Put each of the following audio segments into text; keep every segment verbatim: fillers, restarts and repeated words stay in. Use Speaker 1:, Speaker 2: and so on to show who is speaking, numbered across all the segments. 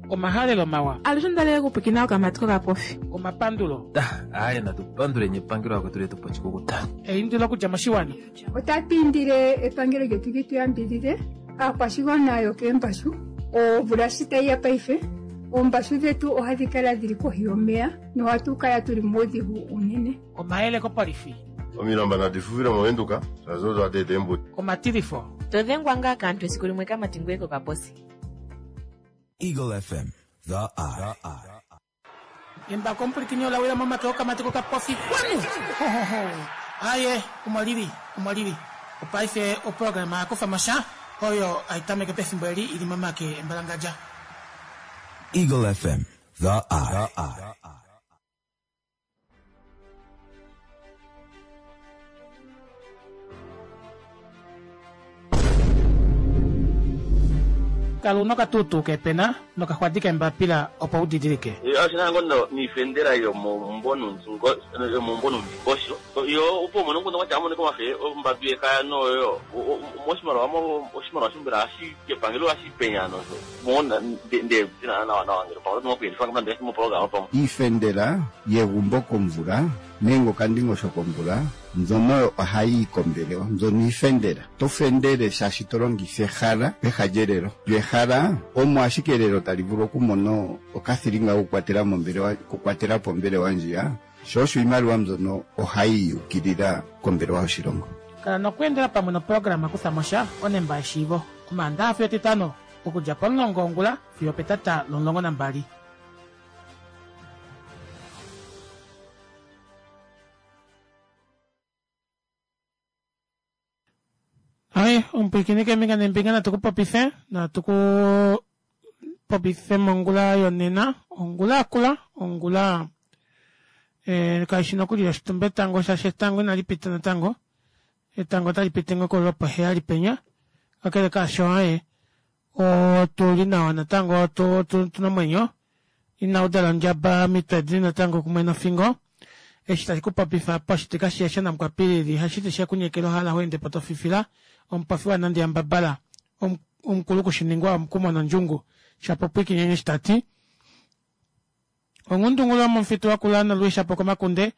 Speaker 1: Omahalelo mawa.
Speaker 2: Alushe ondalele okupwiikina okamati kokapofi.
Speaker 1: Omapandulo.
Speaker 3: Aaye natu panduleni epangelo lakwetu letu pa oshikukuta.
Speaker 1: Eindilo okudja moshiwana.
Speaker 4: Otatu indile epangelo lyetu li tu yambidhidhe aakwashigwana yokeembashu. Omvula shi tayi ya paife, oombashu dhetu ohadhi kala dhili kohi yomeya nohatu kala tuli muudhigu uunene.
Speaker 1: Omayele kopolifi.
Speaker 5: Omilamba nadi fufile mOvenduka, shaashi odo hadi eta eembudi.
Speaker 1: Omatilifo.
Speaker 6: To dhengwa ngaa kaantu esiku limwe kamati ngoye kokaposi.
Speaker 7: Eagle F M, The Eye.
Speaker 1: Embako omupwilikini ola wila momake okamati kokapofi kwanu. Ho, ho, ho. Aye, omo lili, omo lili. Opaife oprograma ya kufa mo sha oyo hai tameke pefimbo eli ili momake embalangadja.
Speaker 7: Eagle F M, The Eye.
Speaker 1: Kala una okatuutuu kepena nokaxwadi kembapila opo u didilike.
Speaker 8: Oshi na ngo niifendela yomomumvo yomumvo nomundingosho yo opo umone omukundu gwatya amonike omafe ombambi yekaya noyo moshimaliwa oshimaliwa shombela hashi kepangelo hashi penya nosho mona nde nawa nawa ngele pamwe otu na moprograma pamwe.
Speaker 9: Iifendela yegumbo komvula nenge okandingosho komvula mbyono ohayi yi kombelewa, mbyono iifendela. To fendele shaashi to longitha ehala peha lyelelo. Lyo ehala omo ashike elelo tali vulu okumona okathilinga kokukwatela mombelewa, okukwatela po ombelewa ndjiya, sho osho iimaliwa mbyono ohayi yukilila kombelewa yoshilongo.
Speaker 1: Kala nokweendela pamwe noprograma kutha mo sha onemba yeshiivo Omaandaxa fiyo Etitano okudja pomulongo wongula fiyo opetata lomulongo nambali. Ai, omupwiikini keembinga neembinga natu ku popife, natu ku popife mongula yonena, ongula yakula, ongula eh, kaishi nokuli yoshitumba etango shaashi etango inali pita natango. Etango otali piti ngoo lwopoheyali penya. Kakele kaasho aye, otuli nawa natango, tuna omwenyo. Inau dala ondjaba mitwe dili natango kumwe nofingo. Eshi tashi ku popifa poshiti kashi shi namukwapilili, hashiti she ku nyekela ohala ho ende po to fifila, omupofi wanandi yambabala, omukulu kushiningwa omukumo nondjungu, Shapopwikinyenye eshi ta ti. Onghundungulu yomomufitu wakula nolwiishapo komakunde,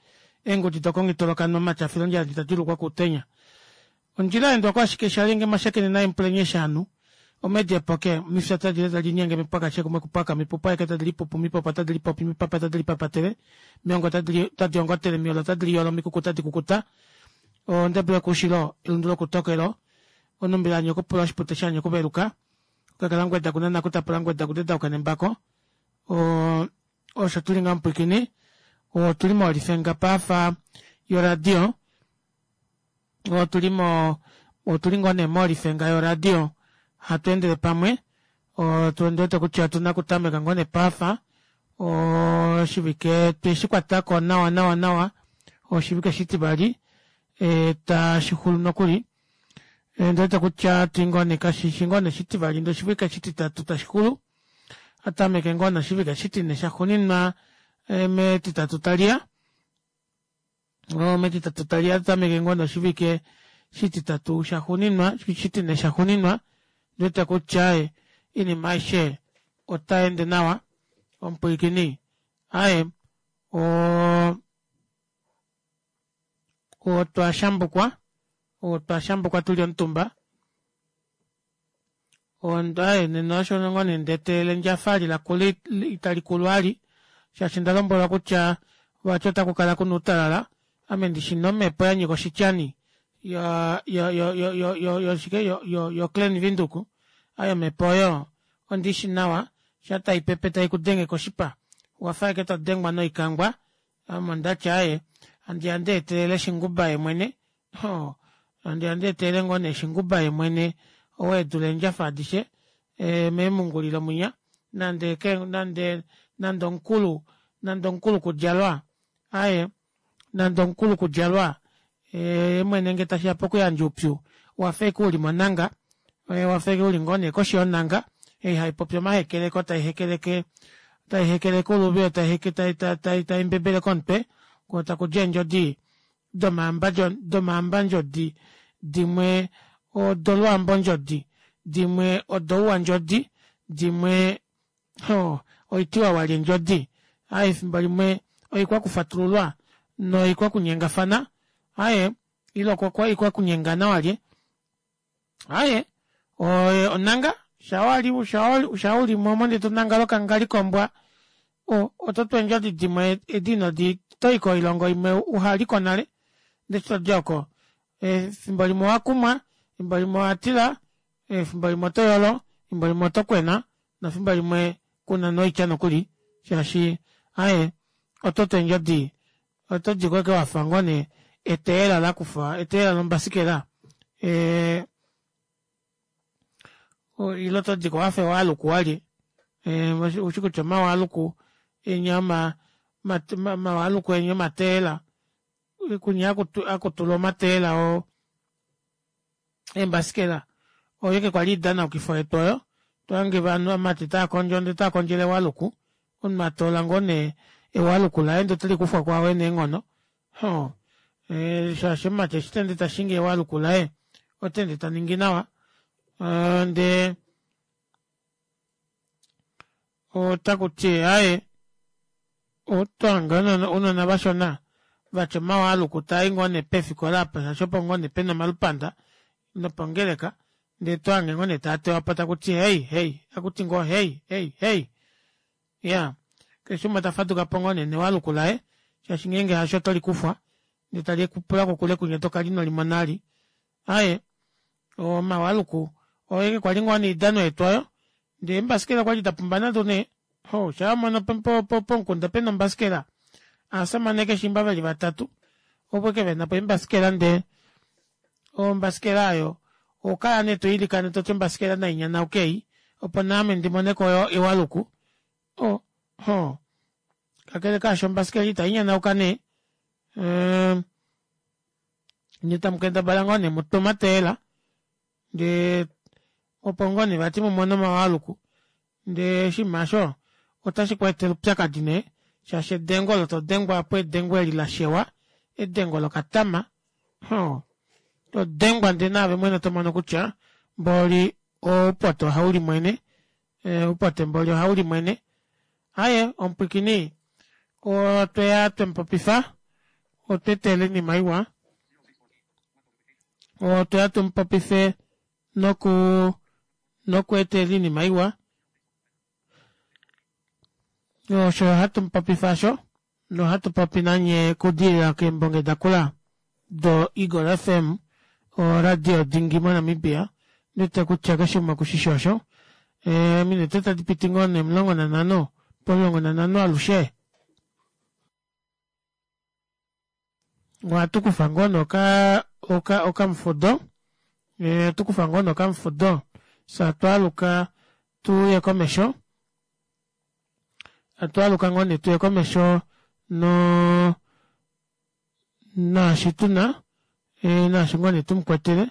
Speaker 1: eengudi dokongitolokanwa omatyafilondjala ditadi lukwa kuutenya. Ondjila yaendwa ko ashike shalinge mashakene naye mupulenye shaanhu, omedi epoke, omifya tadi le tadi linyenge mipwakashe kumwe kupwaka, mipupu aeke tadi lipupu, mipopo tadi lipopi, mipapa tadi lipapatele, miongo tadi ongotele, miolo tadi liyolo, mikuku tadi kukuta, ondebele yokuushilo, elundu lokutokelo, onumbila yanyokupula, oshipute shanyokuveluka, okakalangweda kunana kutapula ngweda kudedauka nembako. Osho tuli nga mupwikini, otuli molifenga pafa yoradio, otuli mo otuli ngoo nee molifenga yoradio, hatu endele pamwe, otu wete kutya otuna okutameka ngoo nee pafa, oshivike tweshi kwatako nawa nawa nawa, oshivike shitivali, tashi xulu nokuli. Ndi wete kutya tuli ngoo nee kashishi ngoo nee shitivali ndee oshivike shititatu tashi xulu, atameke ngoo noshivike shitine shaxuuninwa metitatu taliya, metitatu taliya atameke ngoo noshivike shititatu shaxuuninwa, shitine shaxuuninwa, ndi wete kutya oinima aishe otaende nawa, omupwilikini aaye oo otwa shambukwa, otwa shambukwa tuli omutumba, aaye nena osho ngoo nee ndeetelele ndjafa lilakula itali kulu ali, shaashi onda lombwelwa kutya vati otaku kala kuna outalala, ame ndishi nomhepo yanyika oshityani yoshike yo Klein Windhoek, aaye omhepo oyo ondiishi nawa, shaa taipepe taikudenge koshipa, owafa ashike todengwa noikangwa, ame ondati aaye handiya ndeetelele shinguba yemwene, handiya ndeetelele ngoo nee shinguba yemwene ou edula eendjafa adishe meemungulilo mwinya, nande nande nande omukulu nande omukulu kudjalwa, aaye nande omukulu kudjalwa yemwene ngee tashiya pokuyandja oupyu owafa ashike uli monanga, owafa ashike uli ngoo nee koshi yonanga ei haipopi omahekeleko taihekeleke taihekeleke uluvi taimbebele komutwe koo takudi eendjodi domaambandjodi dimwe odolwaambondjodi dimwe odouwandjodi dimwe Oh, oitiwa walye endjodi aaye efimbo limwe oikwakufatululwa noikwakunyengafana aaye ile oikwakunyengana walye aaye onanga shawali shaulimo omo ndee tonangala okangali kombwa ototu eendjodi dimwe edi inodi toyi koilongo imwe uhaliko nale ndee eshi todi oko efimbo limwe owakumwa efimbo limwe owatila efimbo limwe otoyolo efimbo limwe otokwena nefimbo limwe kuna noitya nokuli shaashi aaye ototu eendjodi otodiko ashike wafa ngoo nee eteyela lakufwa eteyela lombasikela ee ile otodiko wafa ewaaluku walye ushi kutya omawaaluku enya omawaaluku enya omateyela kunya hakutulwa omateyela oo eembasikela oyo ashike kwali oidanaukifo yetu oyo tohange ovanhu ovamati taakondjo ndee otaakondjele ewaaluku omunhu atoola ngoo nee ewaaluku laye ndee otelikufwa kwaao ena eenghono oo shaashi omumati eshi teende tashingi ewaaluku laye otaende taningi nawa ndee otakuti aaye otohange ounona vashona vatya omawaaluku taayi ngoo nee pefikola aapa shaashi opo ngoo nee pena omalupanda nopongeleka ndee tohange ngoo nee taatewapo takuti heyi heyi takuti ngoo heyi heyi heyi iyaa keshe umwe tafadukapo ngoo nee newaaluku laye shaashi ngeenge hasho otolikufwa ndee talikupula kokule kwinya tokala inolimona vali aaye omawaaluku oyo ashike kwali ngoo nee oidano yetu aayo ndee eembasikela okwali dapumba nado nee oo shaa wamono pomukunda pena ombasikela ovashamane keshiimba veli vatatu opo ashike venapo eembasikela ndee ombasikela aayo ohokala nee toilikana toti ombasikela nainyanauke ei opo naame ndimoneko ewaluku oo hoo kakele kaasho ombasikela itainyanauka nee ee nyee tamukendabala ngoo nee mutwe omateyela ndee opo ngoo nee vati mumone omawaaluku ndee oshinima aasho ota shikweetele oupyakadi nee shaashi edengo olo todengwa aapo edengo eli lashewa edengo lokatama oo todengwa ndee naave mwene tomono kutya mboli oupote ohaulimwene oupote mboli ohaulimwene aaye omupwiikini otweya twemupopifa otweetela oinima iwa otweya tumupopife nokuu nokweetela oinima iwa osho hatumupopifa aasho nohatupopi nanye okudilila keembonge dakula do eagle F M oradio dingi mo Namibia ondiwete kutya keshe umwe okushishi osho eeminute tadipiti ngoo nee omulongo nanhano pomulongo nanhano alushe ohatukufa ngoo nee oka okamufudo ohatukufa ngoo nee okamufudo fyee hatwaaluka tuye komesho hatwaaluka ngoo nee tuye komesho noo naashi tuna naashi ngoo nee tumukwetele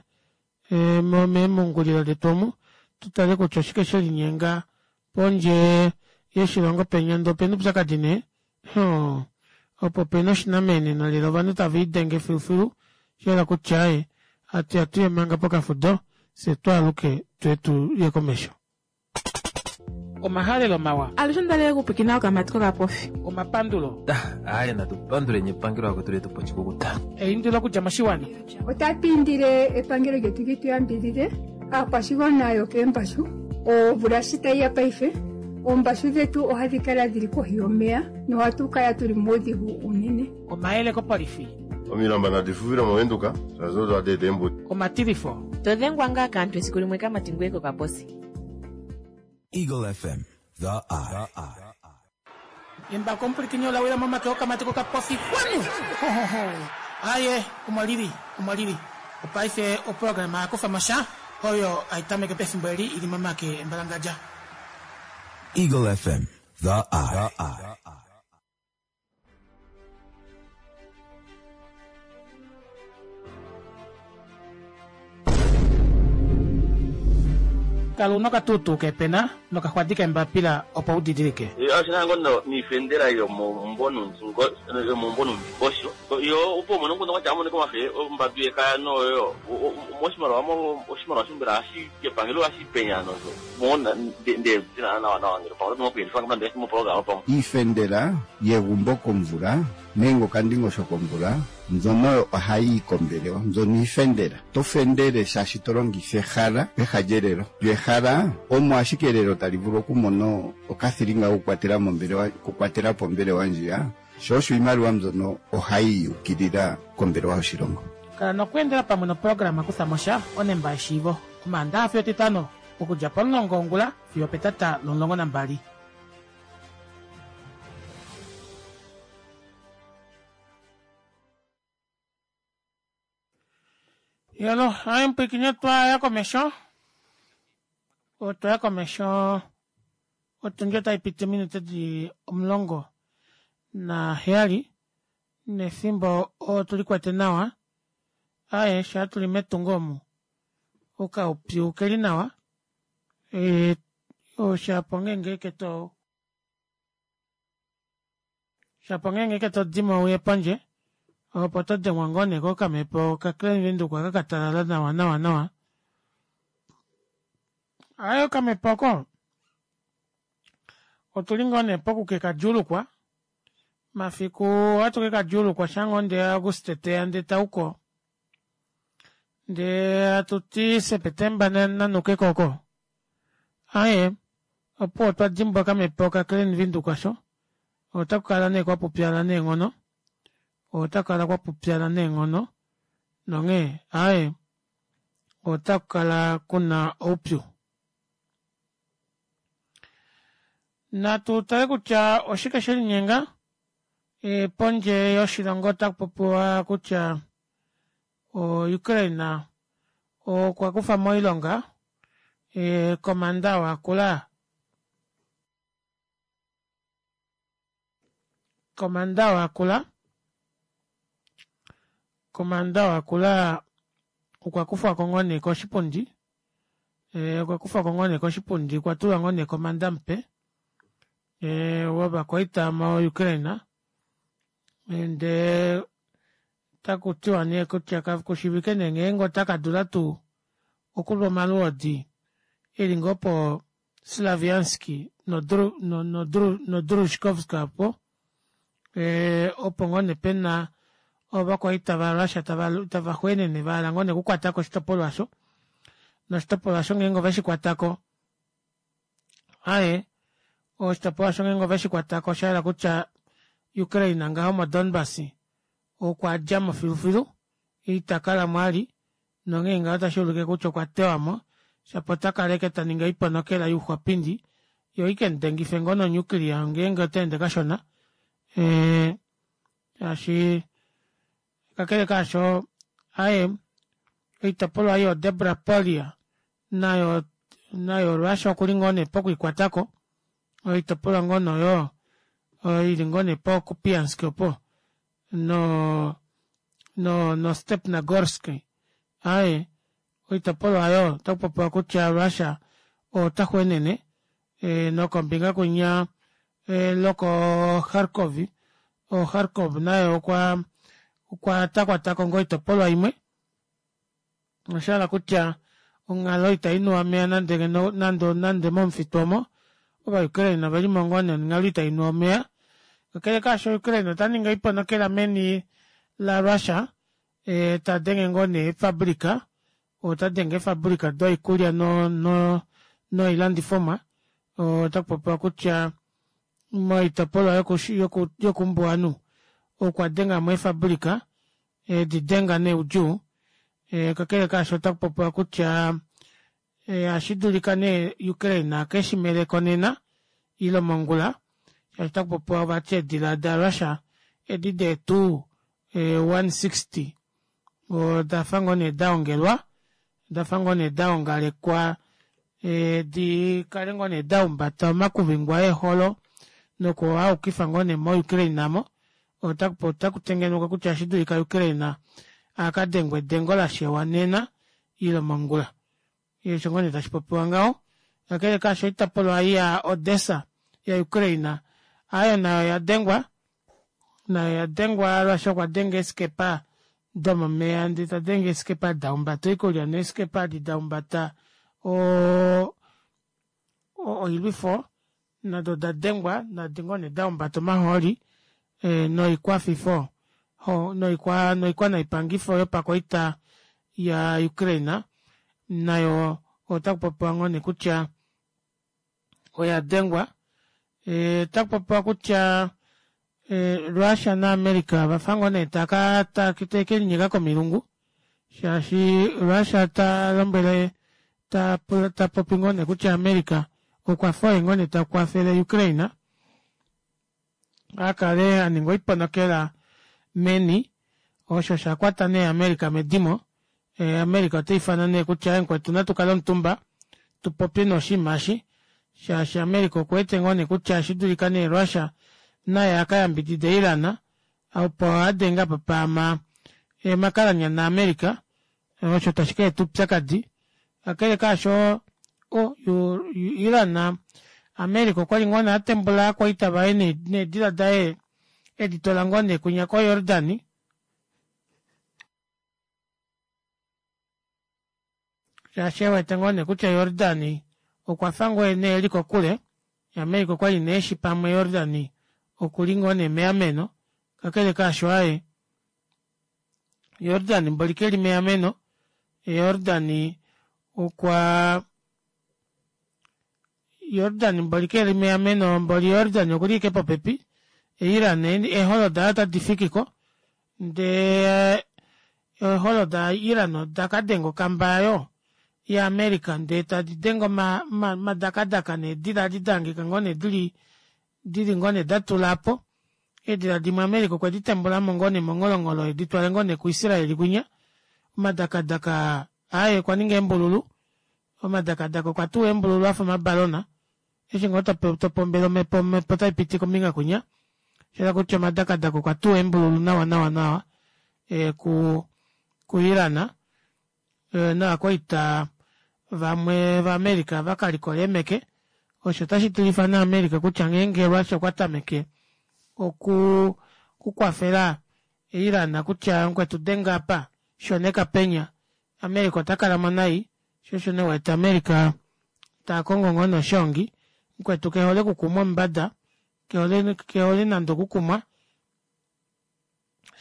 Speaker 1: meemungulilo detu omu tutale kutya oshike shelinyenga pondje yoshilongo penya ndee opena oupyakadi nee oo opo pena oshinamenena lela ovanhu tavelidenge filufilu oshahala kutya aaye hatuya tuye manga pokafudo fyee twaaluke tuye tuye komesho. Omahalelo mawa.
Speaker 2: Alushe ondali okupwiikina okamati kokapofi.
Speaker 1: Omapandulo.
Speaker 3: Aaye natupanduleni epangelo lakwetu letupa oshikukuta.
Speaker 1: Eindilo okudja moshiwana.
Speaker 4: Otatu indile epangelo lyetu li tu yambidhidhe aakwashigwana yokeembashu omvula shi tayi ya paife oombashu dhetu ohadhi kala dhili kohi yomeya nohatu kala tuli muudhigu uunene.
Speaker 1: Omayele kopolifi.
Speaker 5: Omilamba nadi fufile movenduka shaashi odo hadi eta eembudi.
Speaker 1: Omatilifo.
Speaker 6: Todhengwa ngaa kaantu esiku limwe kamati ngweye kokaposi.
Speaker 7: Eagle F M, the eye.
Speaker 1: Embako omupwilikini ola wila momake okamati kokapofi kwanu aaye omo lili omo lili opaife oprograma yakufa mosha oyo haitameke pefimbo eli ili momake embalangadja.
Speaker 7: Eagle F M, the eye.
Speaker 1: Kala una okatuutuu kepena nokaxwadi kembapila opo u didilike.
Speaker 8: Oshina ngo niifendela yomomumvo yomomumvo nuundingosho yo opo umone nguno kwatya amonike omafe ombadu yekaya noyo moshimaliwa oshimaliwa shombela hashi kepangelo hashi penya nozo mona nde nawa nawa ngele pamwe oto moku moprograma pamwe
Speaker 9: Iifendela yegumbo komvula nenge okandingosho komvula mbyono ohayi yi kombelewa mbyono iifendela. To fendele shaashi to longitha ehala peha lyelelo. Lyo ehala omo ashike elelo tali vulu okumona okathilinga kokukwatela mombelewa okukwatela po ombelewa ndjiya sho osho iimaliwa mbyono ohayi yukilila kombelewa yoshilongo.
Speaker 1: Kala nokweendela pamwe noprograma Kutha mo sha onemba yeshiivo Omaandaxa fiyo Etitano okudja pomulongo wongula fiyo opetata lomulongo nambali. Yalo, hayi mpwikinye twaya komesho. Otwaya komesho otundi otayi piti ominute dili omulongo naheyali nefimbo otuli kwete nawa. Aaye shaa tuli metungo omu okaupyu keli nawa e, oshapo ngeenge keto shapo ngeenge ke todimo uye pondje opo to dengwa ngoo nee kokamhepo kaKlein Windhoek aka katalala nawa nawa nawa. Aye okamhepo oko otuli ngoo nee poku kekadjuulukwa mafiku ohatu kekadjuulukwa shaa ngoo ndee Auguste teya ndee tauko ndee hatuti Sepetemba nanuke koko aaye opuwo otwa dimbwa okamhepo kaKlein Windhoek osho otakukala nee kwapupyala neenghono otakukala kwapupyala neenghono nonghee aaye otakukala kuna oupyu. Natu tale kutya oshike shelinyenga e, pondje yoshilongo otaku popiwa kutya o Ukraine okwa kufa moilonga e, komanda wakula komanda wakula komanda wakula okwa kufwa ko ngoo nee koshipundi e, okwa kufwa ko ngoo nee koshipundi okwa tulwa ngoo nee komanda mupe e, wovakwaita mo Ukraine ndee taku tiwa nee kutya kakushivike nee ngeenge ota kadula tuu okulwa omalwoodi eli ngoo po Slavianski noDrushkovsk opo e, opo ngoo nee pena ovakwaita vaRussia tava xweenene vahala ngoo nee okukwatako oshitopolwa osho noshitopolwa osho ngeenge oveshi kwatako aaye oshitopolwa osho ngeenge oveshi kwatako osha hala kutya Ukraine ngaho moDonbas okwa djamo filufilu ita kalamo ali nonghee ngaho otashi ulike kutya okwa tewamo shapo ota kaleke taningi oiponokela youxwapindi yo ikemudengife ngoo nonuclear ngeenge otaende kashona e, shaashi kakele kaasho aye oitopolwa yo Debrapolia nayo nayo Russia okuli ngoo nee pokwiikwatako oitopolwa ngoo noyo oili ngoo nee po Kupiansk opo no no no Stepnogorsk aye oitopolwa oyo otaku popiwa kutya Russia ota xwenene e, nokombinga kwinya e, loko Kharkov o Kharkov nayo okwa okwa takwatako ngoo oitopolwa imwe oshahala kutya onghalo itayi nuwa omeya nande nande nande momufitu omo ovaUkraine ovelimo ngoo nee onghalo itayi nuwa omeya kakele kaasho Ukraine ota ningi oiponokela meni la Russia e, tadenge ngoo nee eefabrika ota denge eefabrika doikulya no, no, noilandifomwa otaku popiwa kutya moitopolwa yokumbuwanhu okwa dengamo eefabrika edi denga neudjuu e, kakele kaasho otaku popiwa kutya ohashi dulika nee Ukraine akeshimeleko nena ile mongula shaashi otaku popiwa vati eedila daRussia edi deetu one sixty odafa ngoo nee daongelwa odafa ngoo nee daongalekwa e, di kale ngoo nee dahumbata omakuvingwa eeholo noku aukifa ngoo nee moUkraine namo otaku tengenekwa kutya ohashi dulika Ukraine akadengwe edengo lashewa nena ile mongula osho ngoo nee tashi popiwa ngaho. Kakele kaasho oitopolwa ei ya Odessa ya Ukraine aayo nayo oyadengwa nayo oyadengwa Russia okwa denga eeskepa domomeya ndee tadenge eeskepa dahumbata oikulya neeskepa edi dahumbata oo oilwifo nado odadengwa nadi ngoo nee dahumbata omahooli noikwafifo noikwa noipangifo yopakwaita ya ukraine nayo otakupopiwa ngoo neekutya oyadengwa otakupopiwa kutya Russia na america ovafa ngoo nee taakelinyeka komilungu shaashi Russia talombwele tapopi ngoo nee kutya america okwafa oye ngoo nee takwafele Ukraine akale aninga oiponokela meni osho shakwata nee america medimo america otaifana nee kutya aaye mukwetu natukale omutumba tupopye nee oshinima eshi shaashi america okuwete ngoo nee kutya oshidulika nee Russia naye akayambidide iran opo adenge apa paama omakalanyana a america osho tashi kaeta oupyakadi kakele kaasho iran america okwali ngoo nee atembula ovakwaita vaye needila daye editwala ngoo nee kwinya ko Yordan shaashi ewete ngoo nee kutya Yordan okwafa ngoo nee eli kokule america okwali nee eshi pamwe Yordan okuli ngoo nee meameno kakele kaasho aaye Yordan mboli keli meameno Yordan okwa Yordan mboli keli meameno mboli Yordan okuli ashike popepi Iran eeholo daye ota difikiko ndee eeholo da Iran odakadenga okamba aayo ya america ndee tadi denge omadakadaka needila edi dahangika ngoo nee dili dili ngoo nee datula aapo eedila dimwe america okwedi tembulamo ngoo nee mongholongholo editwale ngoo nee ku israel kwinya omadakadaka aaye okwaninga eembululu omadakadaka okwa tuwa eembululu afa omabalona eshi ngoo topombele omepo omepo otaipiti kombinga kwinya shayela kutya omadakadaka okwa tuwa eembululu nawa nawa nawa ku ku iran novakwaita vamwe va america vakalikola eemeke osho otashi tilifa nee america kutya ngeenge russia okwa tameke oku okukwafela iran kutya mukwetu denga apa shoneka penya america otakalamo nai shoo osho nee uwete america takongo ngoo nee oshoongi mukwetu kehole okukumwa omumbada kehole nande okukumwa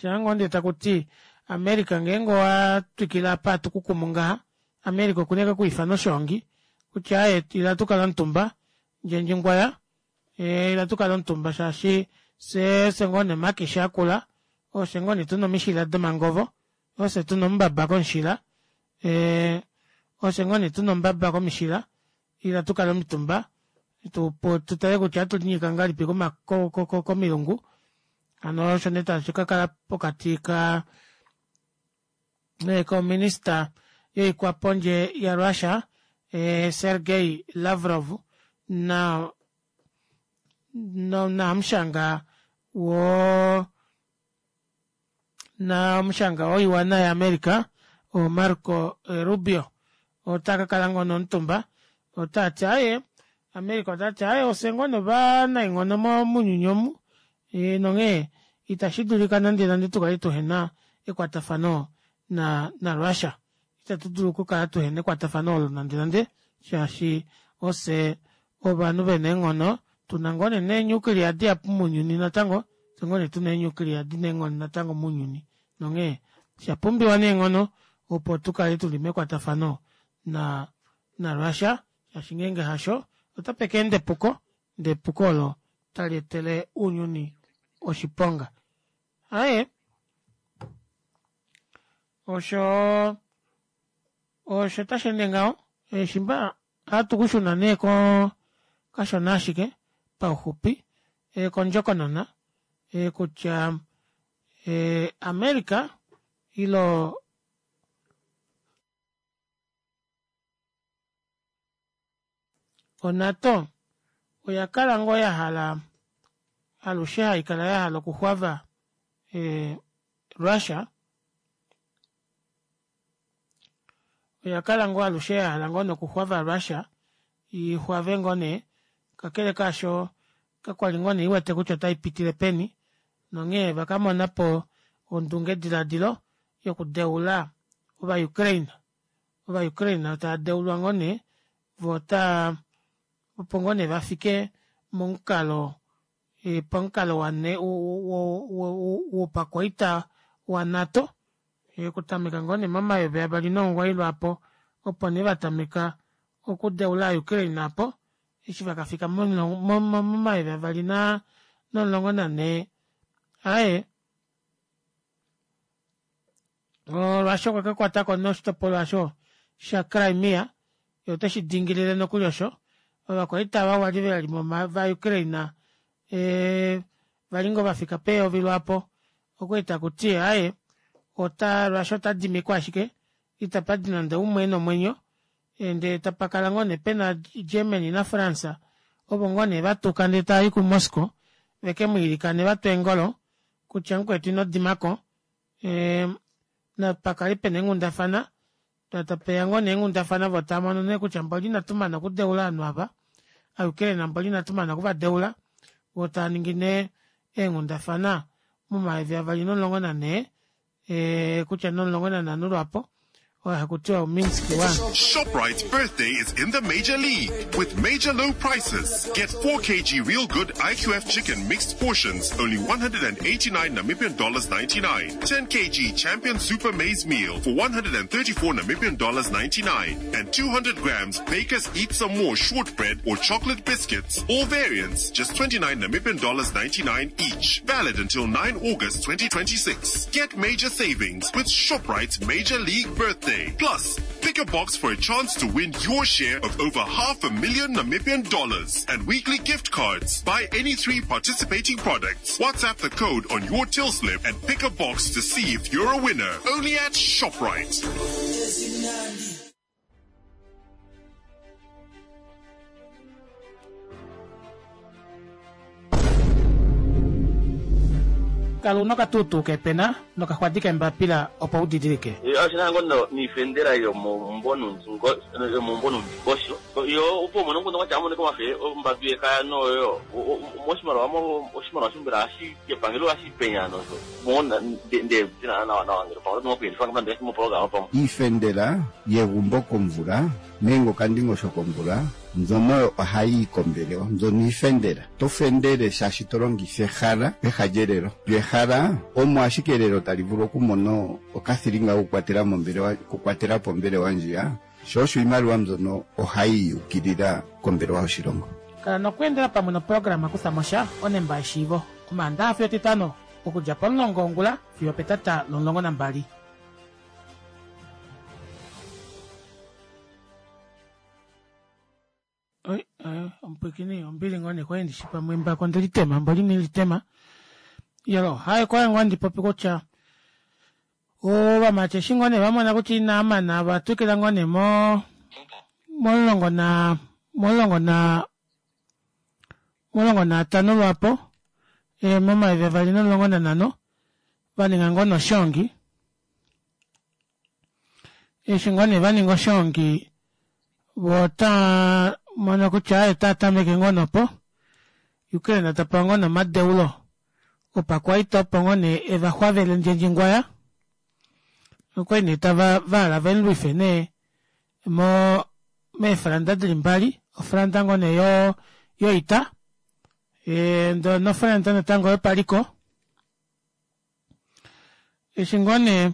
Speaker 1: shaangoo ndee takuti america ngeenge owatwikile apa hatukukumu ngaha america okuna ashike okwiifana oshoongi kutya aaye ila tukale omutumba ndjendjingwaya ila tukale omutumba shaashi fyee ofye ngoo nee omakishi akula ofye ngoo nee tuna omishila domangovo ofye tuna omumbaba komushila ofye ngoo nee tuna omumbaba komishila ila tukale omutumba tutale kutya ohatulinyika ngahelipi komilungu hano osho nee tashi kakala pokati ka kominister yoikwapondje ya russia Sergei Lavrov na nahamushanga wo nahamushanga woiwana ya america Marco Rubio otaakakala ngoo nee omutumba otaati aaye america otati aaye ofye ngoo nee ovanaenghono mounyuni omu nonghee ita shidulika nande nande tukale tuhena ekwatafano na narussia ita tudulu okukala tuhena ekwatafano olo nande nande shaashi ofye ovanhu vena eenghono tuna ngoo nee nee nuclear dihapu mounyuni natango ofye ngoo nee tuna ee nuclear dina eenghono natango mounyuni nonghee oshapumbiwa neenghono opo tukale tuli mekwatafano na narussia shaashi ngeenge hasho otapeka enda epuko ndee epuko olo tali etele ounyuni oshiponga aaye osho osho tasheende ngaho shimba ohatu kushuna nee koo kashona ashike pauxupi kondjokonona kutya america ile onato oyakala ngoo yahala alushe haikala yahala okuxwava russia oyakala ngoo alushe yahala ngoo nokuxwava russia Ixwave ngoo nee kakele kaasho kakwali ngoo nee iwete kutya otaipitile peni nonghee vakamonapo ondunge dilaadilo yokudeula ova Ukraine. Ova Ukraine taadeulwa ngoo nee voo otaa opo ngoo nee vafike momukalo pamukalo wopakwaita wa NATO okutameka ngoo nee momayovi avali nomugoyi lwaapo opo nee vatameka okudeula aa Ukraine aapo eshi vakafika momayovi avali nomulongo nanhee aaye Russia okwa kakwatako nee oshitopolwa aasho sha Crimea yee oteshi dingilile nokuli osho ovakwaita ava wali veli va Ukraine ee vali ngoo vafika peyovi lwaapo okwali takuti aaye ota Russia otadimiko ashike itapadi nande oumwe ena omwenyo ndee tapakala ngoo nee pena Germany na France ovo ngoo nee vatuka ndee taayi ku Moscow vekemwiilikane vatwe eengolo kutya mukwetu inodimako ee napakale pena eenghundafana tapeya ngoo nee eenghundafana voo taamono nee kutya mboli inatumana okudeula ovanhu ava aa Ukraine mboli inatumana okuvadeula voo taaningi nee eenghundafana momayovi avali nomulongo nanhee ee kutya nomulongo nanhano lwaapo oyo hakutiwa o Minsk one.
Speaker 10: Shoprite's birthday is in the major league with major low prices. Get four kilograms Real Good I Q F chicken mixed portions, only one hundred and eighty-nine Namibian dollars ninety-nine. ten kilograms Champion Super Maize Meal for one hundred and thirty-four Namibian dollars ninety-nine. And two hundred grams Baker's Eat Some More shortbread or chocolate biscuits, all variants, just twenty-nine Namibian dollars ninety-nine each. Valid until nine August twenty twenty-six. Get major savings with Shoprite's Major League Birthday. Plus, pick a box for a chance to win your share of over half a million Namibian dollars and weekly gift cards. Buy any three participating products. WhatsApp the code on your till slip and pick a box to see if you're a winner. Only at Shoprite.
Speaker 1: Kala una okatuutuu kepena nokaxwadi kembapila opo u didilike.
Speaker 8: Oshina ngoo niifendela yomomumvo nomundingosho yo opo umone omukundu watya amonike omafe ombadu yekaya noyo moshimaliwa oshimaliwa shombela hashi epangelo hashi penya nosho mona nde tina nawa nawa ngele pamwe oto moku moprograma pamwe.
Speaker 9: Iifendela yegumbo komvula nenge okandingosho komvula mbyono ohayi yi kombelewa, mbyono iifendela. To fendele shaashi to longitha ehala peha lyelelo. Lyo ehala omo ashike elelo tali vulu okumona okathilinga kokukwatela mombelewa, okukwatela po ombelewa ndjiya, sho osho iimaliwa mbyono ohayi yukilila kombelewa yoshilongo.
Speaker 1: Kala nokweendela pamwe noprograma Kutha mo sha onemba yeshiivo Omaandaxa fiyo Etitano okudja pomulongo wongula fiyo opetata lomulongo nambali. Oi, omupwikini ombili ngoo nee kwali ndishi pamwe embako ndelitema mboli inelitema. Yolo, haye kwali ngoo handi popi kutya ovamati eshi ngoo nee vamona kutya inaamana vatwikila ngoo nee mo momulongo na momulongo na momulongo naatano lwaapo e, momayovi avali nomulongo nanhano vaninga ngoo noshongi. Eshi ngoo nee vaninga oshongi vota mono kutya otatameke ngoo nopo Ukraine tapewa ngoo nomadeulo opakwaita opo ngoo nee evaxwavele ndjendjingwaya okwali nee tava vahala vemulwife nee mo meefranda dili mbali ofranda ngoo nee yo yoita e, ndoo nofranda natango yopaliko. Eshi ngoo nee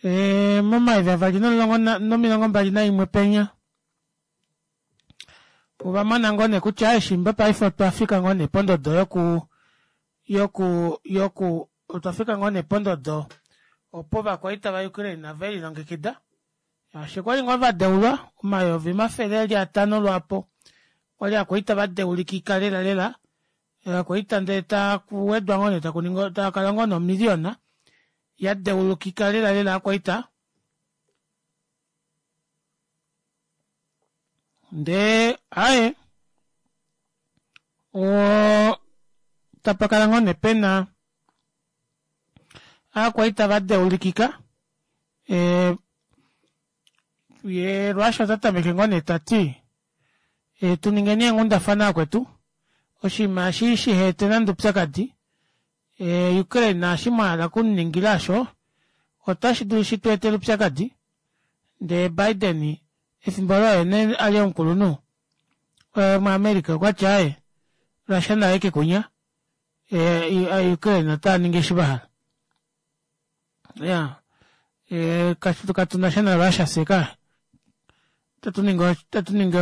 Speaker 1: e, momayovi avali nomulongo nomilongo mbali naimwe penya ovamona ngoo nee kutya eshimba paife otwafika ngoo nee pondodo yoku yoku yoku otwafika ngoo nee pondodo opo ovakwaita va Ukraine velilongekida shaashi okwali ngoo vadeulwa omayovi omafele eli atano lwaapo kwali akwaita vadeulikika lela lela akwaita ndee takuwedwa ngoo nee takuningi takala ngoo nomiliona yadeulukika lela lela akwaita ndee aye o tapakala ngoo nee pena akwaita vadeulikika e, ye Russia ota tameke ngoo nee tati E, tuningeni eenghundafana akwetu oshinima eshi shiheete nande oupyakadi e, Ukraine naashi mwahala okumuningila osho otashi dulu shitweetele oupyakadi ndee Biden efimbo olo oye nee ali omukulunhu e, muAmerica okwati aaye Russia naye kekunya e, Ukraine otaaningi eshi vahala ya e, katunasha na Russia fyee ka tatuningi tatuningi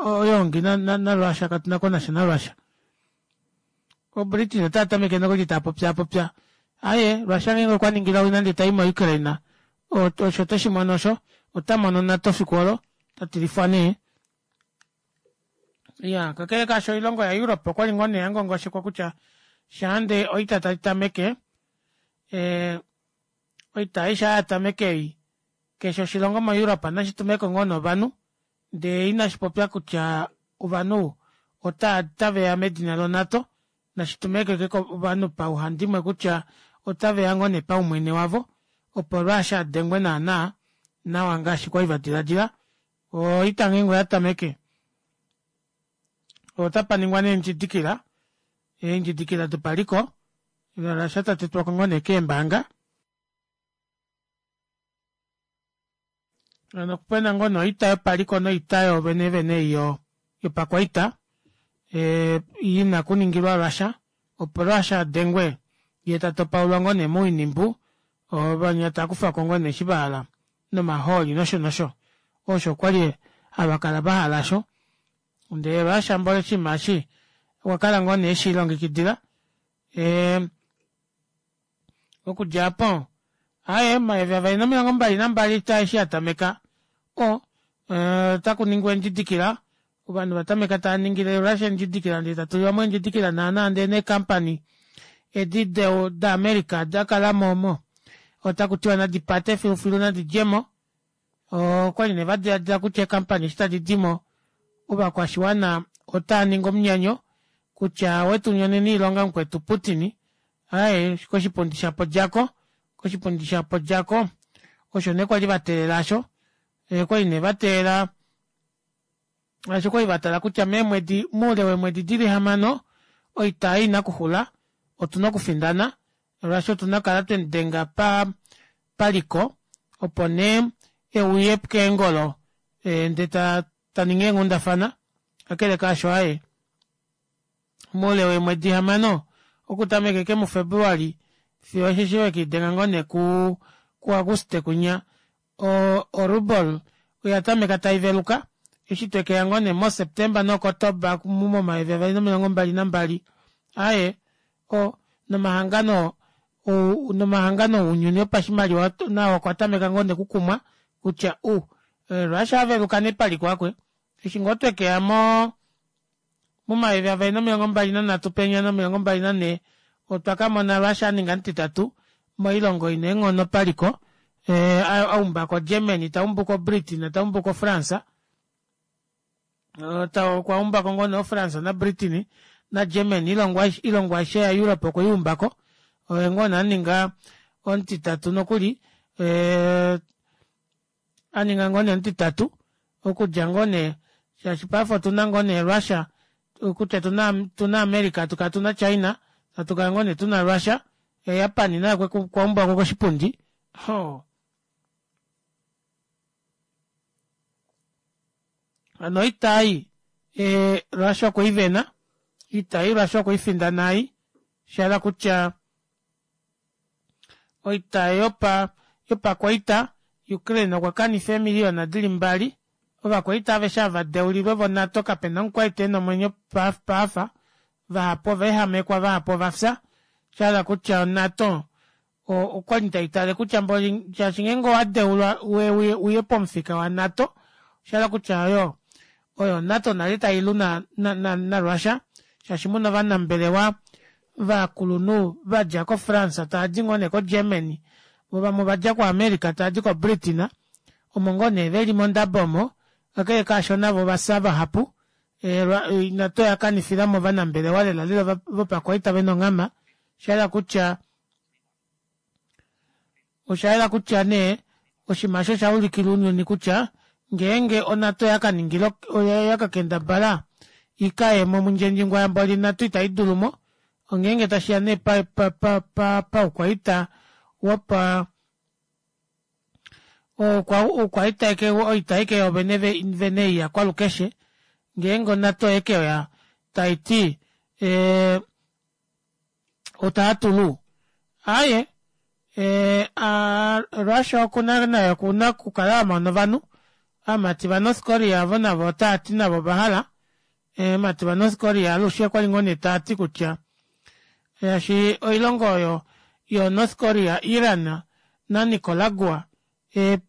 Speaker 1: oyoongi naRussia katuna konasha naRussia. OBritain otaa tameke nokuli taapopyaapopya aaye Russia ngeenge okwa ningile owina ndee tai moUkraine osho teshi mono osho ota mono NATO fiku olo tatilifwa nee. Iya kakele kaasho oilongo yaEurope okwali ngoo nee yangongoshekwa kutya shaande oita tai tameke ee oita ei shaa yatameke ei keshe oshilongo moEurope nashi tumeko ngoo nee ovanhu ndee inashipopya kutya ovanhu otaveya medina loNato nashi tumeko ashike ovanhu pauhandimwe kutya otaveya ngoo nee paumwene wavo opo Russia adengwe naana nawa ngaashi kwali vadilaadila oita ngeenge oyatameke otapaningwa nee eendjidikila eendjidikila dopaliko Russia tatetwako ngoo nee keembaanga hano opena ngoo nee oita yopaliko noita yoovene vene ei yopakwaita ee ina okuningilwa Russia opo Russia adengwe yee tatopaulwa ngoo nee moinimbu ovanya taakufako ngoo nee eshi vahala nomahooli nosho nosho osho kwali hava kala vahala osho ndee Russia mboli oshinima eshi okwakala ngoo nee eshilongekidila ee okudja aapo aaye omayovi avali nomilongo mbali nambali oita eshi yatameka o otakuningwa eendjidikila ovanhu vatameka taaningile Russia eendjidikila ndee tatulilwamo eendjidikila naana ndee neecompany edi daAmerica dakalamo omo otakutiwa nadipate filufilu nadidjemo okwali nee vadilaadila kutya eecompany eshi tadi dimo ovakwashiwana otaaningi omunyanyo kutya wetunyonena oilonga mukwetu Putin aaye koshipundi shapo djako koshipundi shapo djako osho nee kwali vateelela aasho okwali nee vateelela aasho kwali vatala kutya meemwedi moule weemwedi dili hamano oita ei ina kuxula otuna okufindana molwaashi otuna okukala twemudenga pa paliko opo nee euye keengolo ndee taningi eenghundafana kakele kaasho aaye moule weemwedi hamano okutameka ashike muFebruali fiyo osheshi vekelidenga ngoo nee ku kuAguste kunya o ruble oya tameka taiveluka eshi twekeya ngoo nee moSeptemba noOktoba momayovi avali nomilongo mbali nambali aaye o nomahangano nomahangano ounyuni opashimaliwa nao okwa tameka ngoo nee okukumwa kutya u Russia aveluka nee paliko akwe eshi ngoo twekeya mo momayovi avali nomilongo mbali nanhatu penya nomilongo mbali nanhee otwa kamona Russia aninga omutitatu moilongo ina eenghono paliko aumbako Germany taumbuko Britain taumbuko France okwa umbako ngoo nee France naBritain naGermany oilongo aishe yaEurope okweiumbako oye ngoo nee aninga omutitatu nokuli aninga ngoo nee omutitatu okudja ngoo nee shaashi paife otuna ngoo nee Russia kutya tuna America hatukala tuna China hatukala ngoo nee tuna Russia Japan naye okwaumbwako koshipundi hoo hano oita ei Russia okweivena oita ei Russia okweifindana ei shahala kutya oita yopa yopakwaita Ukraine okwa kanifa eemiliyona dili mbali ovakwaita aveshe ava vadeulilwe voNato kapena omukwaita ena omwenyo paafa vahapu ovaehamekwa vahapu ovafya shahala kutya oNato okwali taitale kutya mboli shaashi ngeenge owadeulwa uye pomufika waNato oshahala kutya oyo oyo NATO nale tailu naRussia shaashi muna ovanambelewa vakulunhu vadja koFrance taadi ngoo nee koGermany voo vamwe ovadja kuAmerica taadi koBritain omo ngoo nee veli mondabo omo kakele kaasho navo ovafya vahapu NATO oya kanifilamo ovanambelewa lela lela vopakwaita vena onghama oshahala kutya oshayela kutya nee oshinima osho oshaulikila ounyuni kutya Ngeenge oNATO yakaningila oyakakendabala ikayemo mundjendjingwa yamboli NATO itaidulumo ongeenge tashiya nee pa pa pa paukwaita wopa oukwaita ashike oita ashike yoovene vene ei yakwalukeshe ngeenge oNATO oyekeya taiti ee otaatulu aaye ee Russia okuna naye okuna okukala amona ovanhu ovamati va north Korea avo navo otaati navo ovahala ovamati va north Korea alushe okwali ngoo nee taati kutya shaashi oilongo oyo yo North Korea, Iran na Nicaragua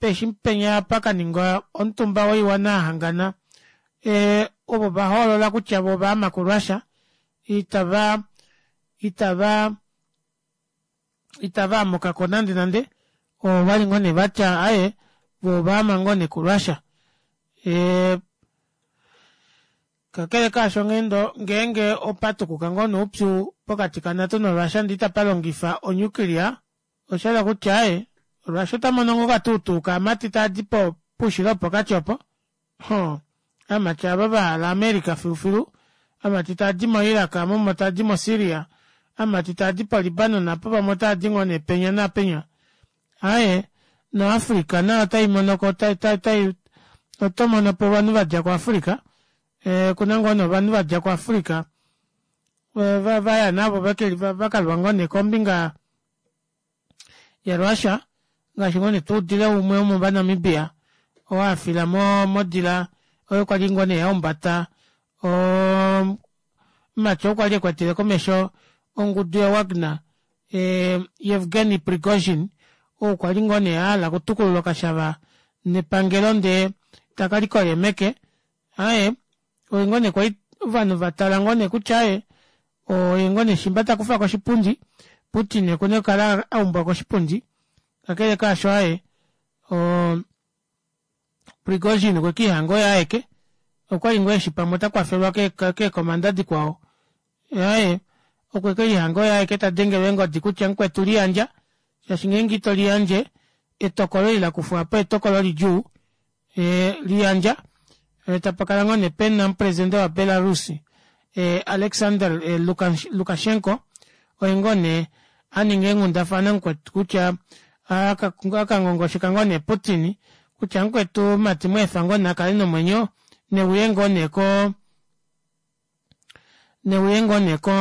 Speaker 1: eshi penya pakaningwa omutumba woiwana yahangana ee ovo vahoolola kutya voo ovaama ku Russia itava itava itava amukako nande nande ovali ngoo nee vatya aaye voo ovaama ngoo nee ku Russia ee kakele kaasho ngeenge opatukuka ngoo nee oupyu pokati ka NATO no Russia ndee itapalongifa o nuclear oshahala kutya aaye Russia otamono ngoo okatuutuu kaamati taadi poushilo wopokati opo hoo ovamati aava vahala America filufilu ovamati taadi mo Iraq omo taadi mo Syria ovamati taadi po Libanon aapo pamwe otaadi ngoo nee penya naapenya aaye no Africa nayo otaimonoko otomonopo ovanhu vadja ku Africa okuna ngoo nee ovanhu vadja ku Africa vaya navo vakalwa ngoo nee kombinga ya Russia ngaashi ngoo nee tuudile umwe womova Namibia oo afila modila oyo kwali ngoo nee yaumbata omumati oo kwali ekwatele komesho ongudu ya Wagner Yevgeny Prigozhin ou kwali ngoo nee ahala okutukulula okashava nepangelo ndee takalikola meke aaye oye ngoo nee kwali ovanhu vatala ngoo nee kutya aaye oye ngoo nee shimba takufwa koshipundi Putin okuna okukala aumbwa koshipundi kakele kaasho aaye oo Prigozhin okwekiihanga oye aeke okwali ngoo eshi pamwe ota kwafelwa keekomanda dikwao aaye okwekelihanga oye aeke tadengelwa eengodi kutya mukwetu liyandja shaashi ngeenge ito liyandje etokolo eli lakufwa apa etokolo lidjuu ee liyandja tapakala ngoo nee pena omupresidente wa Belarus Alexander Lukashenko oye ngoo nee aninga eenghundafana mukwetu kutya akangongosheka ngoo nee Putin kutya mukwetu mumati mweefa ngoo nee akale nomwenyo neuye ngoo nee ko neuye ngoo nee ko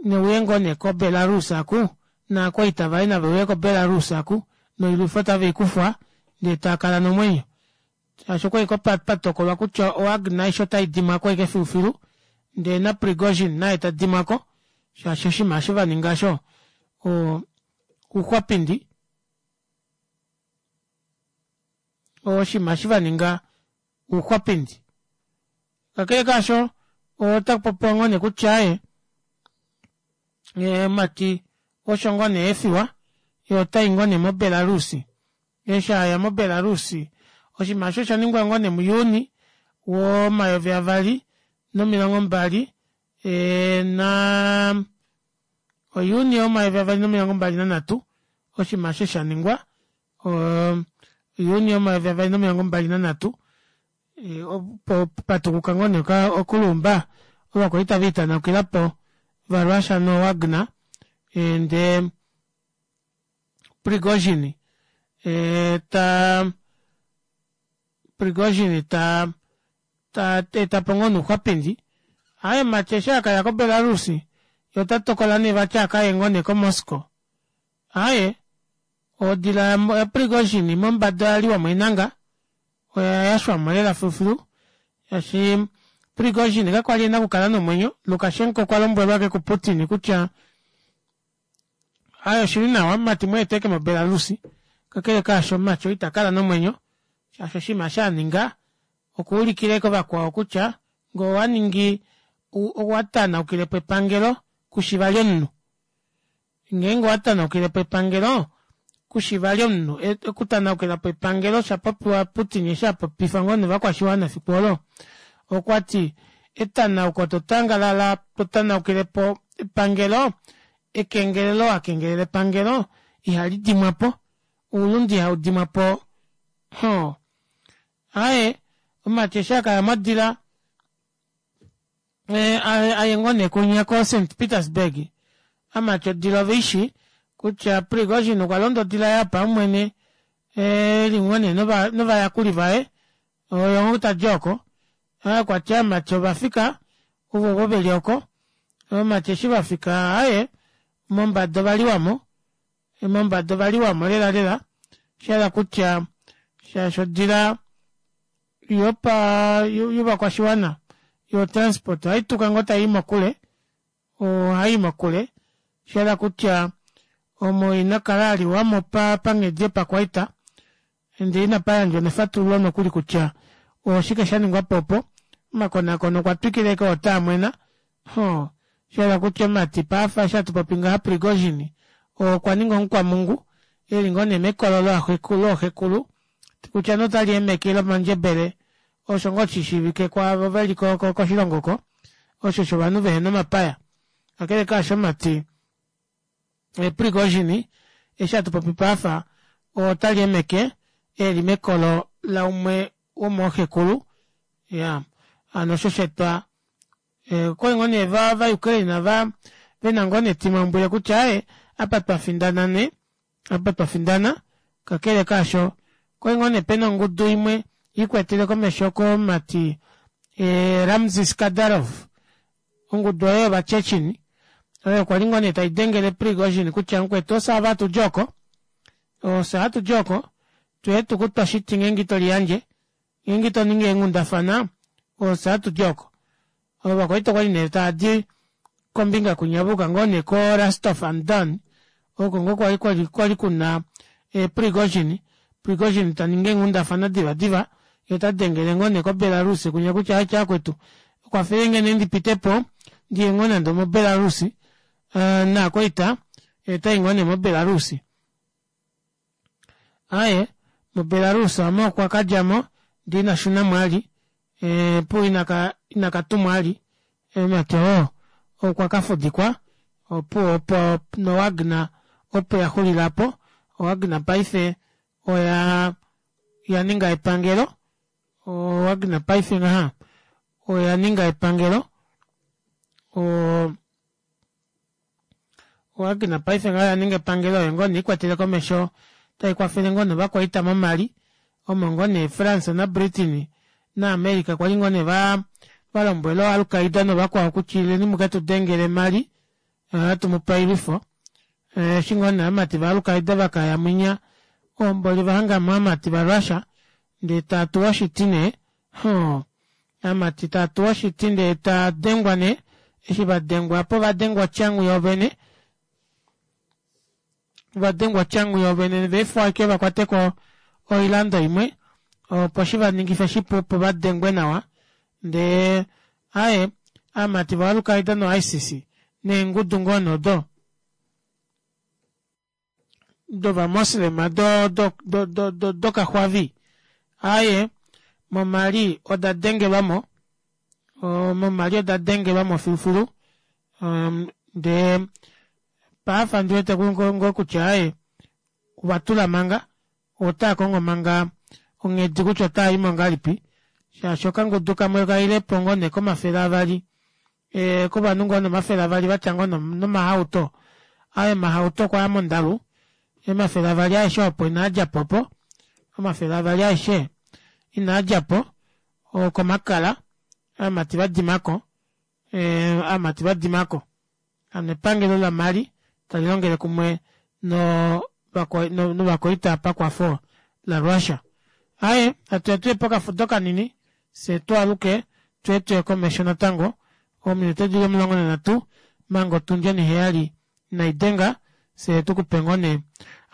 Speaker 1: neuye ngoo nee ko Belarus aku naakwaita vaye naveuye ko Belarus aku noilwifo taveikufwa ndee taakala nomwenyo shaashi okwali patokolwa kutya o Wagner aishe otaidimwako ashike filufilu ndee na Prigozhin naye tadimwako shaashi oshinima osho vaninga osho ouxwapindi oshinima eshi vaninga ouxwapindi kakele kaasho otakupopiwa ngoo nee kutya aaye mumati osho ngoo nee aefiwa yee otayi ngoo nee mo Belarus eshi aya mo Belarus oshinima osho oshaningwa ngoo nee mu Juni womayovi avali nomilongo mbali naa oJuni womayovi avali nomilongo mbali nanhatu oshinima osho shaningwa Juni womayovi avali nomilongo mbali nanhatu opo patukuka ngoo nee okulumba ovakwaita veetanaukilapo va Russia no Wagner ndee Prigozhin taa Prigozhin ta etapo ngoo nee ouxwapindi aaye mumati eshi akaya ko Belarus yee otatokola nee vati akaye ngoo nee ko Moscow aaye odila ya Prigozhin mombada oyaliwamo eenanga oya yashwamo lela filufilu shaashi Prigozhin kakwali ena okukala nomwenyo Lukashenko okwa lombwelwa ashike ku Putin kutya aaye oshili nawa mumati mweeta ashike mo Belarus kakele kaasho mumati oo itakala nomwenyo shaashi oshinima eshi aninga okuulikila ashike ovakwao kutya ngee owaningi owatanaukilepo epangelo kushi vali omunhu ngeenge owatanaukilepo epangelo kushi vali omunhu okutanaukilapo epangelo oshapopiwa Putin eshi apopifa ngoo novakwashiwana efiku olo okwati etanauko totangalala totanaukilepo epangelo ekengelelo wakengelela epangelo ihali dimwapo oulunde ihaudimwapo hoo Aye omati eshi akaya modila aye ngoo nee kunya ko Saint Petersburg amati odila oveishi kutya Prigozhin okwa londa odila yapaumwene eli ngoo nee novayakuli vaye oyo ngoo tadi oko okwati amati ovafika ovo veli oko ovamati eshi vafika aaye mombada ovaliwamo mombada ovaliwamo lela lela shahala kutya shaashi odila yopa yovakwashiwana yo transport ohaituka ngoo tayi mokule ohayi mokule shahala kutya omo inakala aliwamo panghedi yopakwaita ndee inapayandjwa nefatululo nokuli kutya oshike shaningwapo opo omakonakono okwa twikila ashike otaamwena hoo shahala kutya omati paife eshi hatupopi ngaha Prigozhin okwa ninga omukwamungu eli ngoo nee mekolo looxekulu kutya nee otali emeke ile omandjebele osho ngoo shishiivike kwaavo veli koshilongo oko osho shovanhu vehena omapaya kakele kaasho mati Prigozhin eshi hatupopi paife otali emeke eli mekolo laumwe womooxekulu ya hano osho shaetwa okwali ngoo nee va Ukraine va vena ngoo nee etimaumbwile kutya aaye apa twafindana nee apa twafindana kakele kaasho okwali ngoo nee pena ongudu imwe ikwetele komesho komati Ramzan Kadyrov ongudu oyo yovaChechen oyo kwali ngoo nee taidengele Prigozhin kutya mukwetu ofye ava hatudi oko ofye hatudi oko tuye tukutwa shiti ngeenge itoliyandje ngeenge itoningi eenghundafana ofye hatudi oko ovakwaita okwali nee taadi kombinga kwinya vayuka ngoo nee ko Rostov on Don oko ngoo kwali kwali kuna Prigozhin Prigozhin taningi eenghundafana diva diva yee otadengele ngoo nee ko Belarus kunya kutya ache vakwetu kwafelenge nee ndipitepo ndiye ngoo nande omo Belarus naakwaita otayi ngoo nee mo Belarus aaye mo Belarus aamo okwa kadjamo ndee inashunamo vali opuwo inakatumwa vali mati oo okwa kafudikwa opuwo opo no Wagner opo yaxulila aapo o Wagner paife oya oyaninga epangelo o Wagner paife ngaha oyaninga epangelo o Wagner paife ngaha oyaninga epangelo oyo ngoo nee ikwatele komesho taikwafele ngoo novakwaita mo Mali omo ngoo nee France na Britain na America kwali ngoo nee valombwela Al-Qaeda novakwao kutya ileni muketudengele Mali ohatumupe oilwifo eshi ngoo nee ovamati va Al-Qaeda vakaya mwinya omboli ovahangamo ovamati va Russia ndee tatuwa oshiti nee hoo ovamati tatuwa oshiti ndee tadengwa nee eshi vadengwa apo ovadengwa otyangu yoovene ovadengwa otyangu yoovene vaefiwa ashike vakwateko oilando imwe opo shivaningife shipu opo vadengwe nawa ndee aaye ovamati vo Al-Qaeda no I C C neengudu ngoo nee odo dovamoslema dokaxwavi aaye mo Mali oda dengelwamo mo Mali oda dengelwamo filufilu ndee paife ondiwete ngoo kutya aaye ovatula manga otaakongo manga onghedi kutya otaayimo ngahelipi shaashi okangudu kamwe okailepo ngoo nee komafele avali kovanhu ngoo nee omafele avali vatya ngoo nomahauto aaye omahauto okwaya mondalu omafele avali aeshe opo inaadjapo opo omafele avali aeshe inaadjapo okomakala ovamati vadimako ovamati vadimako hano epangelo la Mali talilongele kumwe novakwaita pakwafo la Russia. Aaye atuya tuye pokafudo kanini fyee twaaluke tuye tuye komesho natango ominute dili omulongo nanhatu manga otundi oniheyali inaidenga fyee tukupe ngoo nee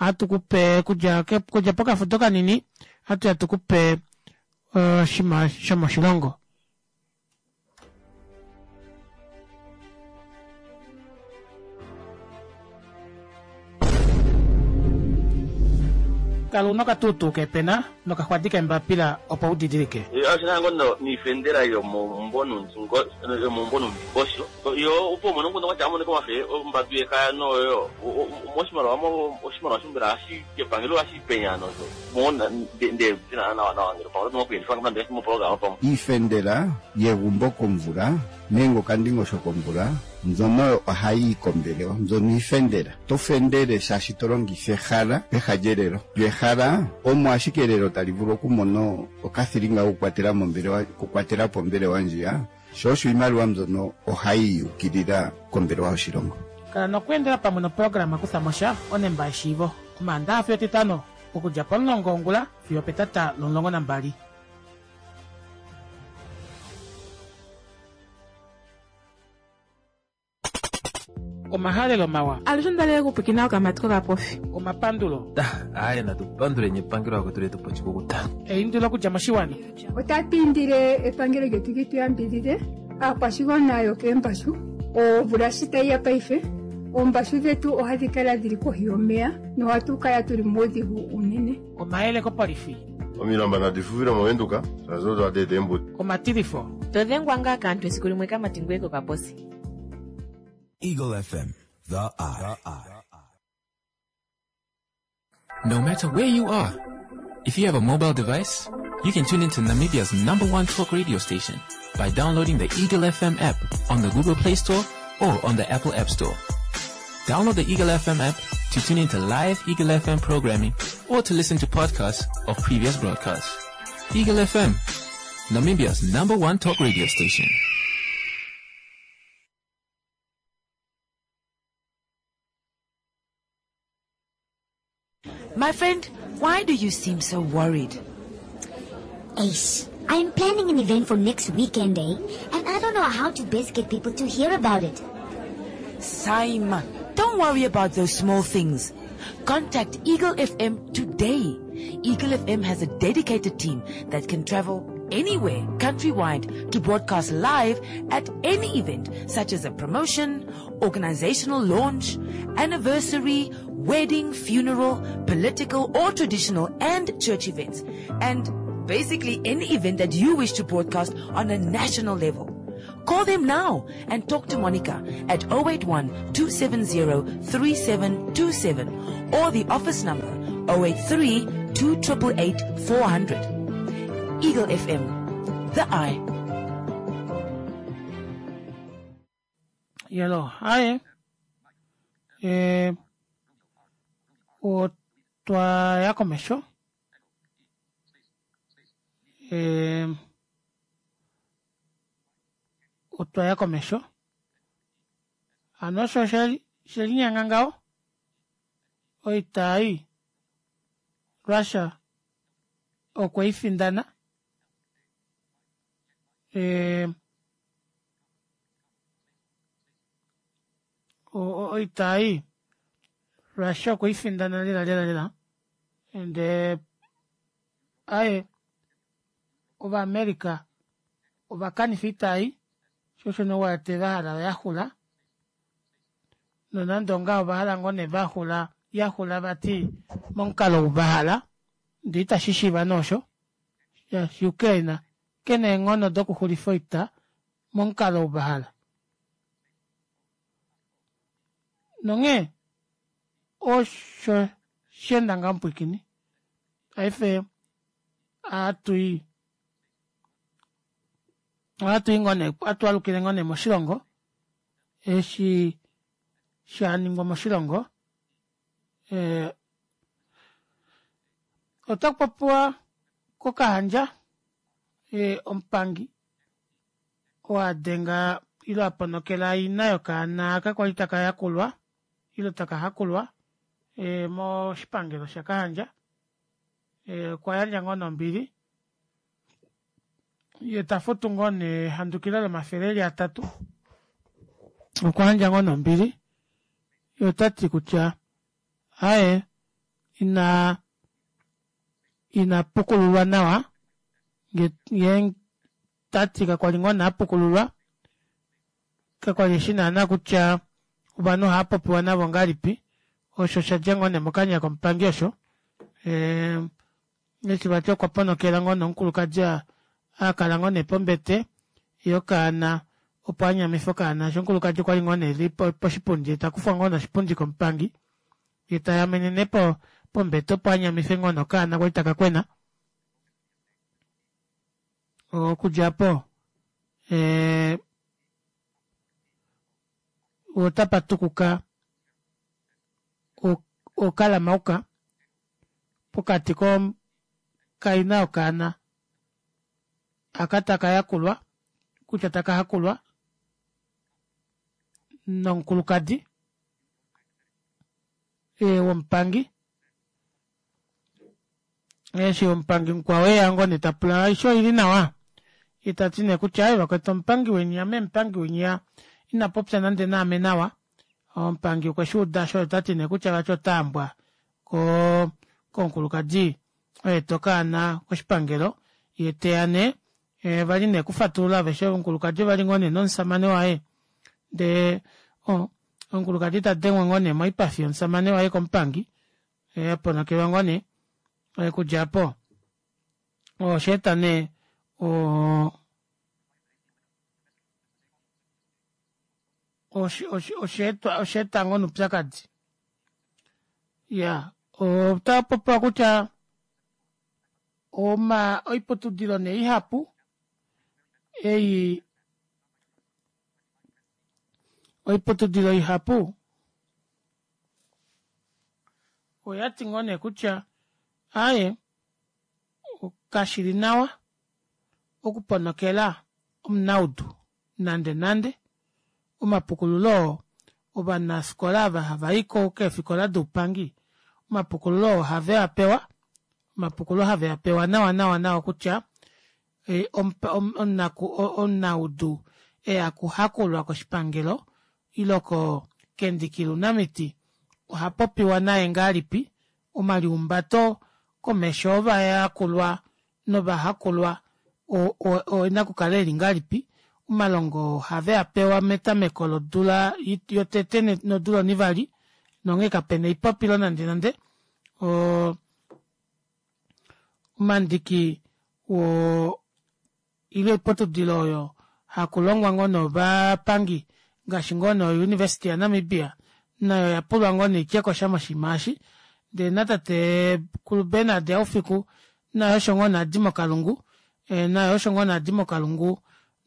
Speaker 1: ohatukupe okudja pokafudo kanini ohatuya tukupe oshinima shomoshilongo. Kala una okatuutuu keepena nokaxwadi keembapila opo u didilike.
Speaker 8: Oshina ngo niifendela yomomumvo yomomumvo nomundingosho yo opo umone omukundu kwatya amonike omafe ombadu yekaya noyo moshimaliwa oshimaliwa shombela hashi kepangelo hashi penya nosho mo nde nawa nawa ngele pamwe oto kuyelifa moprograma pamwe.
Speaker 9: Iifendela yegumbo komvula nenge okandingosho komvula mbyono ohayi yi kombelewa, mbyono iifendela. To fendele shaashi to longitha ehala peha lyelelo. Lyo ehala omo ashike elelo tali vulu okumona okathilinga kokukwatela mombelewa, okukwatela po ombelewa ndjiya, sho osho iimaliwa mbyono ohayi yukilila kombelewa yoshilongo.
Speaker 1: Kala nokweendela pamwe noprograma Kutha mo sha onemba yeshiivo Omaandaxa fiyo Etitano okudja pomulongo wongula fiyo opetata lomulongo nambali. Omahalelo mawa.
Speaker 2: Alushe onda okupwikina okamati kokapofi.
Speaker 1: Omapandulo.
Speaker 3: Aaye natu panduleni epangelo akwetu letu pochikukuta.
Speaker 1: Eindilo okudja moshiwana.
Speaker 4: Otatu indile epangelo lyetu li tu yambidhidhe aakwashigwana yokeembashu omvula shi tayi ya paife oombashu dhetu ohadhi kala dhili kohi yomeya nohatu kala tuli muudhigu unene.
Speaker 1: Omayele kopolifi.
Speaker 5: Omilamba nadi fufile movenduka shaashi odo hadi eta eembudi.
Speaker 1: Omatilifo.
Speaker 6: To dhengwa ngaa kaantu esiku limwe kamati ngweye kokaposi.
Speaker 7: Eagle F M, The Eye.
Speaker 11: No matter where you are, if you have a mobile device, you can tune into Namibia's number one talk radio station by downloading the Eagle F M app on the Google Play Store or on the Apple App Store. Download the Eagle F M app to tune into live Eagle F M programming or to listen to podcasts of previous broadcasts. Eagle F M, Namibia's number one talk radio station.
Speaker 12: My friend, why do you seem so worried?
Speaker 13: Ace, I'm planning an event for next weekend, eh? And I don't know how to best get people to hear about it.
Speaker 12: Simon, don't worry about those small things. Contact Eagle F M today. Eagle F M has a dedicated team that can travel anywhere countrywide to broadcast live at any event, such as a promotion, organizational launch, anniversary, wedding, funeral, political or traditional and church events, and basically any event that you wish to broadcast on a national level. Call them now and talk to Monica at oh eight one, two seven zero, three seven two seven or the office number oh eight three, two eight eight, four hundred. Eagle F M, the eye.
Speaker 1: Yellow, hi. Eh, otwa ya komesho. Eh, otwa ya komesho. Ano osho she linyanga ngaho. Oita ei Russia okwe i findana. Eh, oita ei Russia okwe i findana lela lela lela. Ende aye ova America ovakanifa oita ei shosho nowate vahala yaxula. Nonande ongaho vahala ngoo nee vaxula yaxula vati momukalo vahala ndee itashi shiiva noosho. Ukraine kena eenghono dokuxulifa oita momukalo vahala. Nonghee osho shenda ngaho mupwikini. Paife atui atui ngoo nee atwalukile ngoo nee moshilongo eshi shaningwa moshilongo. Eh, otakupopiwa kOkahandja eh, omupangi oadenga ilo aponokela ina yokaana kakwali taka yakulwa ilo taka hakulwa eh, moshipangelo shaKahandja. Eh, okwa yandja ngoo nombili ye tafutu ngoo nee handukilo lomafele eli atatu. Okwa yandja ngoo nombili ye otati kutya aye ina ina pukululwa nawa nge tati kakwali ngoo naapukululwa kakwali eshi naana kutya ovanhu ohaapopiwa navo ngahelipi. Osho shadja ngoo nee mokanya komupangi osho. Eshi vati okwa ponokela ngoo nee omukulukadi akala ngoo nee pombete yee okaana opo anyamife okaana shaashi omukulukadi okwali ngoo nee eli poshipundi yee takufwa ngoo nee oshipundi komupangi yee tayamene nee pombete opo anyamife ngoo nee okaana kwali takakwena okudja aapo ee otapatukuka okalamauka pokati kaina yokaana aka takayakulwa kutya takahakulwa nomukulukadi womupangi eshi omupangi mukwao eya ngoo nee tapula aishe oili nawa yee tati nee kutya aaye vakwetu omupangi weni ame omupangi winya inapopya nande naame nawa omupangi okweshuuda shoo otati nee kutya vati otaambwa koo komukulukadi aeta okaana koshipangelo yeeteya nee vali nee okufatulula aveshe omukulukadi ovali ngoo nee nomushamane waye ndee omukulukadi tadengwa ngoo nee moipafi yomushamane waye komupangi aponokelwa ngoo nee okudja aapo oshaeta nee oo oshaeta ngoo nee oupyakadi iyaa otapopiwa kutya oiputudilo nee ihapu ei oiputudilo ihapu oyati ngoo nee kutya aaye kashili nawa okuponokela omunaudu nande nande omapukululo oo ovanafikola ava havai keefikola doupangi omapukululo oo ohaveapewa omapukululo haveapewa nawa nawa nawa kutya omunaudu eya okuhakulwa koshipangelo ile kendiki lounamiti ohapopiwa naye ngahelipi omaliumbato komesho ovayakulwa novahakulwa oena okukala eli ngahelipi omalongo oo ohaveapewa metameko lodula yotete nodula onivali nonghee kapena elipopilo nande nande oo omandiki oo ile oiputudilo oyo hakulongwa ngoo nee ovapangi ngaashi ngoo nee o university ya namibia nayo oyapulwa ngoo nee ityekosha moshinima eshi ndee natatekulu Bernard Haufiku naye osho ngoo nee adi mokalungu naye osho ngoo nee adi mokalungu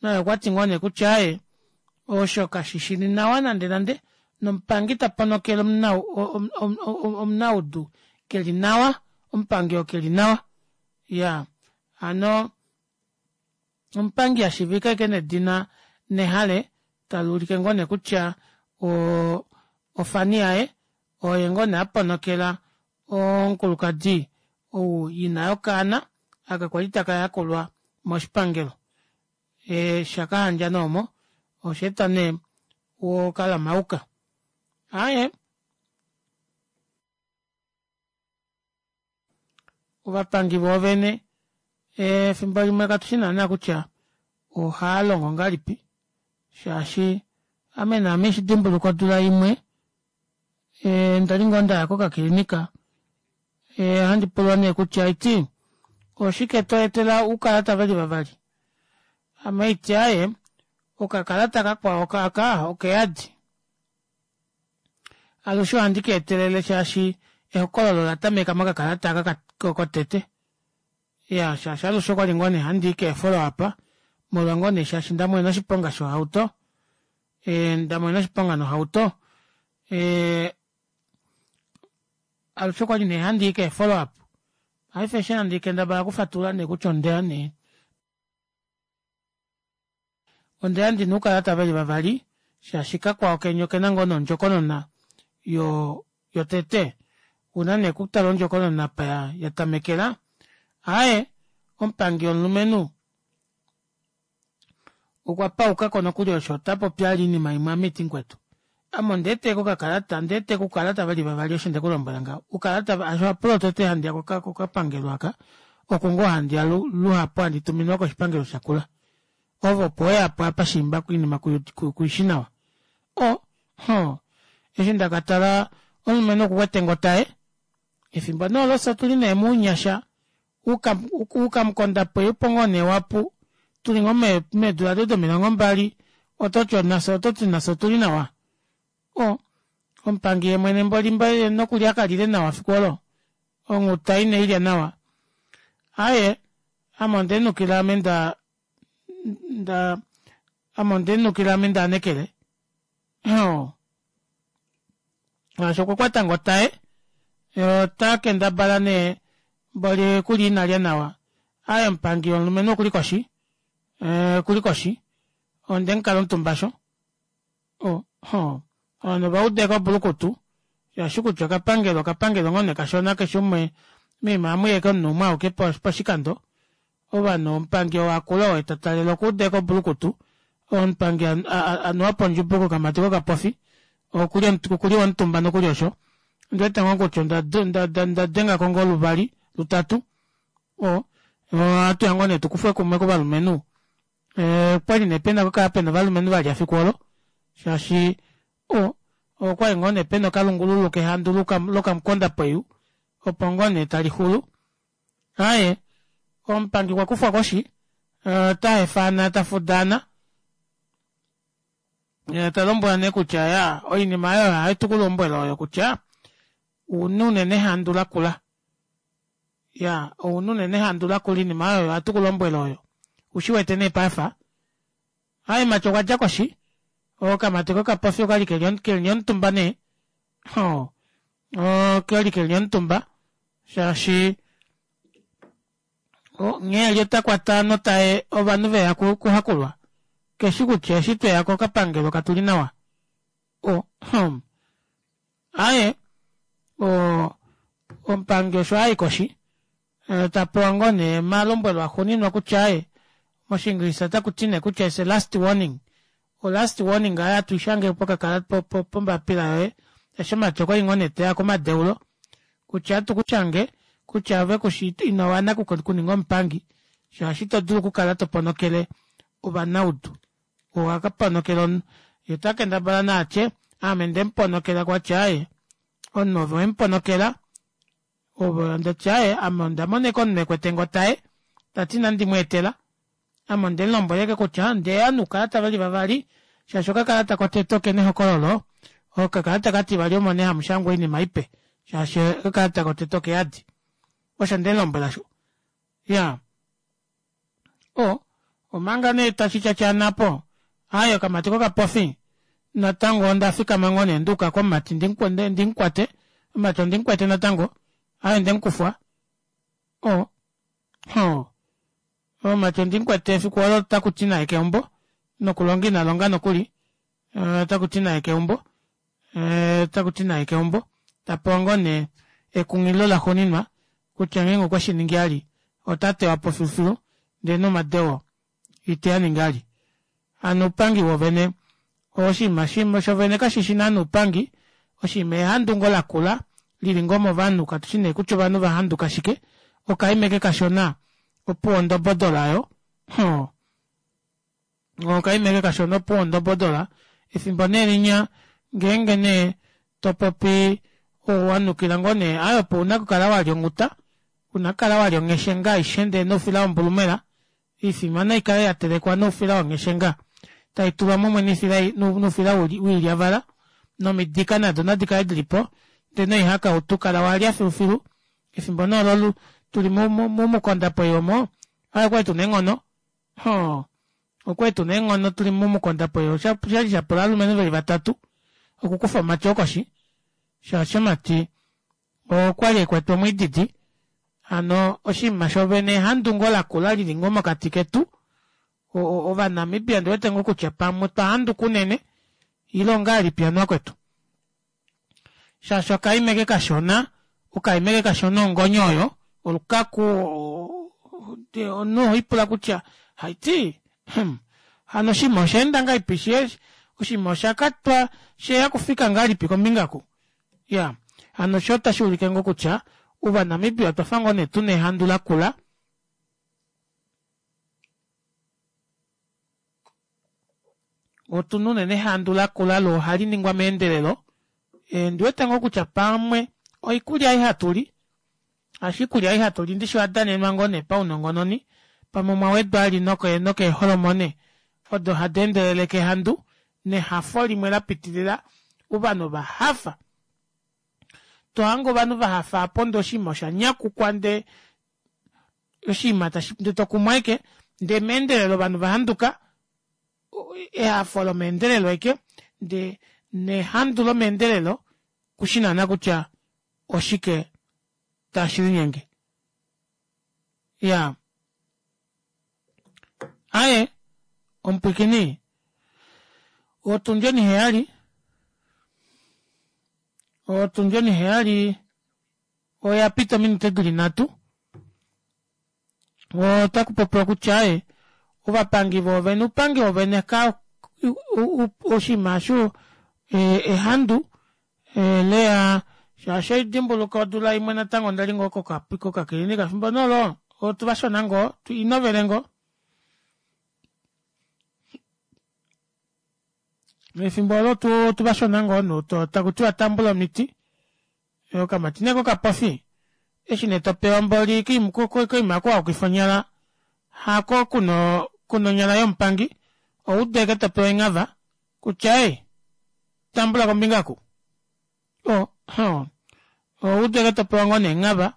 Speaker 1: naye okwati ngoo nee kutya aaye osho kashishili nawa nande nande nomupangi taponokele omunaudu keli nawa omupangi oo keli nawa iyaa hano omupangi ashiivika ashike nedina Nehale taluulike ngoo nee kutya oo ofani yaye oye ngoo nee aponokela omukulukadi ou ina yokaana aka kwali takayakulwa moshipangelo shakahandja nee omo oshaeta nee okalamauka aaye ovapangi voovene efimbo limwe katushi naana kutya ohaalongo ngahelipi shaashi ame naame haidimbuluka odula imwe ndali ngoo ndaya kokakilinika ohandi pulwa nee kutya haiti oshike tweetela oukalata veli vavali ame haiti aaye okakalata kakwao aka okeyadi alushe ohandi keetelele shaashi ehokololo olatameka mokakalata aka kotete iyaa shaashi alushe okwali ngoo nee handii kee follow up molwa ngoo nee shaashi ndamona oshiponga shohauto ndamona oshiponga nohauto alushe okwali nee handii kee follow up paife eshi handi kendabala okufatulula nee kutya ondeya nee ondeya ndina oukalata veli vavali shaashi kakwao kenya okena ngoo nee ondjokonona yotete una nee okutala ondjokonona apa yatamekela aaye omupangi womulumenhu okwa paukako nokuli osho otapopi vali oinima imwe ame iti mukwetu ame ondeeteko okakalata ondeeteka oukalata veli vavali osho ndekulombwela ngaho oukalata shaashi ohapo lwotete handiya kokapangelo aka oko ngoo handiya luhapu handi tuminwa koshipangelo shakula ove opo weyapo apa shiimba oinima kuishi nawa o hoo eshi ndakatala omulumenhu okukwete ngoo otaye Efimbo nee olo fye otuli nee mounyasha, oukamukondapweyu opo ngoo nee wapu, tuli ngoo meedula odo domilongo mbali, ototi nafye ototi nafye otuli nawa. O omupangi yeemwene mboli mboli nokulya kalile nawa efiku olo, onghuta ineilya nawa. Aaye ame ondenukila ame nda nda ame ondenukila ame ndaanekele oo shaashi okwa kwata ngoo otaye yee ota kendabala nee mboli oikulya inalya nawa. Aaye omupangi omulumenhu okuli koshi okuli koshi ondemukala omutumba aasho o hoo ovanhu ovauda ashike obulukutu shaashi kutya okapangelo okapangelo ngoo nee kashona keshe umwe moima ohamuyi ashike omunhu umwe auke poshikando ovanhu omupangi oo akula oo tatalele okwa uda ashike obulukutu omupangi anuwapo ondjubu kokamati kokapofi okuli womutumba nokuli osho ondiwete ngoo kutya ondadengako ngoo luvali lutatu oo ohatuya ngoo nee tukufwe kumwe kovalumenhu okwali nee pena okukala pena ovalumenhu valya efiku oolo shaashi o okwali ngoo nee pena okalungululu kehandu lokamukondapweyu opo ngoo nee talixulu. Aaye omupangi okwa kufwa koshi ota hefaana tafudaana yee talombwelwa nee kutya iyaa oinima aayo ohayi tukulombwele oyo kutya ouna unene ehandu lakula iyaa ouna unene ehandu lakula oinima aayo oyo hatukulombwele oyo ushiwete nee paife aaye mumati okwadja koshi okamati kokapofi okwali keli omutumba nee oo okwali keli omutumba shaashi nghee eli otakwata notaye ovanhu veya okuhakulwa keshi kutya eshi tweya kokapangelo katuli nawa o aaye oo omupangi osho ayi koshi tapewa ngoo nee omalombwelo axuuninwa kutya aaye moshingilisa otakuti nee kutya it's a last warning. O last warning aayo hatu ishange pombapila yoye eshi omumati okwali ngoo nee teya komadeulo kutya ohatu kushange kutya ove kushi inowana okuninga omupangi shaashi ito dulu okukala toponokele ovanaudu owakaponokela omunhu yee otakendabala nee atye aame ndemuponokela kwati aaye omunhu ove wemuponokela ove ndati aaye ame ondamona ashike omunhu ekwete otaye tati inandi mweetela ame ondemulombwela ashike kutya ondeya noukalata veli vavali shaashi okakalata kotete okena ehokololo okakalata okativali omo nee hamushangwa oinima ipe shaashi okakalata kotete okeyadi osho ndemulombwela osho iyaa o omanga nee tashi tyatyaana aapo aaye okamati kokapofi natango ondafikama ngoo nee nduuka komumati ndimukwate omumati ondimukwete natango aaye ondemukufwa o hoo omumati ondimukwete efiku olo otakuti naye keumbo nokulonga ina longa nokuli otakuti naye keumbo otakuti naye keumbo tapewa ngoo nee ekunghililo laxuuninwa kutya ngeenge okweshiningi vali ota tewapo filufilu ndee nomadeo iteaningi vali. Hano oupangi wovene oshinima shimwe shovene kashishi naana oupangi oshinima ehandu ngoo lakula lili ngoo movanhu katushi nee kutya ovanhu vahanduka shike okaima ashike kashona opuwo ondobodola aayo hoo okaima ashike kashona opuwo ondobodola efimbo nee linya ngeenge nee topopi wanukila ngoo nee aaye opo una okukala walya onghuta una okukala walya ongheshenga aishe ndee noufila wombulumela oifima naikale yatelekwa noufila wongheshenga taitulwa mumwe noufila woilyavala nomidika nado nadikale dilipo ndee noihakautu kala walya filufilu efimbo nee olo tuli momukondapweyu omo aaye okwali tuna eenghono hoo okwali tuna eenghono tuli momukondapweyu oshali shapula ovalumenhu veli vatatu okukufa omumati oo koshi shaashi omumati okwali ekwete omwiididi hano oshinima shoovene ehandu ngoo lakula lili ngoo mokati ketu ovanamibia ondiwete ngoo kutya pamwe otwa handuka unene ile ongahelipi hano vakwetu shaashi okaima eke kashona okaima eke kashona ongonyo oyo olukaku omunhu oholipula kutya haiti hano oshinima oshaenda ngahelipi oshinima oshakatwa sheya okufika ngahelipi kombinga oku iyaa hano osho otashuulike ngoo kutya ovanamibia otwafa ngoo nee tuna ehandu lakula otuna unene ehandu lakula loo ohali ningwa meendelelo ondiwete ngoo kutya pamwe oikulya ei hatuli Shaashi oikulya ei hatuli ndishi oyadanenwa ngoo nee paunongononi pamwe omwa wedwa vali nokeeholomone odo hadi endeleleke ehandu nehafo limwe lapitilila ovanhu ovahafa tohange ovanhu vahafa aapo ndee oshiima oshanyakukwa ndee oshiima tashi ndee tokumwa ashike ndee meendelelo ovanhu vahanduka ehafo lomeendelelo ashike ndee nehandu lomeendelelo kushi naana kutya oshike tashilinyenge iyaa aaye omupwiikini otundi oniheyali otundi oniheyali oyapita ominute dili nhatu otakupopiwa kutya aaye ovapangi voovene oupangi voovene oshiima aasho ehandu leya shaashi ohaidimbuluka odula imwe natango ondali ngoo kokakilinika efimbo nee olo otuvashona ngoo inovele ngoo efimbo oolo otuvashona ngoo takutiwa tambula omiti okamati nee kokapofi eshi nee topewa mboli koima aaku hakukuifwa onyala hako kuna kuna onyala yomupangi owuude ashike topewa enghava kutya ee tambula kombinga oku oo owuudite ashike topewa ngoo nee enghava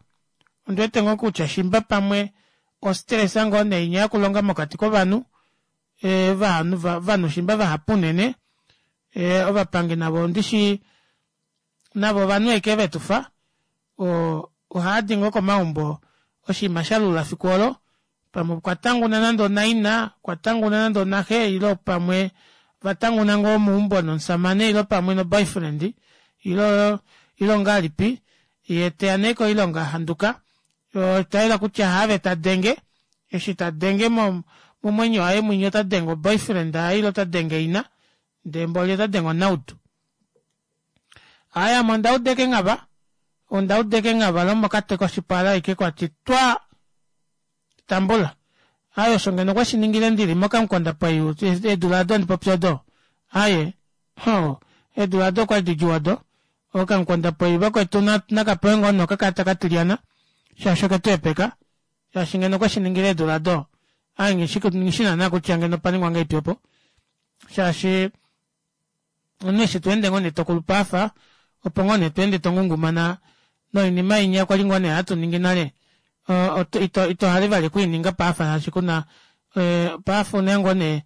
Speaker 1: ondiwete ngoo kutya shimba pamwe o stress ngoo nee inya yokulonga mokati kovanhu ovanhu shimba vahapu unene ovapangi navo ndishi navo ovanhu ashike vetufa oo ohaadi ngoo komaumbo oshiima shalula efiku oolo pamwe okwa tanguna nande onaina okwa tanguna nande onaxe ile pamwe ovatanguna ngoo meumbo nomushamane ile pamwe no boyfriend ilo ilo ongahelipi yee teya nee koilonga ahanduka oshayela kutya haave tadenge eshi tadenge momwenyo waye mwinya otadenge o boyfriend yaye ile otadenge ina ndee mboli otadenge onaudu. Aaye ame ondauda ashike enghava ondauda ashike enghava lomokati koshipala ashike kwati twaa tambula aaye osho ngeno okweshiningile ndili mokamukondapweyu eedula aado handi popi odo aaye hoo eedula aado okwali didjuu odo okamukondapweyu vakwetu nakapewe ngoo nee okakalata katilyana shaashi oketuhepeka shaashi ngeno okweshiningile eedula aado aaye nghishi naana kutya ngeno opaningwa ngahelipi opo shaashi omunhu eshi tweende ngoo nee tokulupe aafa opo ngoo nee tweende tongungumana noinima inya kwali ngoo nee hatuningi nale ito ito hale vali okwiininga paife shaashi kuna paife ouna ngoo nee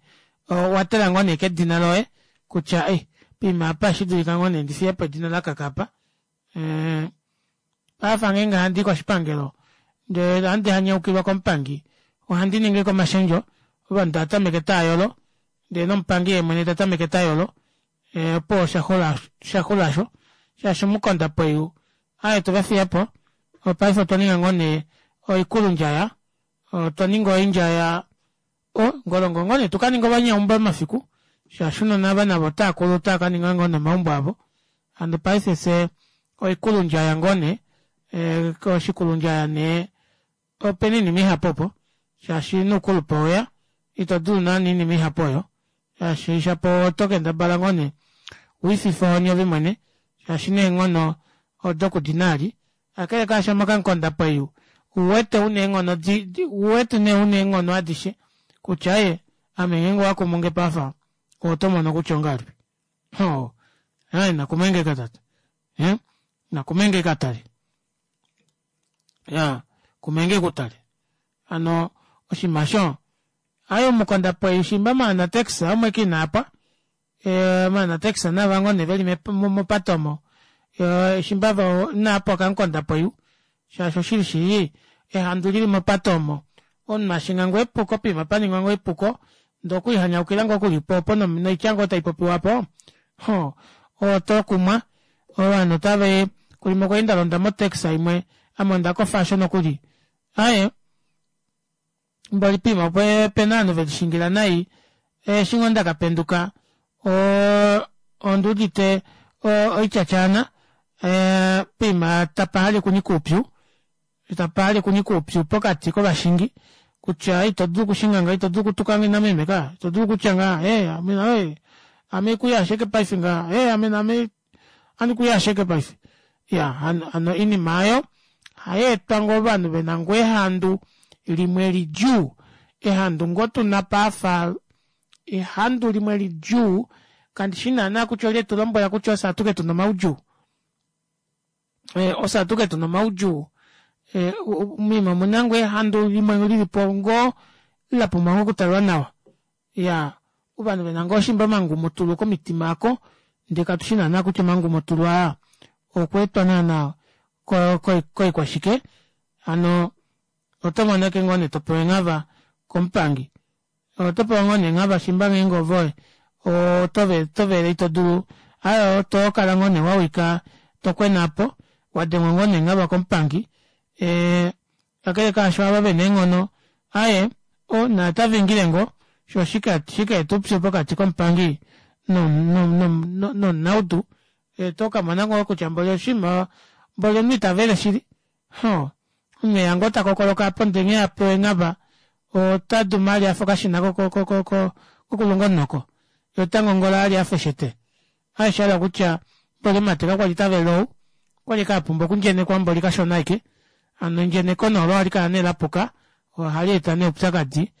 Speaker 1: owatala ngoo nee kedina loye kutya ei poima apa ohashi ngoo nee ndifiyepo edina lakaka aapa paife ngeenge handii koshipangelo ndee handi hanyaukilwa komupangi ohandi ningi ashike omashendjo ovanhu taatameke taayolo ndee nomupangi yeemwene tatameke tayolo opuwo oshaxula aasho shaashi omukondapweyu aaye otwevafiyapo paife otwa ninga ngoo nee oikulundjaya otwa ninga oindjaya oh ngolongo ngoo nee tukaninge ovanyaumbo mafiku shaashi ounona ava navo otaakulu otaakaninga ngoo nee omaumbo avo hano paife fyee oikulundjaya ngoo nee oshikulundjaya nee opena oinima ihapu opo shaashi noukulupe oweya itodulu naana oinima ihapu oyo shaashi shapo oto kendabala ngoo nee wiifife ohoni ove mwene shaashi neenghono odo kudina vali kakele kaasho mokamukondapweyu ouwete una eenghono ouwete nee una eenghono adishe kutya aaye ame ngeenge owakumunge paife otomono kutya ongahelipi hoo aaye nakumenge tate ee nakumenge katale iyaa kumenge kutale hano oshiima aasho aaye omukondapweyu shimba maanatex omo ashike inaapwa maanatex naava ngoo nee veli mopate omo shimba voo inaapwa okamukondapweyu shaashi oshili shili ehandu lili mopate omo omunhu ashinga ngoo epuko poima paningwa ngoo epuko ndee okwiihanyaukila ngoo kulipo opo noitya ngoo taipopiwa aapo hoo otokumwa ovanhu otava limwe okwali ndalonda mo taxi imwe ame ondakofa aasho nokuli aaye mboli poima opena ovanhu velishingila nai eshi ngoo ndakapenduka oo onduudite oityatyaana poima tapa hale okunyika oupyu tapahale okunyika oupyu pokati kovashingi kutya ito dulu okushinga ngaha ito dulu okutukange nameme kaa ito dulu okutya ngaha ee ame ame haikuyashe ashike paife ngaha ee ame naame ohandikuyashe ashike paife iyaa hano oinima aayo Ohayeetwa ngoo ovanhu vena ngoo ehandu limwe lidjuu ehandu ngoo tuna paafa ehandu limwe lidjuu kandishi naana kutya olye etulombwela kutya ofye atuke tuna omaudjuu ofye atuke tuna omaudjuu moima omuna ngoo ehandu limwe lilipo ngoo lapumbwa ngoo okutalwa nawa iyaa ovanhu vena ngoo shimba omangumutulu komitima aako ndee katushi naana kutya omangumutulu aa okwaetwa naana koikwashike hano otomono ashike ngoo nee topewa enghava komupangi otopewa ngoo nee enghava shimba ngeenge ove otovele itodulu aaye otokala ngoo nee wawika tokwena aapo wadengwa ngoo nee enghava komupangi ee kakele kaasho ava vena eenghono aaye oo naye otavingile ngoo shoo oshikaeta oupyu pokati komupangi no- no nomunaudu otokamona ngoo kutya mboli oshiima mboli omunhu itavele shili ohoo omunhu eya ngoo takokoloka aapo ndee nghee apewa enghava otaduma vali afa okashina ko- ko- kokulunga omunoko yee otangongola vali afa eshete aaye oshahala kutya mboli omumati kakwali tavele ou okwali ashike apumbwa okundjenekwa mboli kashona ashike hano endjeneko nee olo ohalikala nee lapuka ohaleeta nee oupyakadi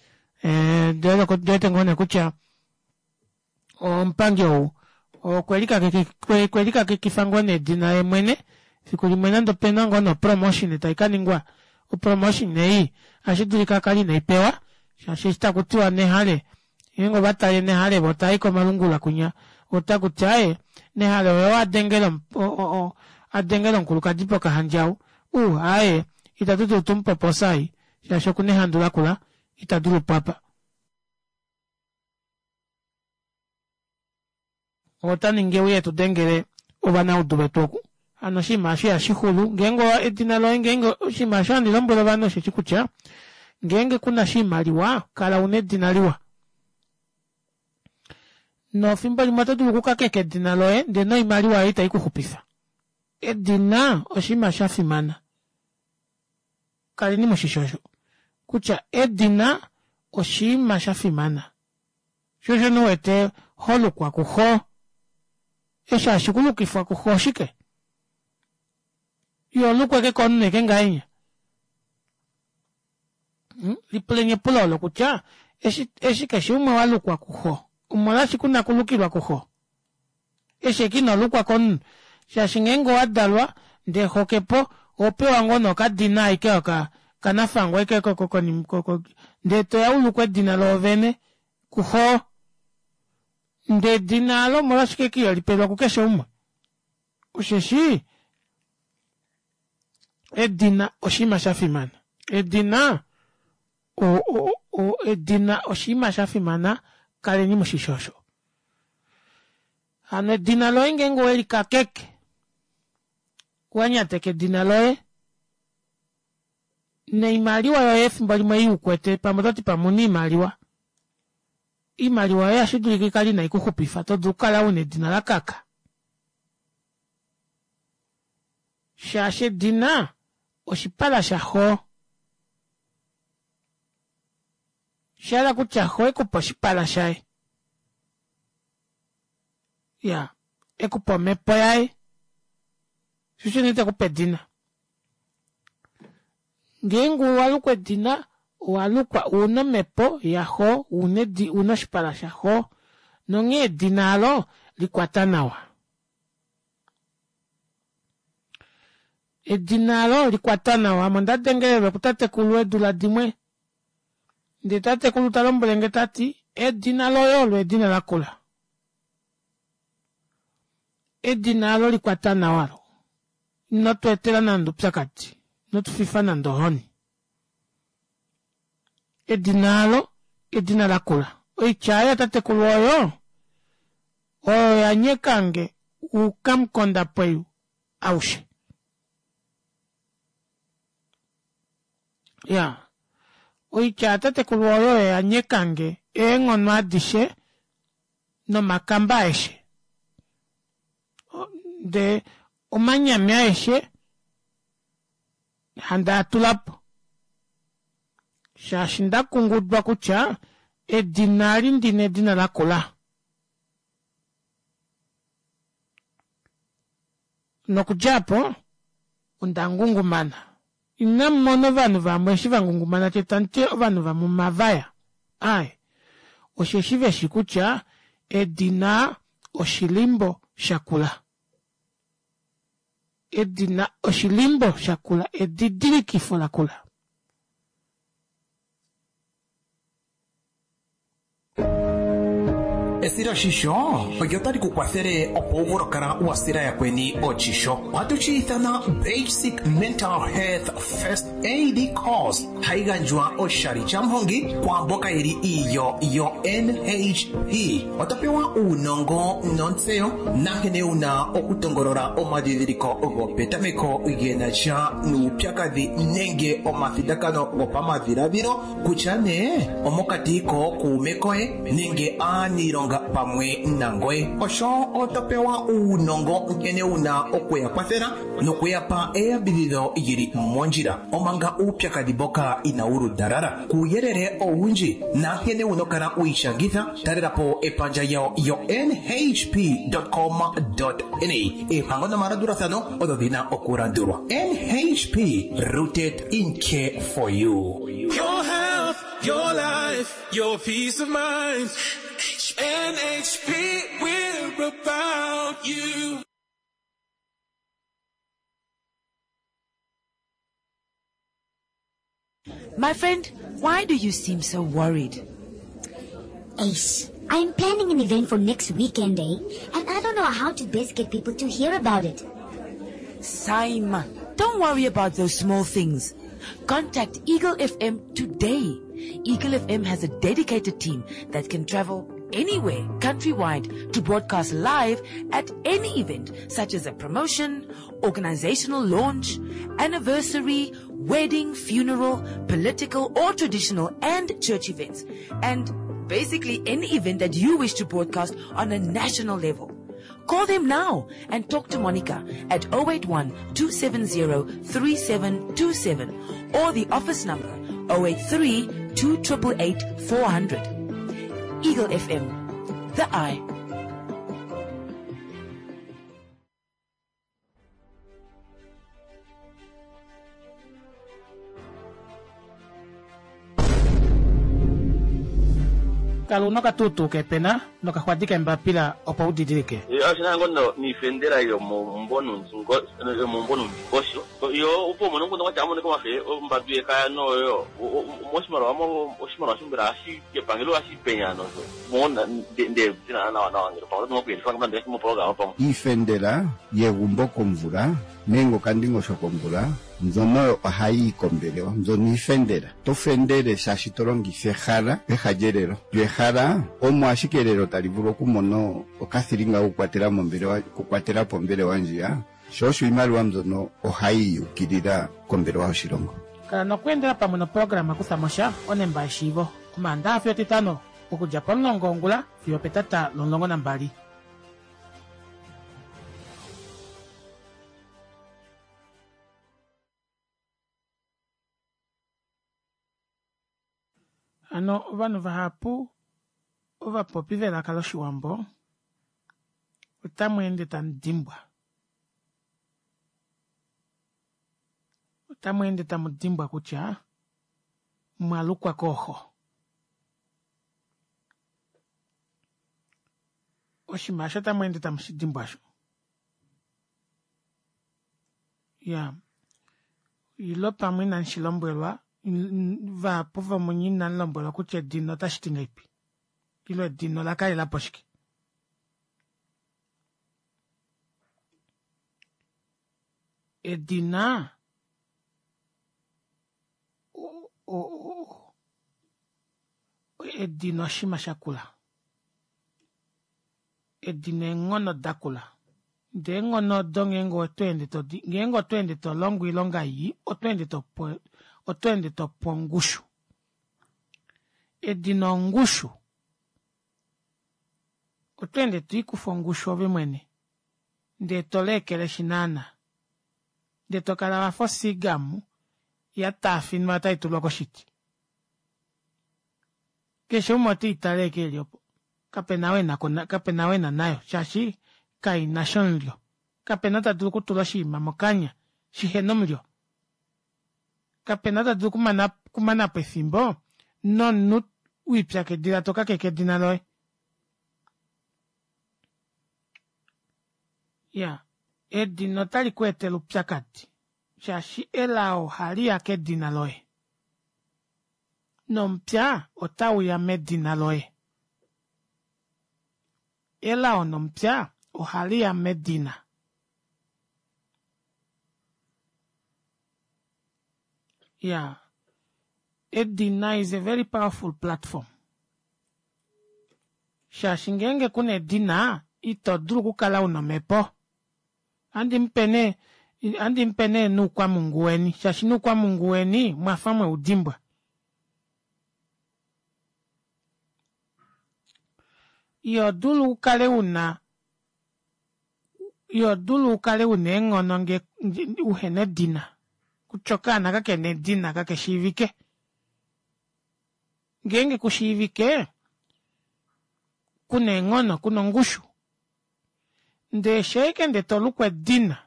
Speaker 1: ee ondiwete ngoo nee kutya omupangi ou okwelikakekifa ngoo nee edina yeemwene fikulimwe nande opena ngoo nee opromotion taikaningwa opromotion ei ohashidulika akale ineipewa shaashi eshi takutiwa nehale ngeenge ovatale nehale voo tavai komalungula kwinya otakuti aaye nehale oye ou adengela adengela omukulukadi pokahandja uu aaye ita tudulu tumupe opoosa ei shaashi okuna ehandu lakula itadulupo apa. Otaningi euye etudengele ovanaudu vetu oku hano oshinima aasho ihashixulu ngeenge edina loye ngeenge oshinima aasho handi lombwele ovanhu osheshi kutya ngeenge kuna oshimaliwa kala una edina liwa nofimbo limwe oto dulu okukakeka edina loye ndee noimaliwa oyo ita ikuxupifa edina oshinima shafimana kaleni mushishi osho kutya edina oshinima shafimana shoo osho nee uwete holukwa kuxo eshi hashi kulukifwa kuxo oshike iholukwa ashike komunhu ashike ngahenya lipuleni epulo olo kutya eshi keshe umwe walukwa kuxo omolwashike una okulukilwa kuxo eshi ashike inolukwa komunhu shaashi ngeenge owadalwa ndee xo kepo ohopewa ngoo nee okadina ashike oko kanafangwa ashike ndee toya ulukwe edina loovene kuxo ndee edina aalo omolwashike ashike iholipelwa kukeshe umwe osheshi edina oshinima shafimana edina o- o- edina oshinima shafimana kaleni mushishi osho hano edina loye ngeenge owelikakeke owanyateka edina loye noimaliwa yoye efimbo limwe ei ukwete pamwe ototi pamwe ouna oimaliwa oimaliwa yoye ohashidulika ikale ina ikuxupifa todulu okukala una edina lakaka shaashi edina oshipala shaxo oshahala kutya xo ekupa oshipala shaye iyaa ekupa omepo yaye shoo osho nee tekupe edina ngeenge owalukwa edina owalukwa una omepo yaxo una oshipala shaxo nonghee edina aalo likwata nawa edina aalo likwata nawa ame ondadengelelwe kutatekulu eedula dimwe ndee tatekulu talombwelenge tati edina loye olo edina lakula edina aalo likwata nawa olo ino tweetela nande oupyakadi inotufifa nande ohoni edina aalo edina lakula oitya aayo yatatekulu oyo oyo yanyekange oukamukondapweyu aushe iyaa oitya yatatekulu oyo oyo yanyekange eenghono adishe nomakamba aeshe ndee omanyami aeshe handi atulapo shaashi ndakungudwa kutya edina eli ndina edina lakula nokudja aapo onda ngungumana Inamu mona ovanhu vamwe eshi va ngungumana che tamu ti ovanhu vamwe omavaya. Aaye. Osheshi veshi kutya edina oshilimbo shakula. Edina oshilimbo shakula, edidilikifo lakula.
Speaker 14: Esiloshisho olyo tali ku kwathele opo wu vule okukala wa sila yakweni oshisho. Ohatu shi ithana Basic Mental Health First Aid Course, hayi gandjwa oshali shamuhongi kwaamboka ye li iilyo yoNHP. Oto pewa uunongo nontseyo nankene wu na okutongolola omadhidhiliko gopetameko ge na sha nuupyakadhi nenge omathindakano gopamadhiladhilo kutya nee omokati kookuume koye nenge aaniilonga pamwe nangoye. Osho oto pewa uunongo nkene wu na oku ya kwathela noku ya pa eyambidhidho lyi li mondjila omanga uupyakadhi mboka inawu ludalala. Kuuyelele owundji nankene wu na okukala wi ishangitha, talela po epandja lyawo yo-nhp.com.na. Eempango nomalandulathano odho dhi na okulandulwa. NHP, rooted in care for you.
Speaker 15: Your health, your life, your peace of mind. NHP, we're about you.
Speaker 12: My friend, why do you seem so worried?
Speaker 13: Ace, I'm planning an event for next weekend, eh? And I don't know how to best get people to hear about it.
Speaker 12: Saima, don't worry about those small things. Contact Eagle F M today. Eagle F M has a dedicated team that can travel anywhere countrywide to broadcast live at any event such as a promotion, organizational launch, anniversary, wedding, funeral, political or traditional and church events, and basically any event that you wish to broadcast on a national level. Call them now and talk to Monica at oh eight one, two seven zero, three seven two seven or the office number oh eight three, two triple eight, four hundred. Eagle F M, the eye.
Speaker 1: Kala una okatuutuu kepena nokaxwadi kembapila opo u didilike.
Speaker 8: Oshi na ngoo noifendela yomomumbo nomundingosho yo opo umone omukundu kwatya amoneka omafe ombadu yekaya noyo moshimaliwa oshimaliwa shombela hashi epangelo hashi penya nosho mona nde dina nawa nawa ngele pamwe oto kuyelifa nande moprograma pamwe.
Speaker 9: Iifendela yegumbo komvula nenge okandingosho komvula mbyono ohayi yi kombelewa mbyono iifendela to fendele shaashi to longitha ehala peha lyelelo lyo ehala omo ashike elelo tali vulu okumona okathilinga kokukwatela mombelewa okukwatela po ombelewa ndjiya sho osho iimaliwa mbyono ohayi yukilila kombelewa yoshilongo.
Speaker 1: Kala nokweendela pamwe noprograma Kutha mo sha onemba yeshiivo Omaandaxa fiyo Etitano okudja pomulongo wongula fiyo opetata lomulongo nambali. Hano ovanhu vahapu ovapopi velaka lOshiwambo otamu ende tamu dimbwa. Otamu ende tamu dimbwa kutya mwa lukwa kooxo. Oshinima osho otamu ende tamu shi dimbwa sho. Ya, ilo pamwe inamu shi lombwelwa, vahapu vomunye inamu lombwelwa kutya edina otashi ti ngahelipi. Ilo edina ola kalela po shike. Edina o, o, o, edina oshinima shakula. Edina eenghono dakula. Ndee eenghono odo ngeenge oto ende to di, ngeenge oto ende to longo oilonga ii, oto ende to po, oto ende to po ongushu. Edina ongushu. Oto ende to ikufa ongushu ove mwene. Ndee to leekeleshi naana. Ndee to kala wafa osigamu ya taafinwa tai tulwa koshiti. Keshe umwe ote i tale eke eli opo. Kapena ou e na ko, kapena ou e na nayo, shaashi kai na sha omulyo. Kapena ou ta dulu okutula oshinima mokanya shihe na omulyo. Kapena ta dulu okumana okumanapo efimbo nomunhu wiipyakidila tokakeke edina loye. Iya, edina otali kweetele oupyakadi shaashi elao ohaliya kedina loye nomupya otauya medina loye. Elao nomupya ohaliya medina. Iya, edina is a very powerful platform shaashi ngeenge kuna edina ito dulu okukala una omepo. Ohandi mupe nee ohandi mupe nee nuukwamungu weni shaashi nuukwamungu weni mwafa mweudimbwa. Iho dulu ukale una iho dulu ukale una eenghono ngee uhena edina kutya okaana kakena edina kakeshiivike. Ngeenge kushiivike kuna eenghono kuna ongushu ndee shaike ndee tolukwa edina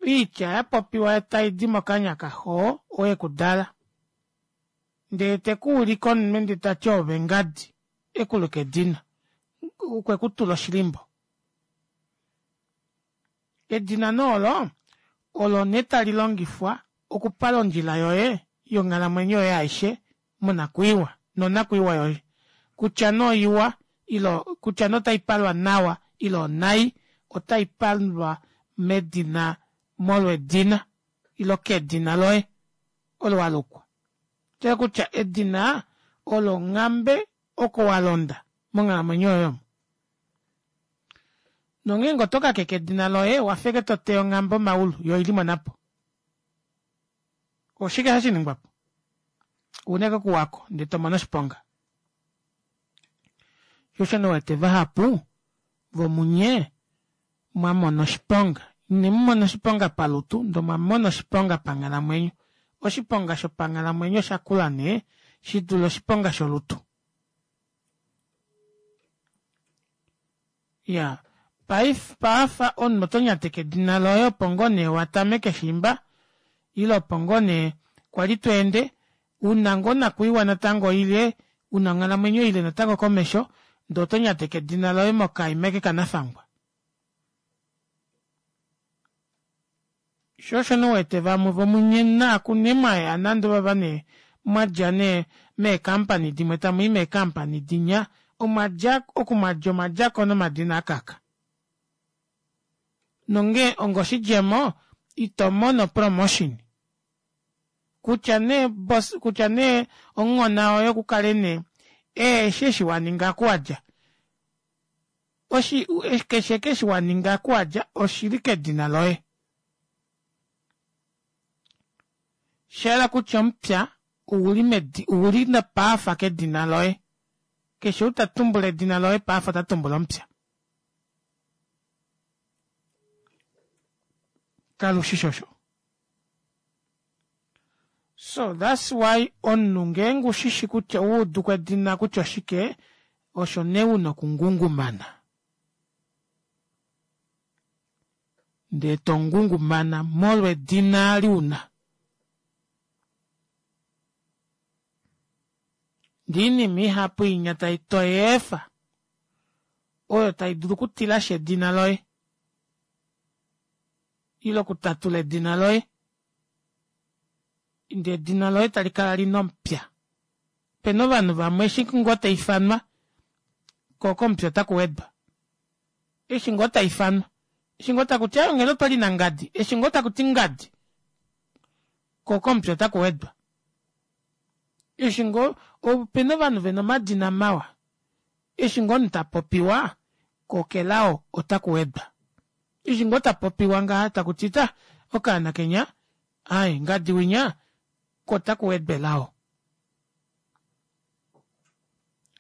Speaker 1: oitya yapopiwa taidi mokanya kaxo oo ekudala ndee tekuulike omunwe ndee tati oove ngadi ekuluka edina okwekutula oshilimbo. Edina nee olo olo nee talilongifwa okupala ondjila yoye yonghalamwenyo yoye aishe monakwiiwa nonakwiiwa yoye kutya nee oiwa ile kutya nee otaipalwa nawa ile onai otaipalwa medina molwedina ile kedina loye olo walukwa. Shayela kutya edina olo onghambe oko walonda monghalamwenyo yoye omo. Nongeenge oto kakeke edina loye owafa ashike toteya onghambe omaulu yoo oili monapo. Oshike hashiningwapo? Ouna ashike okuwako ndee tomono oshiponga. Shoo osho nee uwete vahapu vomunye mwamona oshiponga. Inemumona oshiponga palutu ndee omwamona oshiponga panghalamwenyo. Oshiponga shopanghalamwenyo oshakula nee shidule oshiponga sholutu. Iyaa paife paafa omunhu oto nyateke edina loye opo ngoo nee watameke shiimba ile opo ngoo nee kwali tweende una ngoo onakwiiwa natango ile una onghalamwenyo ile natango komesho ndee oto nyateke edina loye mokaima eke kanafangwa. Shoo osho nee uwete vamwe vomunye naaku nee mwaya nande ovava nee mwadja nee meecompany dimwe tamwii meecompany dinya omwadja oku mwadja omwadjako nomadina akaka. Nongee onga oshidjemo ito mono promotion kutya nee boss kutya nee omuhona woye okukale nee eheshi eshi waninga oku wadja oshi keshe eshi waninga oku wadja oshili kedina loye. Shayela kutya omupya ouli medi ouli paafa kedina loye. Keshe ou tatumbula edina loye paafa ota tumbula omupya. Kalushishi osho? So that's why omunhu ngeenge ushishi kutya owauduko edina kutya oshike osho nee una okungungumana. Ndee tongungumana molwedina ali una. Ndee oinima ihapu inya toyeefa oyo tai dulu okutilashi edina loye ile okutatula edina loye ndee edina loye talikala lina omupya. Opena ovanhu vamwe eshi ngoo taifanwa koo komupya otakuwedwa. Eshi ngoo taifanwa eshi ngoo takuti aaye onghela otwali nangadi eshi ngoo takuti ngadi koo komupya otakuwedwa. Eshi ngoo opena ovanhu vena omadina mawa eshi ngoo omunhu tapopiwa koo kelao otakuwedwa. Eshi ngoo tapopiwa ngaha takuti ta okaana kenya aaye ngadi winya koo otakuwedwa elao.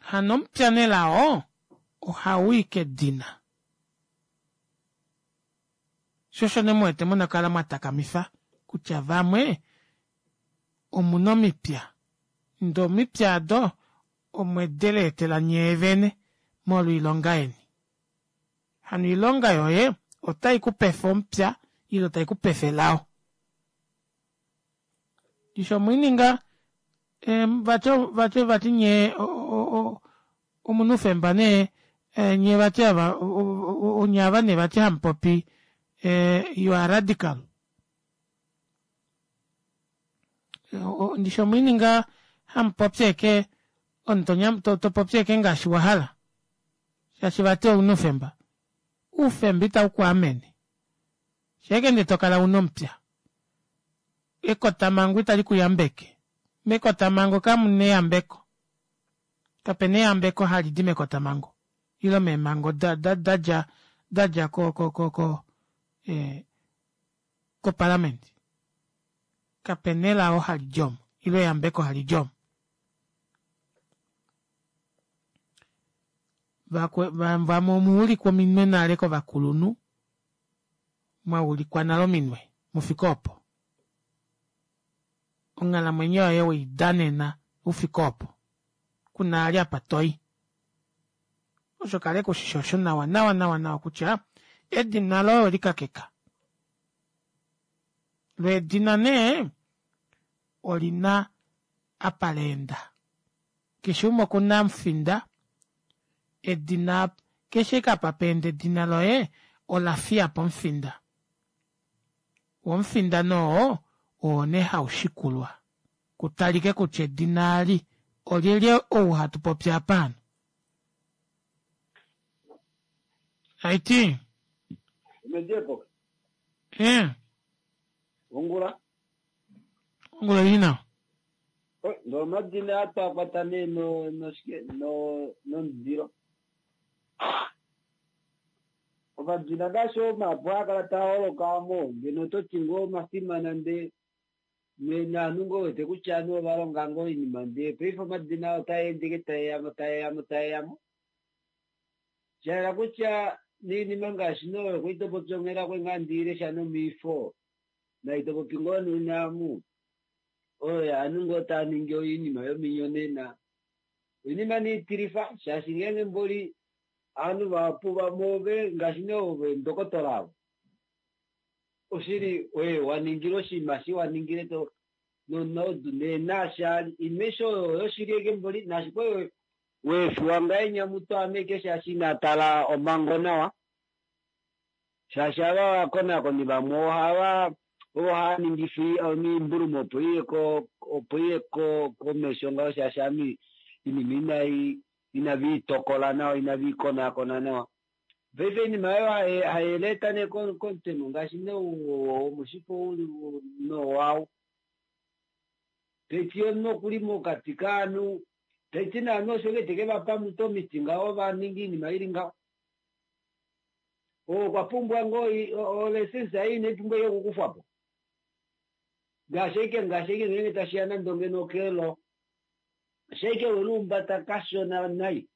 Speaker 1: Hano omupya nelao ohawii kedina. Shoo osho nee muwete muna okukala mwatakamifa kutya vamwe omuna omipya ndee omipya aado omwedeleetela nyeevene molwoilonga yeni. Hano oilonga yoye otai kupefa omupya ile tai kupefa elao. Ndishi omwiininga vati vati vati nye omuna oufemba nee nyee vati ava onye ava nee vati hamupopi you are radical. Ndishi omwiininga hamupopi ashike omunhu topopi ashike ngaashi wahala shaashi vati ouna oufemba. Oufemba ita ukwaamene shaike ndee tokala una omupya. Ekotamango itali kuyambeke. Mekotamango kamuna eyambeko. Kapena eyambeko halidi mekotamango ile meemango dadja dadja ko ko ko ko koparliament. Kapena elao halidi omo ile eyambeko halidi omo. Vamwe omuulikwa ominwe nale kovakulunhu, mwaulikwa nale ominwe mufike opo. Onghalamwenyo yoye weidanena ufike opo. Kuna vali apa toyi. Osho kala ushishi osho nawa nawa nawa nawa kutya edina loye owelikakeka. Loo edina nee olina apa laenda. Keshe umwe okuna omufinda edina keshe ashike apa paenda edina loye olafiyapo omufinda. Woo omufinda nee oo oo nee haushikulwa kutalike kutya edina eli olyelye ou hatu popi apa hano. Haiti.
Speaker 16: Omediepo.
Speaker 1: Eh.
Speaker 16: Ongula.
Speaker 1: Ongula ili nawa.
Speaker 16: Nomadina atwakwata nee no noshike no nomundilo. Omadina ngaashi omapu haakala taa holoka mo ngeno ototi ngoo omafimana ndee naanhu ngoo wete kutya ovanhu ova longa ngoo oinima ndee paife omadina otaa ende taeyamo taeyamo taeyamo. Shayela kutya noinima ngaashi noyo kwali topopi onghela kwali ngaa ndiilesha nomiifo nai topopi ngoo nonaamu oyo yaanhu ngoo taa ningi oinima yominyonena. Oinima niitilifa shaashi ngeenge mboli ovanhu vahapu vamwe ove ngaashi nee ove ndokotola avo oshili oye waningile oshinima shi waningile to nonaudu nee naashaali imesho oyo yoshili eke mboli naashi kwali weefiwa ngahenya mutu ame shaashi inatala omhango nawa shaashi ava vakonakoni vamwe ohava ovo hava ningifa omimbulumo opo iye ko opo iye ko komesho ngaho shaashi ami inima inai inaviitokola nawa inaviikonakona nawa. Paife oinima oyo haileta nee komutemo ngaashi nee womushifo uli nowau. Taiti omunhu okuli mokati kaanhu taiti naanhu osho ke teke vapa mutu omiti ngaho vaningi oinima ili ngaho. Okwa pumbwa ngoo olesensa ei inaipumbwa okukufwapo. Ngaashi ashike ngaashi ashike ngeenge tashiya nande ngeno okelo shaike weluumbata kashona nai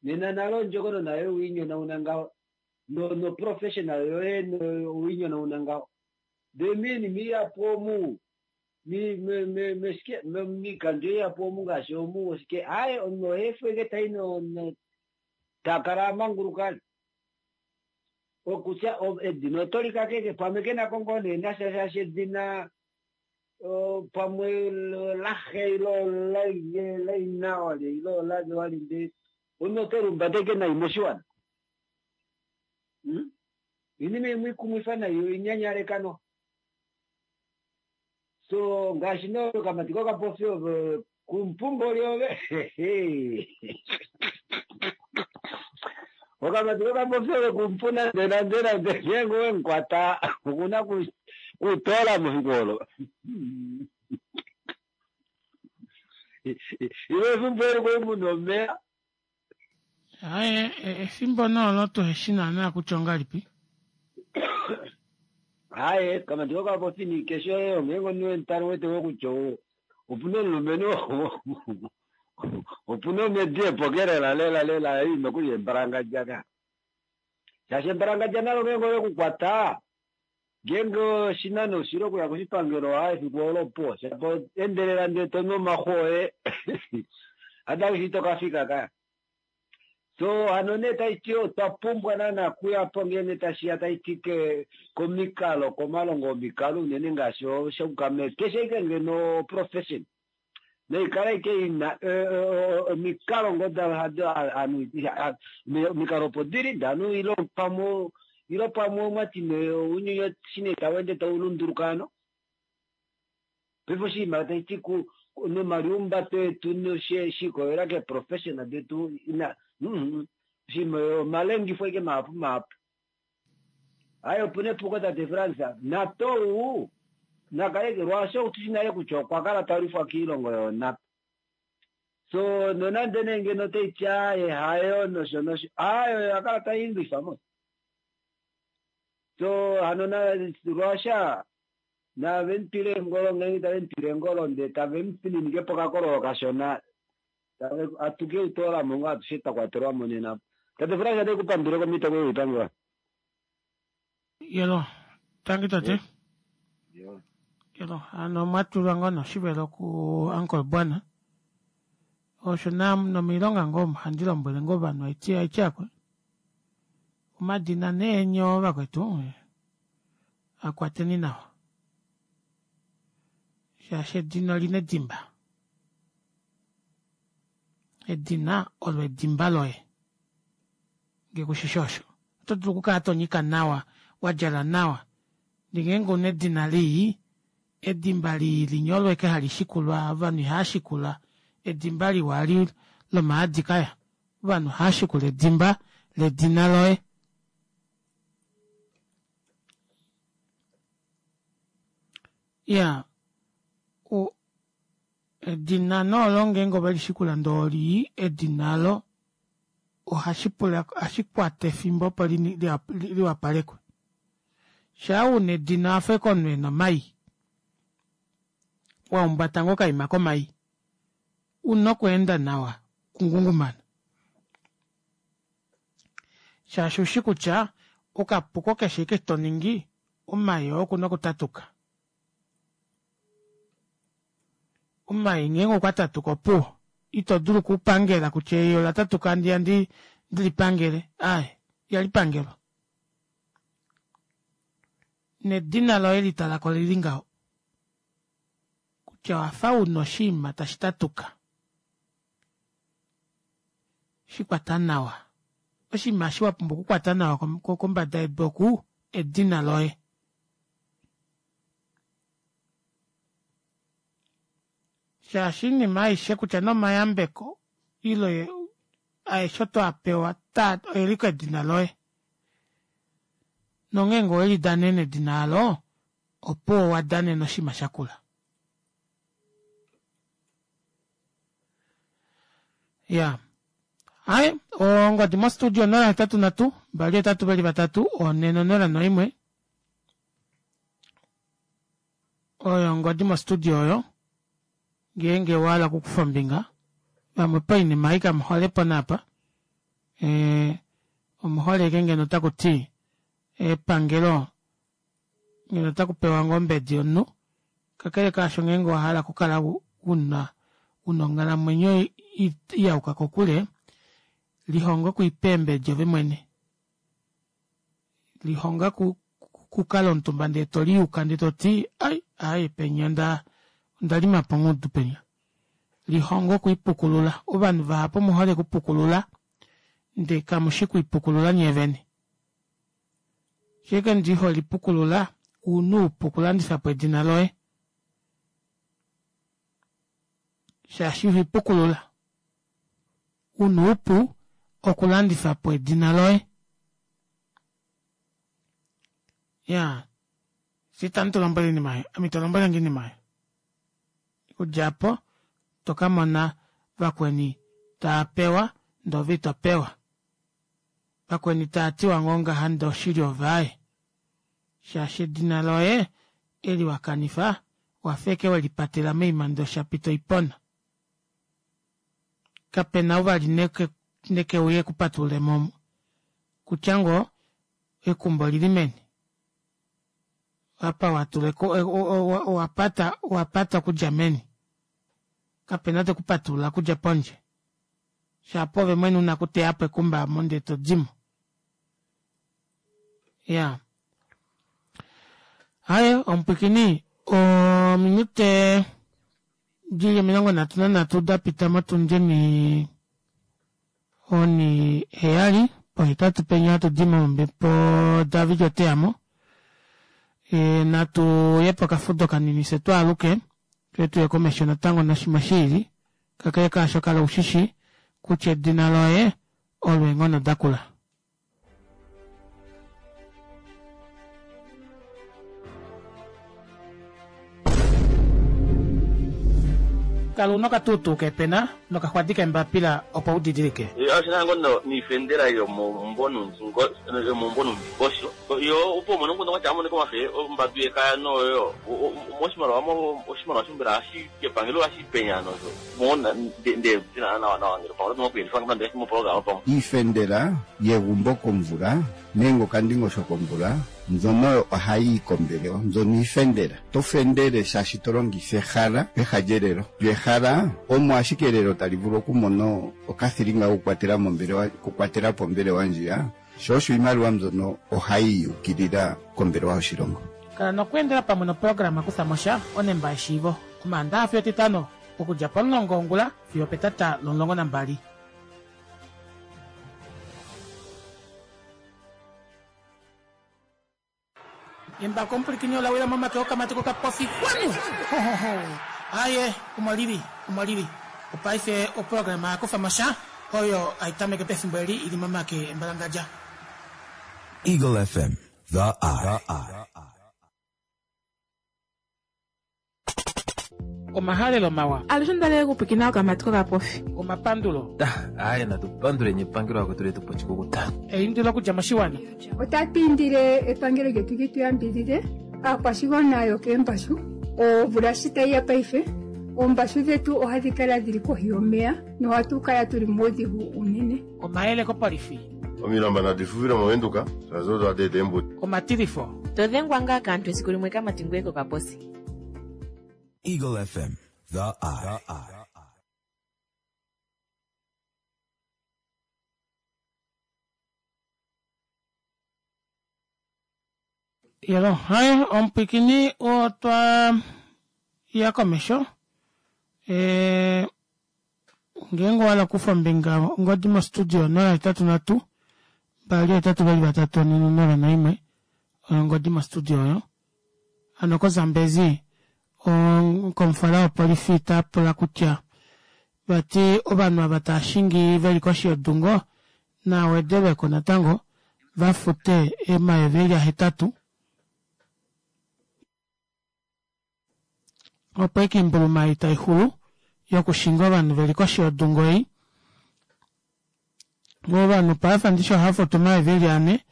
Speaker 16: nena nalo ondjokono nayo wiinyonauna ngaho no no professional yoye wiinyonauna ngaho. Ndee miinima ihapu omu mi me me meshike miikandjo ihapu omu ngaashi omu oshike aaye omunhu ohaefu eke tai no no takala amanguluka okutya edina otolikakeke pamwe kenako ngoo nee nasha shaashi edina pamwe laxe ilo laina wali ilo lali wali ndee omunhu otelumbata ashike nai moshiwana. Oinima imwe ikumwifa nai oinyanyaleka no. So ngaashi nee okamati kokapofi ove kumpumboli ove okamati kokapofi ove kumpu nande nande nande ngeenge owemukwata okuna kutoola mefiku olo. Ile efimbo eli kwali muna omeya.
Speaker 1: Aaye efimbo noolo tuheshi naana kutya ongalipi.
Speaker 16: Aaye kamati kokapofi ni kesho oyo ngeenge omunhu wemutale wete ngoo kutya opuna omulumenhu opuna omedi epoke lela lela lela ei nokuli embalangadja ka. Shaashi embalangadja nalo ngeenge olekukwata ngeenge oshinano oshile okuya koshipangelo aa efiku olo opuwo shapo endelela ndee tonu omaxu oye adawishi tokafika kaya. So hano nee taiti otwa pumbwa naana kuya po ngene tashiya taiti ke komikalo komalongo omikalo unene ngaashi shokukame keshe ike ngeno profession noikala ike ina omikalo ngo omikalo opo dili ndanu ilo pamwe ilo pamwe omwati ounyuni shine tawende taulunduluka ano paife oshinima taiti ku nomaliumbato etu shikolela keprofession detu ina oshinima omalengifo ike mahapu mahapu ayi opuna epuko tate Frans natou nakale lwaasho tushi nale kutya okwa kala talwifwa kiilongo yoonapa so nonande nee ngeno taiti aye hayo nosho nosho ayo oya kala tailwifa mo so hano lwasha nave mutwile engolo ngenge tave mutwile engolo ndee tave mufininike pokakololo kashona atuke utoolamo ngo atushe twakwatelwamo nena tate Frans ate kupandule komitoko yoipangiwa
Speaker 1: yelo tangi tate yelo hano mwatulwa ngoo noshivelo ku uncle bwana osho nomiilonga ngoo handi lombwele ngoo ovanhu aiti aiti akwe omadina neenyo vakwetu akwateni nawa shaashi edina olina edimba edina olo edimba loye ngee kushishi osho oto dulu okukala tonyika nawa wadjala nawa ndee ngeenge una edina lii edimba lii linya olo ashike hali shikulwa ovanhu ihaashikula edimba liwa eli lomaadi kaya ovanhu ohaashikula edimba ledina loye iyaa edina nee olo ngeenge ovelishikula ndee olii edina olo ohashipula ohashikwata efimbo opo liwapalekwe shaa una edina owafa ashike omunhu ena omai wahumbata ngoo okaima komai una okweenda nawa okungungumana shaashi ushi kutya okapuko keshe ashike toningi omai oo okuna okutatuka omai ngeenge okwatatuka opuwo ito dulu okupangela kutya ei olatatuka handiya ndilipangele aaye ihalipangelwa nedina loye litalako lili ngaho kutya owafa una oshiima tashi tatuka shikwata nawa oshinima eshi wapumbwa okukwata nawa kombada yedu oku edina loye shaashi oinima aishe kutya nee omayambeko ile aeshe oto apewa oeli kedina loye nongeenge owelidanene edina aalo opuwo owadanena oshinima shakula iyaa aaye ongodi mo studio onola hetatu nhatu mbali hetatu veli vatatu onhe nonola noimwe oyo ongodi mo studio oyo ngeenge owahala okukufa ombinga vamwe poinima ei kamuholepo naapa omuhole ashike ngeno otakuti epangelo ngeno otakupewa ngoo ombedi yomunhu kakele kaasho ngeenge owahala okukala una una onghalamwenyo iyauka kokule lihonga okwiipa eembedi ove mwene lihonga okukala omutumba ndee toliyuka ndee toti ai aaye penya onda ondalimapo ongudu penya lihonga okwiipukulula ovanhu vahapu omuhole okupukulula ndee kamushi okwiipukulula nyee vene shike ndi holipukulula una oupu okulandifapo edina loye shaashi ihoipukulula una oupu okulandifapo edina loye iyaa fye itamu tulombwele oinima aayo ame ito lombwelenge oinima aayo okudja aapo tokamona vakweni taapewa ndee ove itopewa vakweni taatiwa ngoo ngaha ndee oshili ove aaye shaashi edina loye eli wakanifa owafa ashike welipatela moima ndee oshapita oipona kapena ou vali nekeuye ekupatululemo omo kutya ngoo ekumba olili meni apa watula owapata owapata okudja meni kapena tekupatulula okudja pondje Shapo ove mwene una okuteya po ekumba omo ndee to dimo. Ya. Aye, omupwikini, ominute dili omilongo nhatu nanhatu da pita motundi oni oni heyali pohetatu penya hatu di mombepo David oteyamo. E, natu ye pokafudo kanini fye twaaluke twe tuye komesho natango noshimwe shiili kakele kaasho kala ushishi kutya edina loye olo eenghono dakula. Kala una okatuutuu keepena nokaxwadi keembapila opo u didilike.
Speaker 8: Oshina ngoo niifendela yomomumvo nuundingosho yo opo umone omukundu kwatya amonike omafe ombadu yekaya noyo moshimaliwa oshimaliwa shombela hashi kepangelo hashi penya nosho mona nde tina nawa nawa ngele pamwe oto okuyelifa ngee moprograma pamwe
Speaker 9: Iifendela yegumbo komvula nenge okandingosho komvula mbyono ohayi yi kombelewa mbyono iifendela. To fendele shaashi to longitha ehala peha lyelelo. Lyo ehala omo ashike elelo tali vulu okumona okathilinga kokukwatela mombelewa okukwatela po ombelewa ndjiya, sho osho iimaliwa mbyono ohayi yukilila kombelewa yoshilongo.
Speaker 1: Kala nokweendela pamwe noprograma Kutha mo sha onemba yeshiivo Omaandaxa fiyo Etitano okudja pomulongo wongula fiyo opetata lomulongo nambali. Embako omupwilikini ola wila momake okamati kokapofi kwanu! Hohoho! Aaye, omo lili, omo lili. Opaife oprograma ya kufa mo sha oyo hai tameke pefimbo eli i li momake embalangadja.
Speaker 7: Eagle F M, The Eye.
Speaker 1: Omahalelo mawa.
Speaker 2: Alushe onda li okupwikina okamati kokapofi.
Speaker 1: Omapandulo.
Speaker 3: Aaye, natu panduleni epangelo lakwetu letu po oshikukuta.
Speaker 1: Eindilo okudja moshiwana.
Speaker 4: Otatu indile epangelo lyetu li tu yambidhidhe aakwashigwana yokeembashu. Omvula shi tayi ya paife, oombashu dhetu ohadhi kala dhili kohi yomeya nohatu kala tuli muudhigu uunene.
Speaker 1: Omayele kopolifi.
Speaker 5: Omilamba nadi fufile mOvenduka, shaashi odo hadi eta eembudi.
Speaker 1: Omatilifo.
Speaker 6: To dhengwa ngaa kaantu esiku limwe kamati ngweye kokaposi.
Speaker 7: Eagle F M, The Eye.
Speaker 1: Yelo, hai, omupwikini otwa ya komesho. E, ngeenge owa hala okukufa ombinga ongodi mostudio nola hetatu nhatu mbali hetatu vali vatatu onhe nonola naimwe oyo ongodi mostudio oyo. Hano koZambezi komufala wopolifi ta pula kutya vati ovanhu ava tava shingi veli koshi yodungo na wedelweko natango va fute omayovi eli ahetatu opo eke oimbuluma ei tai xulu yokushinga ovanhu veli koshi yodungo ei. Ovanhu paife ndishi ohava futu omayovi eli ane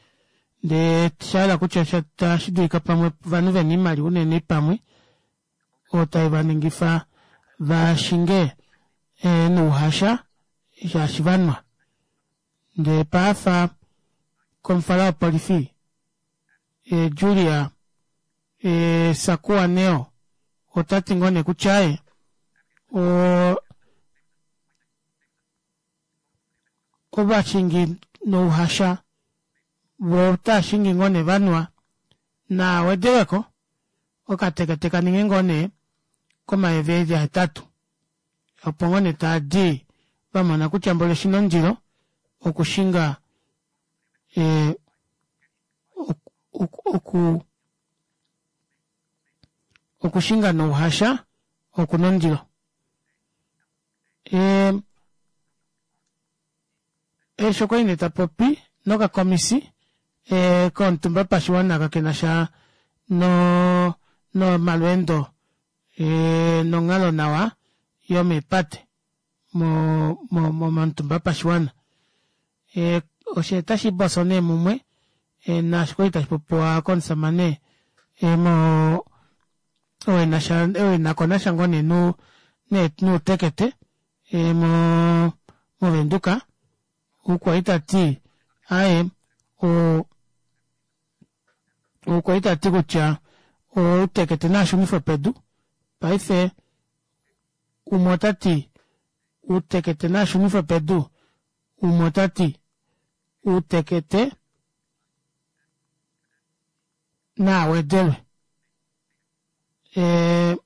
Speaker 1: ndee shahala kutya tashi dulika pamwe ovanhu vena oimaliwa unene pamwe oyo tai vaningifa vashinge nouhasha shaashi vanwa. Ndee paafa komufala wopolifi Julia Sakuwa Neo ota ti ngoo nee kutya ye ovashingi nouhasha voo otava shingi ngoo nee vanwa naa wedelweko okatekete kaninge ngoo nee komayovi eli ahetatu opo ngoo nee taadi vamona kutya mboli oshina ondilo okushinga e, oku okushinga nouhasha okuna ondilo. E, eshi okwali nee tapopi nokakomisi e, komutumba pashiwana kakena sha no nomalweendo e, nonghalo nawa yomeepate mo mo momutumba pashiwana. E, osho tashi boso nee mumwe e, naashi kwali tashi popiwa komusamane e, mo owenasha owenako nasha ngoo nee nu nuutekete e, mo movenduka okwali tati aye o okwali tati kutya outekete naashunifwe pedu paife umwe otati uutekete naashunifwe pedu Umwe ota ti uutekete naa wedelwe. E,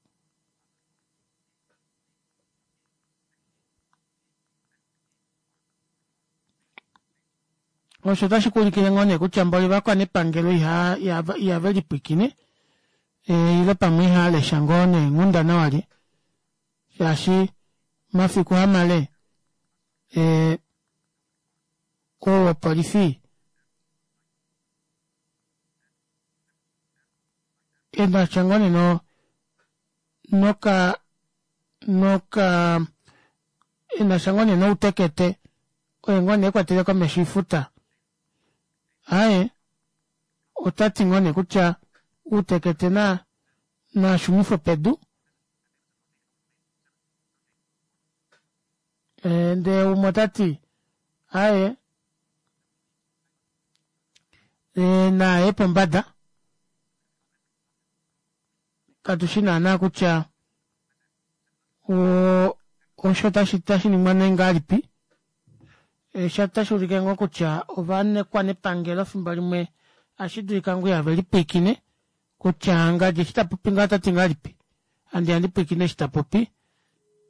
Speaker 1: osho otashi kuulikile ngoo nee kutya mboli ovakwanepangelo iha ihave lipwiikine e, ile pamwe ihaa ngoo neenghundana walye shaashi mafiku hamale e, ou wopolifi enasha ngoo nee no noka noka enasha ngoo nee noutekete oye ngoo nee ekwatele komesho oifuta aaye otati ngoo nee kutya uutekete na nashunifwe pedu e, ndee umwe otati aaye e, naye pombada katushi naana kutya o osho tashi tashi ningwa nee ngahelipi sha tashi ulike ngoo kutya ovanekwanepangelo fimbo limwe ashi dulika ngoo ihave lipwiikine kutya ngadi eshi tapopi ngaho otati ngahelipi handi handi pwiikine eshi tapopi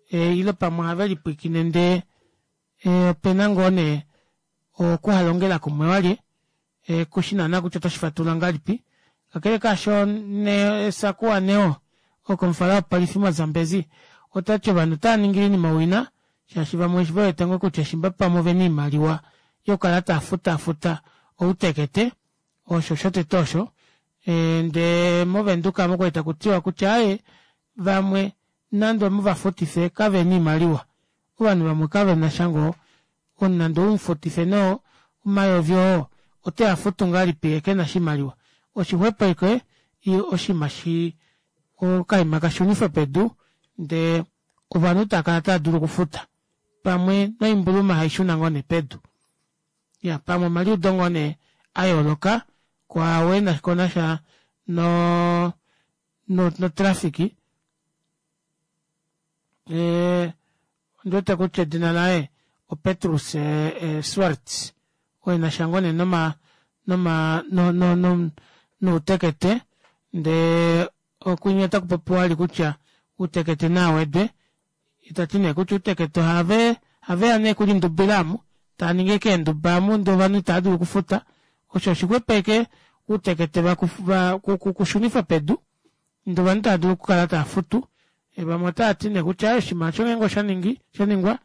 Speaker 1: e, ile pamwe ohave lipwiikine ndee e, opena ngoo nee okuhalongela kumwe walye e, kushi naana kutya otashi fatulula ngahelipi kakele kaasho ne Sakuwa Neo okomufala wopolifi moZambezi otati ovanhu otava ningile oinima owina shaashi vamwe ve wete ngoo kutya shimba pamwe ovena oimaliwa yokukala tava futa outekete osho shotete osho e, ndee movenduka omo kwali takutiwa kutya aaye vamwe nande omuvafutife kavena oimaliwa ovanhu vamwe kavena sha ngoo nande oumufutife noo omayovi oo oteya futu ngahelipi yee kena oshimaliwa oshixwepo ashike oshinima shi okaima kashunifwe pedu ndee ovanhu tava kala tava dulu okufuta pamwe noimbuluma haishuna ngoo nee pedu ya pamwe omaliudo ngoo nee ayooloka kwaao ena konasha no no notraffic e, ondiwete kutya edina laye oPetrus e, e, Swartz oo enasha ngoo nee noma noma no, no, no, noutekete ndee okwinya otaku popiwa vali kutya uutekete nawedwe itati nee kutya uutekete ohave haveya nee kulindubila amu tava ningi ashike eenduba amu ndee ovanhu itava dulu okufuta osho oshixwepo ashike uutekete kushunifwa pedu ndee ovanhu tava dulu okukala tava futu vamwe otavati nee kutya oshinima osho ngeenge oshaningi shaningwa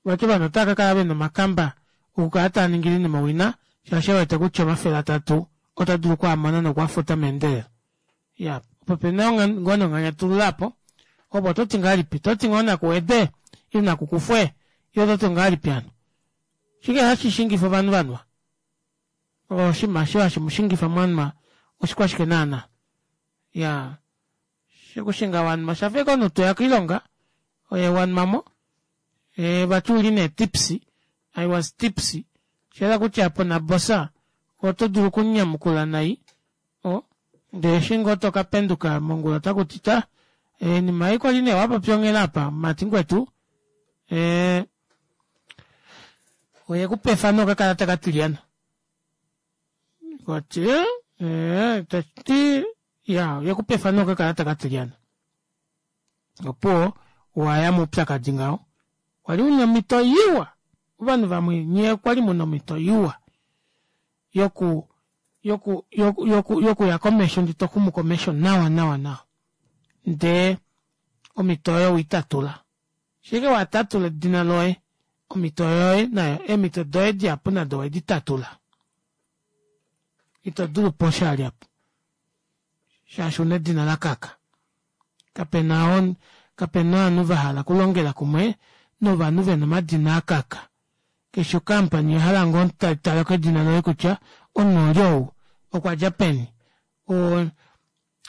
Speaker 1: vati ovanhu otava kakala vena omakamba okukala tava ningile oinima owina shaashi ewete kutya omafele atatu ota dulu okwaamona nokwafuta meendelelo ya opo pena ngoo nonganyatululo aapo opo ototi ngahelipi toti ngoo nakuwede ile nakukufwe ile ototi ngahelipi hano shike hashi shingifa ovanhu vanwa oshinima osho hashi mushingifa mwanwa oshikwashike naana ya shokushinga wanwa oshafa ashike omunhu toya koilonga oye wanwamo e, vati uli nee tipsy I was tipsy shayela kutya apo nabosa oto dulu okunyamukula nai o ndee eshi ngoo tokapenduka mongula otakuti ta oinima ei kwali nee wapopya onghela apa mumati ngwetu e, oyekupa efano okakalata katilyana koti e, tati ya oyekupa efano okakalata katilyana opuwo waya moupyakadi ngaho kwali una omhito iwa ovanhu vamwe nyee kwali muna omhito iwa yoku yoku yoku yoku yokuya komesho ndee toxumu komesho nawa nawa nawa ndee omhito oyo weitatula shike watatula edina loye omhito yoye nayo eemhito doye dihapu nado owedi tatula ito dulu po oshali apo shaashi una edina lakaka kapena kapena ovanhu vahala okulongela kumwe novanhu vena omadina akaka keshe okampani oyahala ngoo taleko edina loye kutya omunhu oli ou okwadja peni o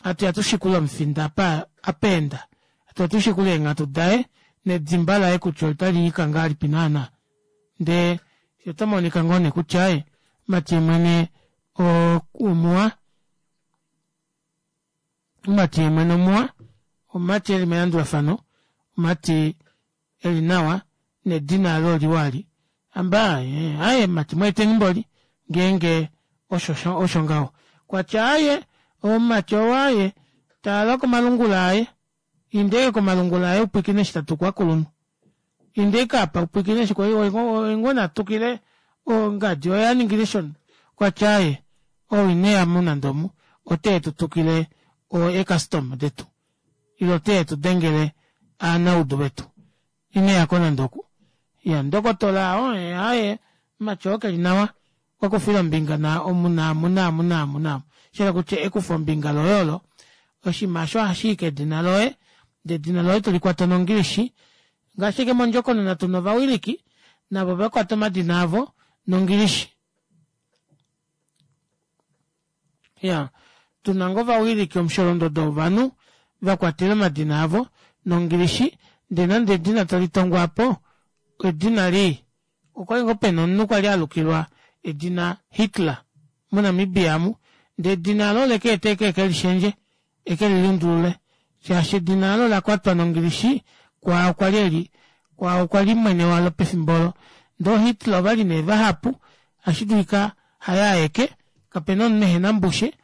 Speaker 1: hatuya tushikule omufinda apa apa enda hatuya tushikule eenghatu daye nedimba laye kutya otali nyika ngahelipi naana ndee oto monika ngoo nee kutya ee mati mwene omuwa omumati yemwene omuwa omumati eli melandulafano omumati eli nawa Nedina alo oliwa ali. Amba, aye, mumati mweeteni mboli, ngeenge osho, osho ngaho. Kwatya aye, omumati ou aye, tala komalungula aye. Inda komalungula aye upwikine eshi tatu kwakulunhu. Inda ike apa upwikine eshi oye ngoo natukile ongadi oye aningile shono. Kwatya aye, ou ineya mu nande omu, ote tu tukile eecustom detu. Ile ote tu dengele aanaudu vetu. Ineyako nande oku. Ya ndokotola oo aye, mumati oo keli nawa. Okwa kufile ombinga na omu naamu naamu naamu naamu. Shela kutya ekufo ombinga loye olo, oshinima osho ohashi i kedina loye, ndee edina loye tolikwata nongilishi. Ngaashi ke mondjokonona tuna ovawiliki, navo vakwata omadina avo nongilishi. Ya, tuna ngoo ovawiliki omusholondodo wovanhu vakwatele omadina avo nongilishi, ndee nande edina talitongwapo, edina lii. Okwali ngoo pena omunhu kwali alukilwa edina Hitler moNamibia amu, ndee edina alo oleke ete eke ekelishendje, ekelilundulule. Shaashi edina alo olakwatwa nongilishi, kwaao kwali eli, kwaao kwali mwene walo pefimbo olo. Ndee ooHitler ovali nee vahapu, ohashi dulika haye aeke, kapena omunhu ehena mbushe.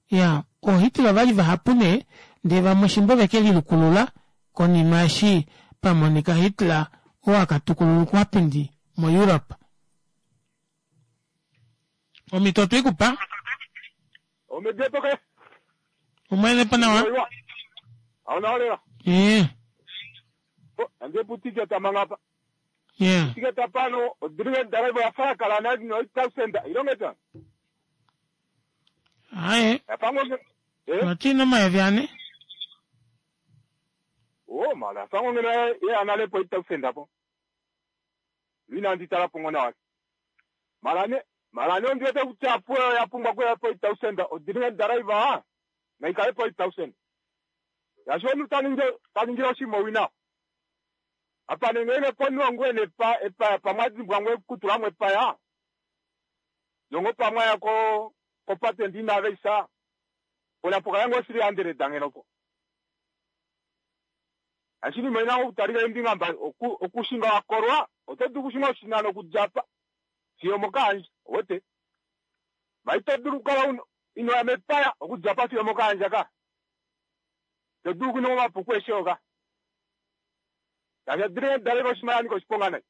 Speaker 1: Ya, ooHitler ovali vahapu nee, ndee vamwe shimba ovekelilukulula konima eshi pamonika Hitler oo akatukulula oukwapindi moEurope. Omhito otweikupa?
Speaker 17: Omedepo ke.
Speaker 1: Umwene po nawa?
Speaker 17: Aona olela.
Speaker 1: Ee.
Speaker 17: Ande putiketa mangapa.
Speaker 1: Yeah.
Speaker 17: Tiketa pano odringe driver ya fara kala na no eight thousand ilongeta.
Speaker 1: Aye.
Speaker 17: Yapango eh
Speaker 1: Watina omayovi ane?
Speaker 17: Oh mala fango ngena ye anale po eight thousand apo. Lina nditala pongo na. Mala ne mala ne ndiwete kutya po ya pumbwa ko ya po eight thousand odringe driver na ikale po eight thousand. Ya sho mutaninge taninge oshimo wina. Apa nengene ponu ngwene pa epa pamwadzi bwangwe kutula mwe paya. Longo pamwa ya ko ko patent ina veisa. Ola poka yango siri andere dangeno po. Ashini mwena okutalika embinga mba oku okushinga wakorwa otodu kushinga oshinano kujapa. Siyo mokanje wote. Maito duru kala ino ya mepaya okujapa siyo mokanje ka. Todu kuno mapuku eshoka. Yavya dire dare koshimaya niko shiponga nai.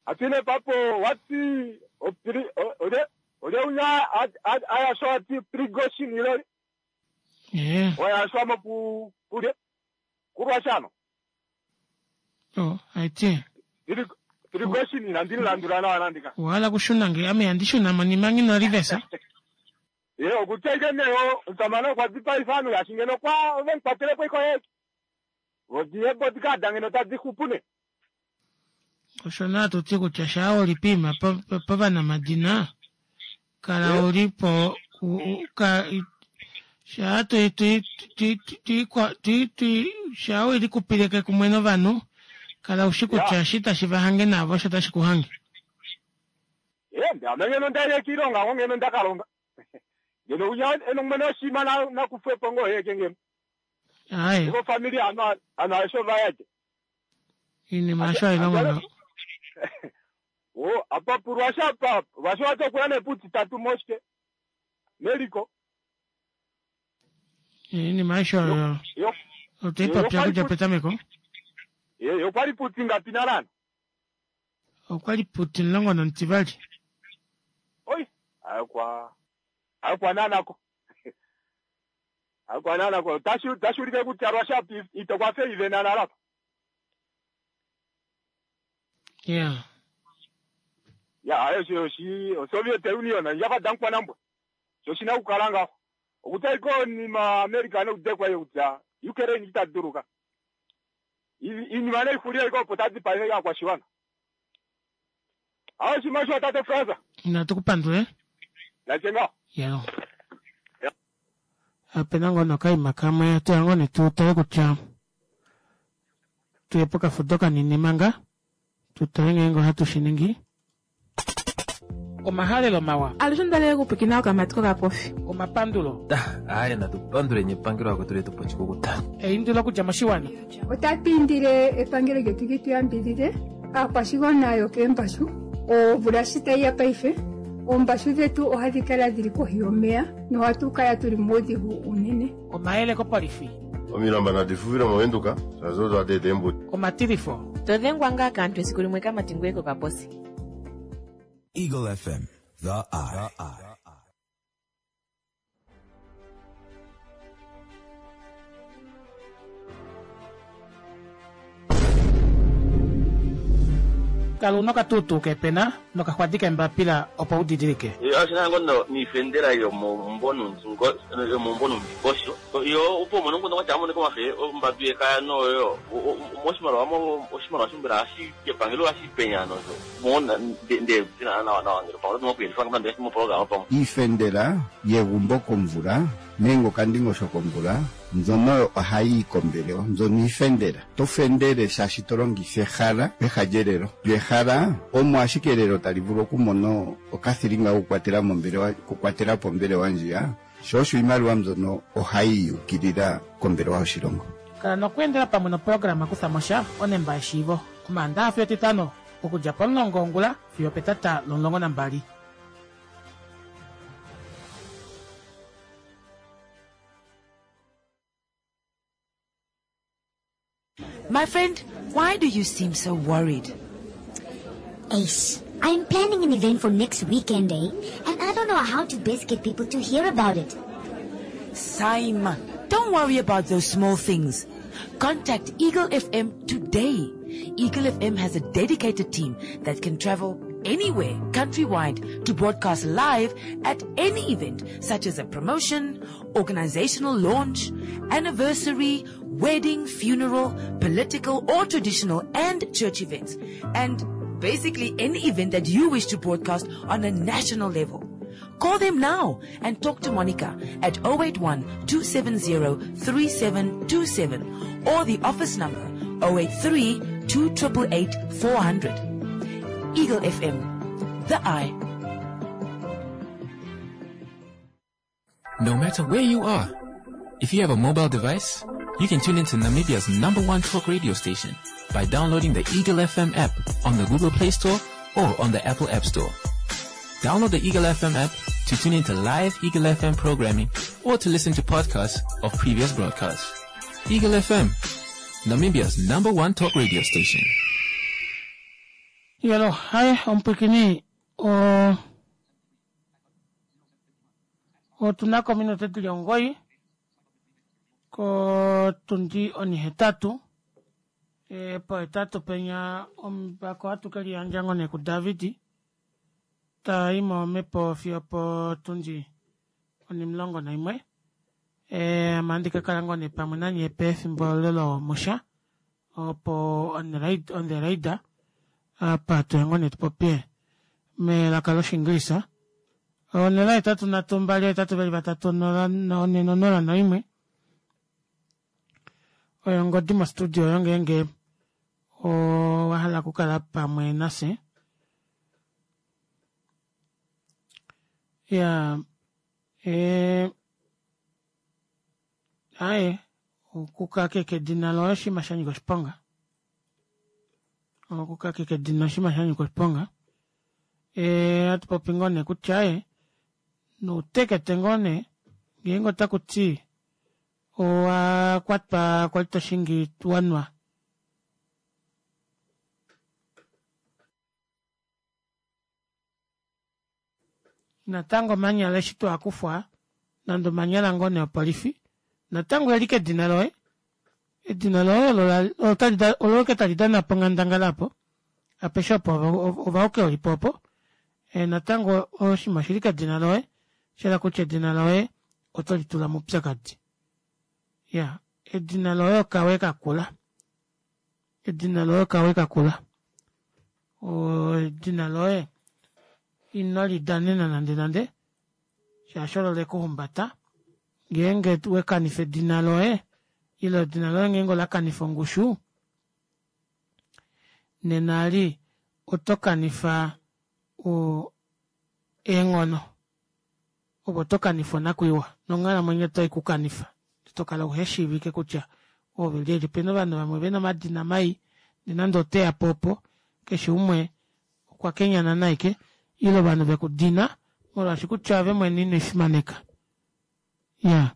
Speaker 17: Atine papo wati opiri ode ode unya aya so ati prigoshin ilori.
Speaker 1: Eh.
Speaker 17: Oya so mapu kure kurwashano.
Speaker 1: Oh, aiti.
Speaker 17: Tiri prigoshin ina ndiri landura na anandika.
Speaker 1: Wala kushuna nge ame andishuna monima ngino rivesa.
Speaker 17: Ye okutya neyo ntamana kwa dipa ifano ya shingeno kwa ovenkwatele kwa ikoye. Odiye bodika dangeno tadi kupune.
Speaker 1: Osho naa tuti kutya shaa olipima povanamadina kala ulipo shaa tui tui tui tui tui shaa welikupileke kumwe novanhu kala ushi kutya eshi tashi vahange navo osho tashi kuhange.
Speaker 17: Ye ame ngeno ndaile kiilonga ngo ngeno ndakalonga. Ngeno unya eno mwene oshima na nakufwepo ngo heke ngeno.
Speaker 1: Aye.
Speaker 17: Iko familia ano ano aisho vayaje.
Speaker 1: Iinima asho hailongo ngaho.
Speaker 17: O apa purwasha pa washo wato kuyane puti tatu moshke. Meliko.
Speaker 1: Iinima aisho oyo.
Speaker 17: Yo
Speaker 1: Otoipapya okudja petameko.
Speaker 17: Ye yo kwali puti ngapi nalana?
Speaker 1: Okwali puti omulongo nomutivali.
Speaker 17: Oi, ayokwa ayokwa nanako. Ayokwa nanako. Tashi tashi ulike kutya rwasha itokwafe ive nanalapa.
Speaker 1: Yeah.
Speaker 17: Ya ayo sho shi Soviet Union yaka dankwa nambwa. Sho shina kukala ngaho. Okutya iko ni ma America nokudekwa yo kutya Ukraine itaduruka. Iinima neikulia iko opo tadi pa ya kwashiwana. Ayo shimasho tate Fransa.
Speaker 1: Natukupandule.
Speaker 17: Nachenga.
Speaker 1: Yelo. Opena ngoo nokaima kamwe atuya ngoo netutale kutya tuye pokafudo kanini manga tutale ngeenge ohatu shi ningi. Omahalelo mawa.
Speaker 2: Alushe ondalele okupwikina okamati kokapofi.
Speaker 1: Omapandulo.
Speaker 3: Aaye natu panduleni epangelo lakwetu letu po oshikukuta.
Speaker 1: Eindilo okudja moshiwana.
Speaker 4: Otatu indile epangelo lyetu li tu yambidhidhe aakwashigwana yokeembashu omvula shi tayi ya paife oombashu dhetu ohadhi kala dhili kohi yomeya nohatu kala tuli muudhigu unene.
Speaker 1: Omayele kopolifi.
Speaker 5: Omilamba nadi fufile movenduka shaashi odo hadi eta eembudi.
Speaker 1: Omatilifo.
Speaker 6: To dhengwa ngaa kaantu esiku limwe kamati ngoye kokaposi.
Speaker 7: Eagle F M, The Eye.
Speaker 1: Kala una okatuutuu keepena nokaxwadi keembapila opo u didilike.
Speaker 8: Oshina ngo niifendela yomomumvo yomomumvo nomundingosho yo opo umone nguno kwatya amoneka omafe ombadu yekaya noyo moshimaliwa oshimaliwa shombela hashi epangelo hashi penya nosho mona nde nawa nawa ngele pamwe oto moku yelifa moprograma pamwe.
Speaker 9: Iifendela yegumbo komvula nenge okandingosho komvula mbyono ohayi yi kombelewa mbyono iifendela to fendele shaashi to longitha ehala peha lyelelo lyo ehala omo ashike elelo tali vulu okumona okathilinga kokukwatela mombelewa okukwatela po ombelewa ndjiya sho osho iimaliwa mbyono ohayi yukilila kombelewa yoshilongo.
Speaker 1: Kala nokweendela pamwe noprograma Kutha mo sha onemba yeshiivo Omaandaxa fiyo Etitano okudja pomulongo wongula fiyo opetata lomulongo nambali.
Speaker 12: My friend, why do you seem so worried?
Speaker 13: Ace, I'm planning an event for next weekend, eh? And I don't know how to best get people to hear about it.
Speaker 12: Saima, don't worry about those small things. Contact Eagle F M today. Eagle F M has a dedicated team that can travel anywhere countrywide to broadcast live at any event such as a promotion, organizational launch, anniversary, wedding, funeral, political or traditional and church events. And basically any event that you wish to broadcast on a national level. Call them now and talk to Monica at oh eight one two seven zero three seven two seven or the office number oh eight three two eight eight four hundred. Eagle F M, The Eye.
Speaker 11: No matter where you are, if you have a mobile device, you can tune into Namibia's number one talk radio station by downloading the Eagle F M app on the Google Play Store or on the Apple App Store. Download the Eagle F M app to tune into live Eagle F M programming or to listen to podcasts of previous broadcasts. Eagle F M, Namibia's number one talk radio station.
Speaker 1: Yelo, haye omupwikini o otu na ko ominute dili omugoyi kotundi onihetatu e, pohetatu penya ombako ohatu ke liyandja ngoo nee kuDavid ta i momhepo fiyo potundi onimulongo naimwe e, ame ohandi ka kala ngoo nee pamwe nanye pefimbo lelo musha opo on the radar apa tuye ngoo nee tupopye melaka loshinglisa onola hetatu nhatu mbali hetatu veli vatatu onola one nonola noimwe oyo ongodi mostudio oyo ngeenge owahala okukala pamwe nafye ya e, aye okukakeka edina loye oshinima sha nyika oshiponga okukakeka edina oshinima sha nyika oshiponga e, hatu popi ngoo nee kutya aye noutekete ngoo nee ngeenge otaku ti owa kwatwa kwali toshingi wanwa natango omanyala eshi twakufwa nande omanyala ngoo nee opolifi natango eli kedina loye edina loye olo ke tali dana po onghandangala apo apeshe opo ovauke olipo opo e, natango oshinima oshili kedina loye shela kutya edina loye oto litula moupyakadi ya edina loye okawe kakula edina loye okawe kakula edina loye ino lidanena nande nande shaashi olo lekuhumbata ngeenge wekanifa edina loye ile edina loye ngeenge olakanifa ongushu nena ali oto kanifa o eenghono ove oto kanifa onakwiiwa nonghalamwenyo otai kukanifa tokala uheshiivike kutya oove lyelye. Opena ovanhu vamwe vena omadina mai ndee nande oteyapo opo keshe umwe okwa kenyanana aike ile ovanhu vekudina molwaashi kutya ove mwene inwiifimaneka. Iyaa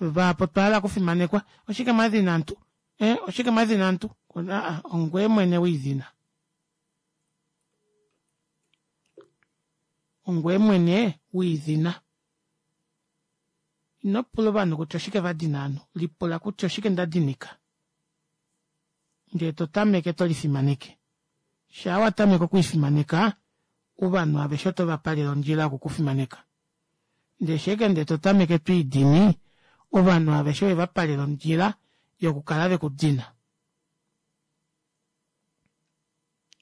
Speaker 1: vahapu otwa hala okufimanekwa oshike mwadhina aantu ee oshike mwadhina aantu aa ongweye mwene wiidhina ongweye mwene wiidhina ino pula ovanhu kutya oshike vadina ovanhu lipula kutya oshike ndadinika ndee totameke tolifimaneke shaa watameke okwiifimaneka ovanhu aveshe otovapalele ondjila yoku kufimaneka ndee sheke ndee totameke twiidini ovanhu aveshe owevapalela ondjila yokukala vekudina.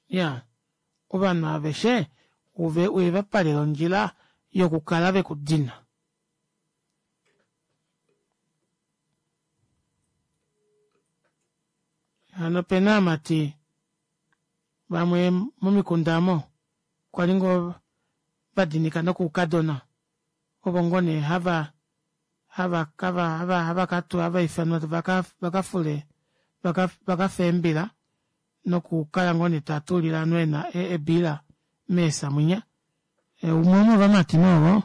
Speaker 1: Iyaa ovanhu aveshe owevapalela ondjila yokukala vekudina. Hano opena ovamati vamwe momikunda aamo kwali ngoo vadinika nokoukadona ovo ngoo nee hava hava hava hava ifanwa vakafule vakafe eembila nokukala ngoo nee tatuulile ovanhu eebiila meesa munya. Umwe womovamati nee ovo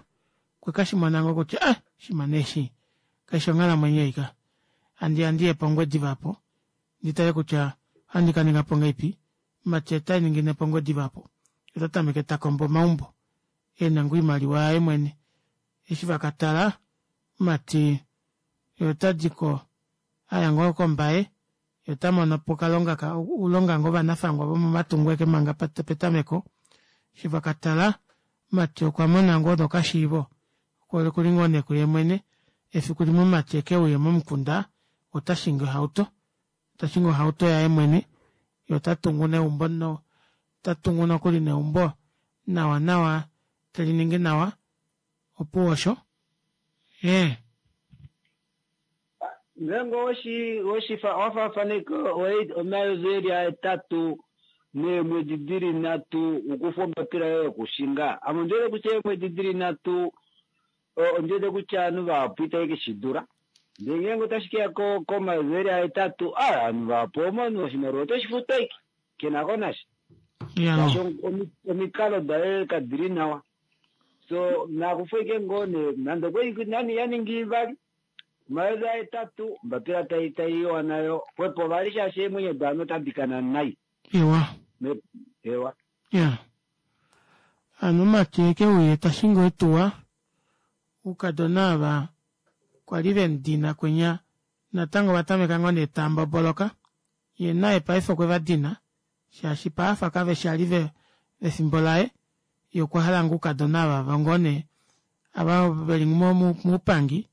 Speaker 1: okwekashimona ngoo kutya ah oshinima nee eshi kaifi onghalamwenyo ei ka handiya ndiye pongwediva aapo nditale kutya ohandi kaningapo ngahelipi omumati otaningi nee pongwediva aapo otatameke takombo omaumbo ena ngoo oimaliwa yaye mwene eshi vakatala omumati otadiko aya ngoo kombaye yee otamonopo okalonga oulonga ngoo vanafangwa vomomatungo ashike manga petameko eshi vakatala omumati okwamona ngoo nokashiivo okuli ngoo nee kuye mwene efiku limwe omumati ekeuye momukunda otashingi ohauto tashingi ohauto yaye mwene yee otatungu neumbo otatungu nokuli neumbo nawa nawa teliningi nawa opuwo osho ee.
Speaker 16: Ngeenge oweshi owafaafaneka omayovi eli ahetatu neemwedi dili nhatu ukufa ombapila yoye yokushinga ame ondiwete kutya eemwedi dili nhatu ondiwete kutya ovanhu vahapu itave keshidula ndee ngeenge otashi keya komayovi eli ahetatu aa ovanhu vahapu omonhu oshimaliwa otoshi futu ashike kenako nasha shaashi omikalo daye kadili nawa so nakufa ashike ngoo nee nande okwali nani yaningi ivali omayovi ahetatu ombapila taiiwa nayo xwepo vali shaashi eemwenyo dovanhu otadi kana nai.
Speaker 1: Ewa.
Speaker 16: Ewa.
Speaker 1: Ya. Hano omumati ekeuye tashingi eetuwa oukadona ava kwali vemudina kwinya natango ovatameka ngoo nee tamboboloka yee naye paife okwevadina shaashi paafa kaveshi ali vefimbo laye yee okwahala ngoo oukadona ava ngoo nee ava veli moupangi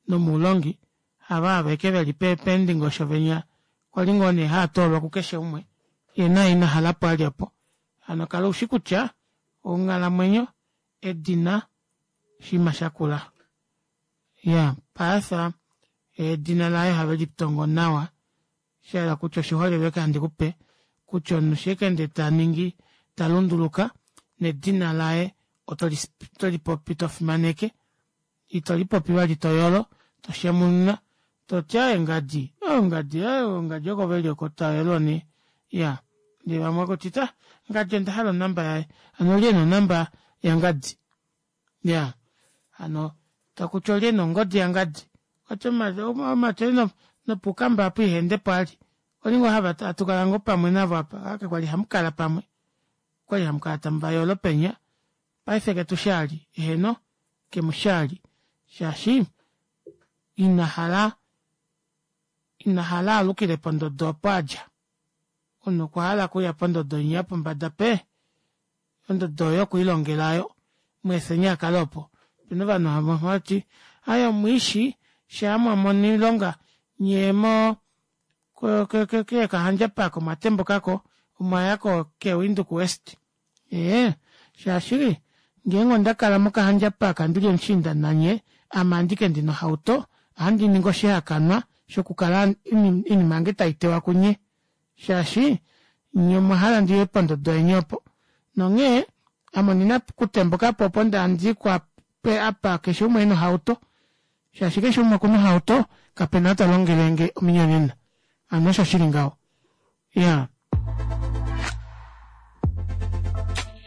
Speaker 1: nomoulongi hava aveke veli peendingosho venya kwali ngoo nee haatoolwa kukeshe umwe yee naye ina halapo ali opo hano kala ushi kutya onghalamwenyo edina oshinima shakula. Iyaa paife edina laye ohave litongo nawa shahala kutya oshiholelwa ashike handi kupe kutya omunhu eshi ashike ndee taningi talunduluka nedina laye otolipopi tofimaneke ito lipopi vali toyolo toshemununa toti aaye ngadi ngadi ngadi oko veli oko tayelwa nee iyaa ndee vamwe akuti ta ngadi ondahala onumber yaye hano olye ena onumber yangadi iyaa hano takuti olye ena ongodi yangadi okwati omumati ou nopoukamba aapa ihaendepo vali okwali ngoo hatukala ngoo pamwe navo apa aaye kwali hamukala pamwe okwali hamukala tamuvayolo penya paife ketushi vali eheno kemushi vali shaashi inahala inahala aalukile pondodo opo adja omunhu okwahala okuuya pondodo inya yopombada pee ondodo oyo okwiilongela aayo mweefeni akale opo. Opena ovanhu vamwe havati aaye omwiishi shaa mwamono oilonga nyee moo kEkahandja park omwatembukako omwaya ke windhoek west ee shaashi ngeenge ondakala mokahandja park ndili omushiinda nanye ame andike ndina ohauto ohandi ningi oshihakanwa shokukala oinima yange taitewa kunye shaashi nyee omwahala ndiye pondodo yeni opo nonghee Ame ondina okutembukapo opo ndandikwa apa keshe umwe ena ohauto shaashi keshe umwe okuna ohauto kapena ou talongelenge ominyonena hano osho shili ngaho iyaa.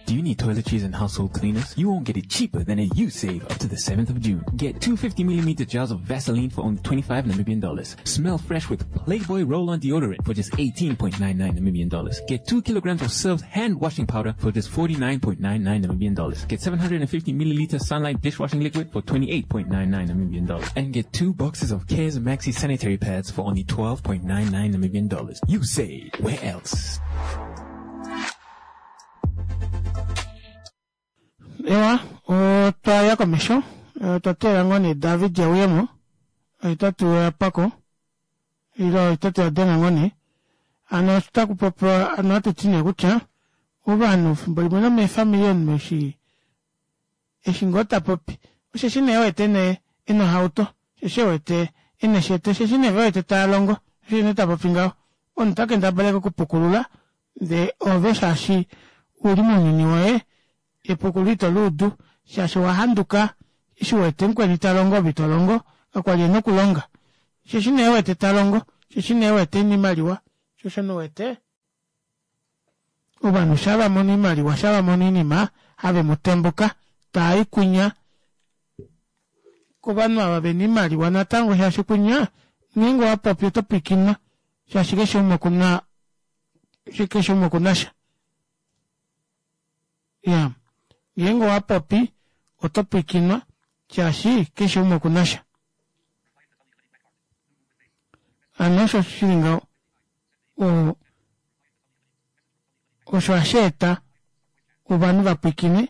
Speaker 11: Do you need toiletries and household cleaners? You won't get it cheaper than at Usave up to the seventh of June. Get two fifty millimeter jars of Vaseline for only twenty-five Namibian dollars. Smell fresh with Playboy roll-on deodorant for just eighteen point nine nine Namibian dollars. Get two kilograms of Surf hand washing powder for just forty-nine point nine nine Namibian dollars. Get seven hundred and fifty milliliter Sunlight dishwashing liquid for twenty-eight point nine nine Namibian dollars. And get two boxes of Cares Maxi sanitary pads for only twelve point nine nine Namibian dollars. Usave. Where else?
Speaker 1: Ewa, otwa ya komesho, otwa teelela ngoo nee David euyemo, oitatu oya pwako, ile oitatu ya denga ngoo nee. Hano otaku popiwa, hano ohatu ti nee kutya ovanhu efimbo limwe nomeefamili omunhu eshi eshi ngoo tapopi osheshi nee ewete nee ena ohauto, osheshi ewete ena eshete, osheshi nee vewete taalongo sho osho nee tapopi ngaho. Omunhu ota kendabala ashike okupukulula ndee ove shaashi uli mounyuni woye epukululo ito luudu shaashi owahanduka eshi uwete mukweni talongo ove itolongo kakwali ena okulonga osheshi nee ewete talongo osheshi nee ewete ena oimaliwa shoo osho nee uwete ovanhu shaa vamono oimaliwa shaa vamono oinima have mutembuka taayi kwinya kovanhu ava vena oimaliwa natango shaashi kwinya ngeenge owapopi oto pwiikinwa shaashi keshe umwe okuna keshe umwe okunasha iya ngeenge owapopi oto pwiikinwa shaashi keshe umwe okunasha hano osho shili ngaho oo osho hasheeta ovanhu vapwiikine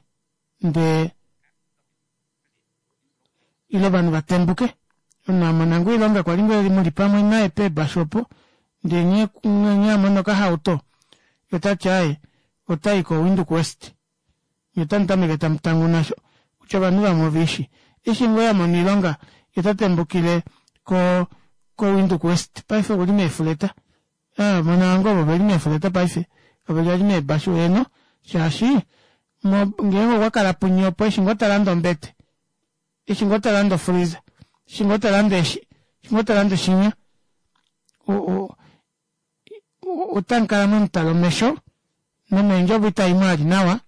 Speaker 1: ndee ile ovanhu vatembuke omunhu amona ngoo oilonga kwali ngoo muli pamwe naye peebashu opo ndee nghee amono okahauto yee otati aaye otayi ko windhoek west nyee otamutameke tamutanguna kutya ovanhu vamwe oveishi eshi ngoo amona oilonga yee otatembukile ko ko windhoek west paife okuli meefuleta mona ngoo ovo veli meefuleta paife kaveli vali meebashu heeno shaashi ngeenge okwakala punye opo eshi ngoo talande ombete eshi ngoo talande ofreezer eshi ngoo talande eshi eshi ngoo talande shinya otamukala mwemutala omesho nomeendjovo itaimo vali nawa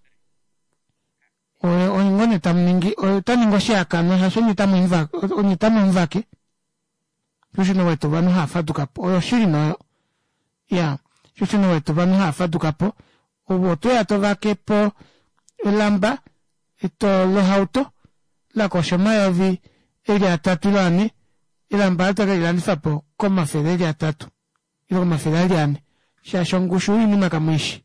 Speaker 1: oye ngoo nee tamuningi otaningi oshihakanwa shaashi onye tamumuvake shoo osho nee uwete ovanhu haafadukapo oyo oshili nee oyo iyaa shoo osho nee uwete ovanhu haafadukapo ove otoya tovakepo elamba lohauto lakosha omayovi eli atatu ile ane elamba aalo tokelilandifapo komafele eli atatu ile komafele eli ane shaashi ongushu yoinima kamuishi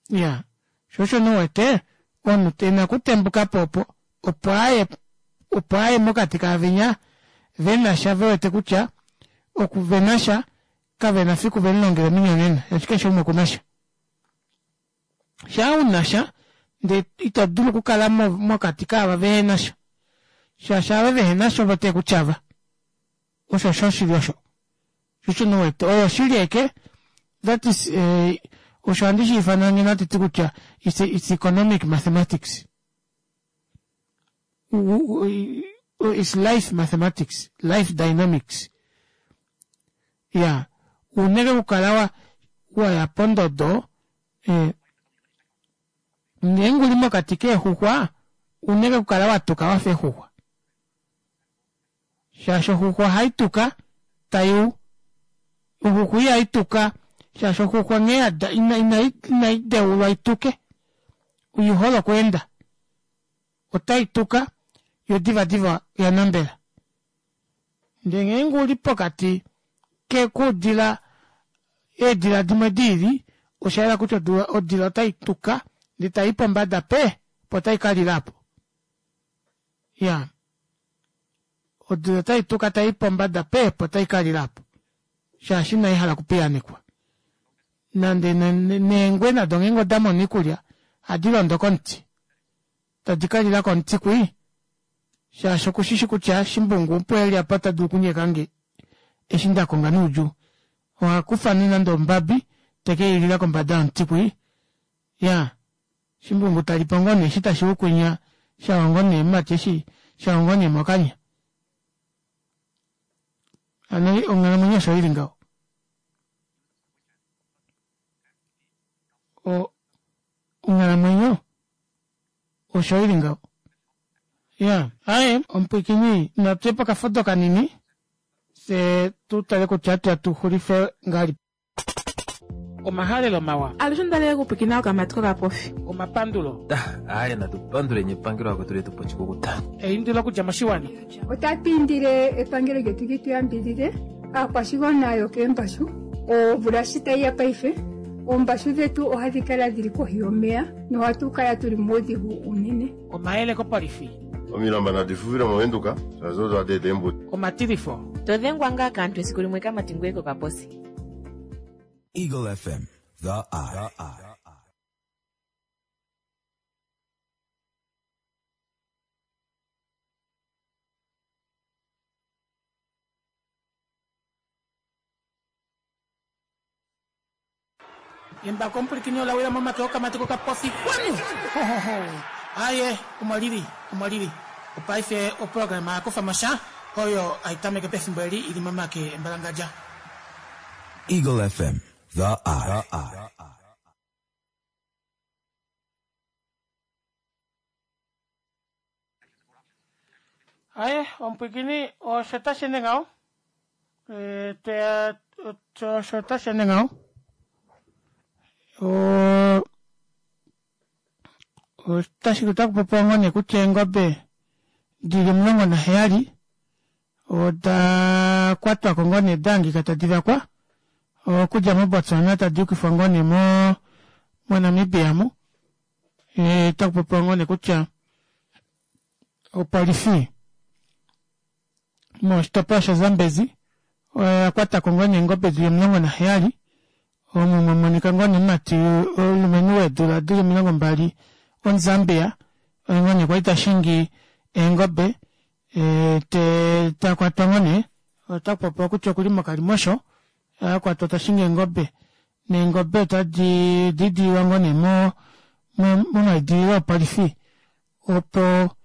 Speaker 1: iyaa shoo osho nee uwete omunhu ena okutembukapo opo opo aye opo aye mokati kaavenya venasha vewete kutya oku venasha kavena fiku vemulongele ominyonena shaashi keshe umwe okunasha shaa unasha ndee ito dulu okukala mokati kaava vehenasha shaashi ava vehenasha ovo tekutyava osho osho shili osho shosho nee uwete oyo oshili aike that is eh, osho handi shiifana ngeno hatiti kutya it's, it's economic mathematics it's life mathematics life dynamics ya uneke okukala wa waya pondodo eh, ngeenge uli mokati keexuxwa uneke okukala watuka wafa exuxwa shaashi oxuxwa ohaituka taiu oxuxwa ihaituka shaashi oxuxwa nghee inai deulwa ituke oihole okweenda otaituka yo divadiva oyanambela ndee ngeenge uli pokati kuudila eedila dimwe diili oshayela kutya odila otaituka ndee tayi pombada pe opo taikalila aapo iyaa odila otaituka tayi pombada pe opo taikalila aapo shaashi inaihala okupiyaanekwa nande neengwe nado ngeenge odamono oikulya ohadi londo komuti tadi kalila komuti kwii shaashi okushishi kutya shimbungu opo eli apa ota dulu okunyekange eshi ndakonga noudjuu ohakufa nee nande ombabi tekeilila kombada yomuti kwii iyaa Shimbungu talipo ngoo nee eshi tashi ukwinya shawa ngoo nee mumati eshi shawa ngoo nee mokanya. Hano onghalamwenyo osho ili ngaho. O onghalamwenyo osho ili ngaho. Iyaa aaye omupwiikini natuye pokafudo kanini fyee tutale kutya atuya tuxulife ngahelipi. Omahalelo mawa.
Speaker 2: Alushe ondalele okupwiikina okamati kokapofi.
Speaker 1: Omapandulo.
Speaker 3: Aaye natu panduleni epangelo lakwetu letu po oshikukuta.
Speaker 1: Eindilo okudja moshiwana.
Speaker 4: Otatu indile epangelo lyetu li tu yambidhidhe aakwashigwana yokeembashu omvula shi tayi ya paife oombashu dhetu ohadhi kala dhili kohi yomeya nohatu kala tuli muudhigu uunene.
Speaker 1: Omayele kopolifi.
Speaker 5: Omilamba nadi fufile mOvenduka shaashi odo hadi eta eembudi.
Speaker 1: Omatilifo.
Speaker 6: To dhengwa ngaa kaantu esiku limwe kamati ngoye kokaposi.
Speaker 7: Eagle F M, The Eye.
Speaker 1: Embako omupwilikini ola wila momake okamati kokapofi kwanu! Hohoho! Aaye, omo lili, omo lili. Opaife oprograma ya kufa mo sha oyo hai tameke pefimbo eli i li momake embalangadja.
Speaker 7: Eagle F M, The Eye.
Speaker 1: Aye, omupwilikini osho tashi ende ngaho. E, tweya osho tashi ende ngaho. O otashi otaku popiwa ngoo nee kutya eengobe dili omulongo naheyali oda kwatwako ngoo nee dahangika tadi vakwa okudja moBotswana tadi yukifwa ngoo nee mo moNamibia mu otaku popiwa ngoo nee kutya opolifi moshitopolwa shaZambezi oya kwatako ngoo nee eengobe dili omulongo naheyali omo mwamonika ngoo nee omumati omulumenhu weedula dili omilongo mbali omuZambia oye ngoo nee kwali tashingi eengobe takwatwa ngoo nee otakupopiwa kutya okuli mokalimosho akwatwa tashingi eengobe neengobe otadi diidililwa ngoo nee mo momaidililo opolifi opo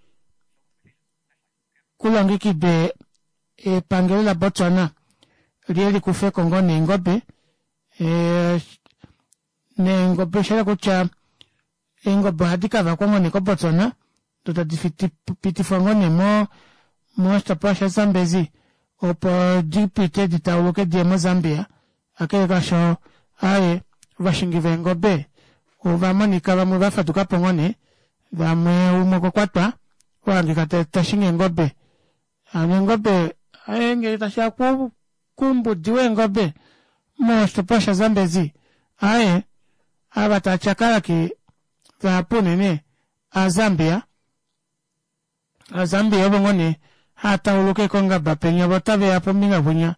Speaker 1: kulongekidwe epangelo la Botswana liye likufeko ngoo nee eengobe neengobe oshahala kutya eengobe ohadi kavakwa ngoo nee ko Botswana doo tadi pitifwa ngoo nee mo moshitopolwa sha Zambezi opo dipite ditauluke diye mo Zambia kakele kaasho aaye ovashingi veengobe ovamonika vamwe vafadukapo ngoo nee vamwe umwe okwa kwatwa wahangika tashingi eengobe hano eengobe aaye ngee tashiya koumbudi weengobe moshitopolwa sha Zambezi aaye ava taatyakalakiye vahapu unene aaZambia, aaZambia ovo ngoo nee haatauluka kongaba penya voo otaveya pombinga kwinya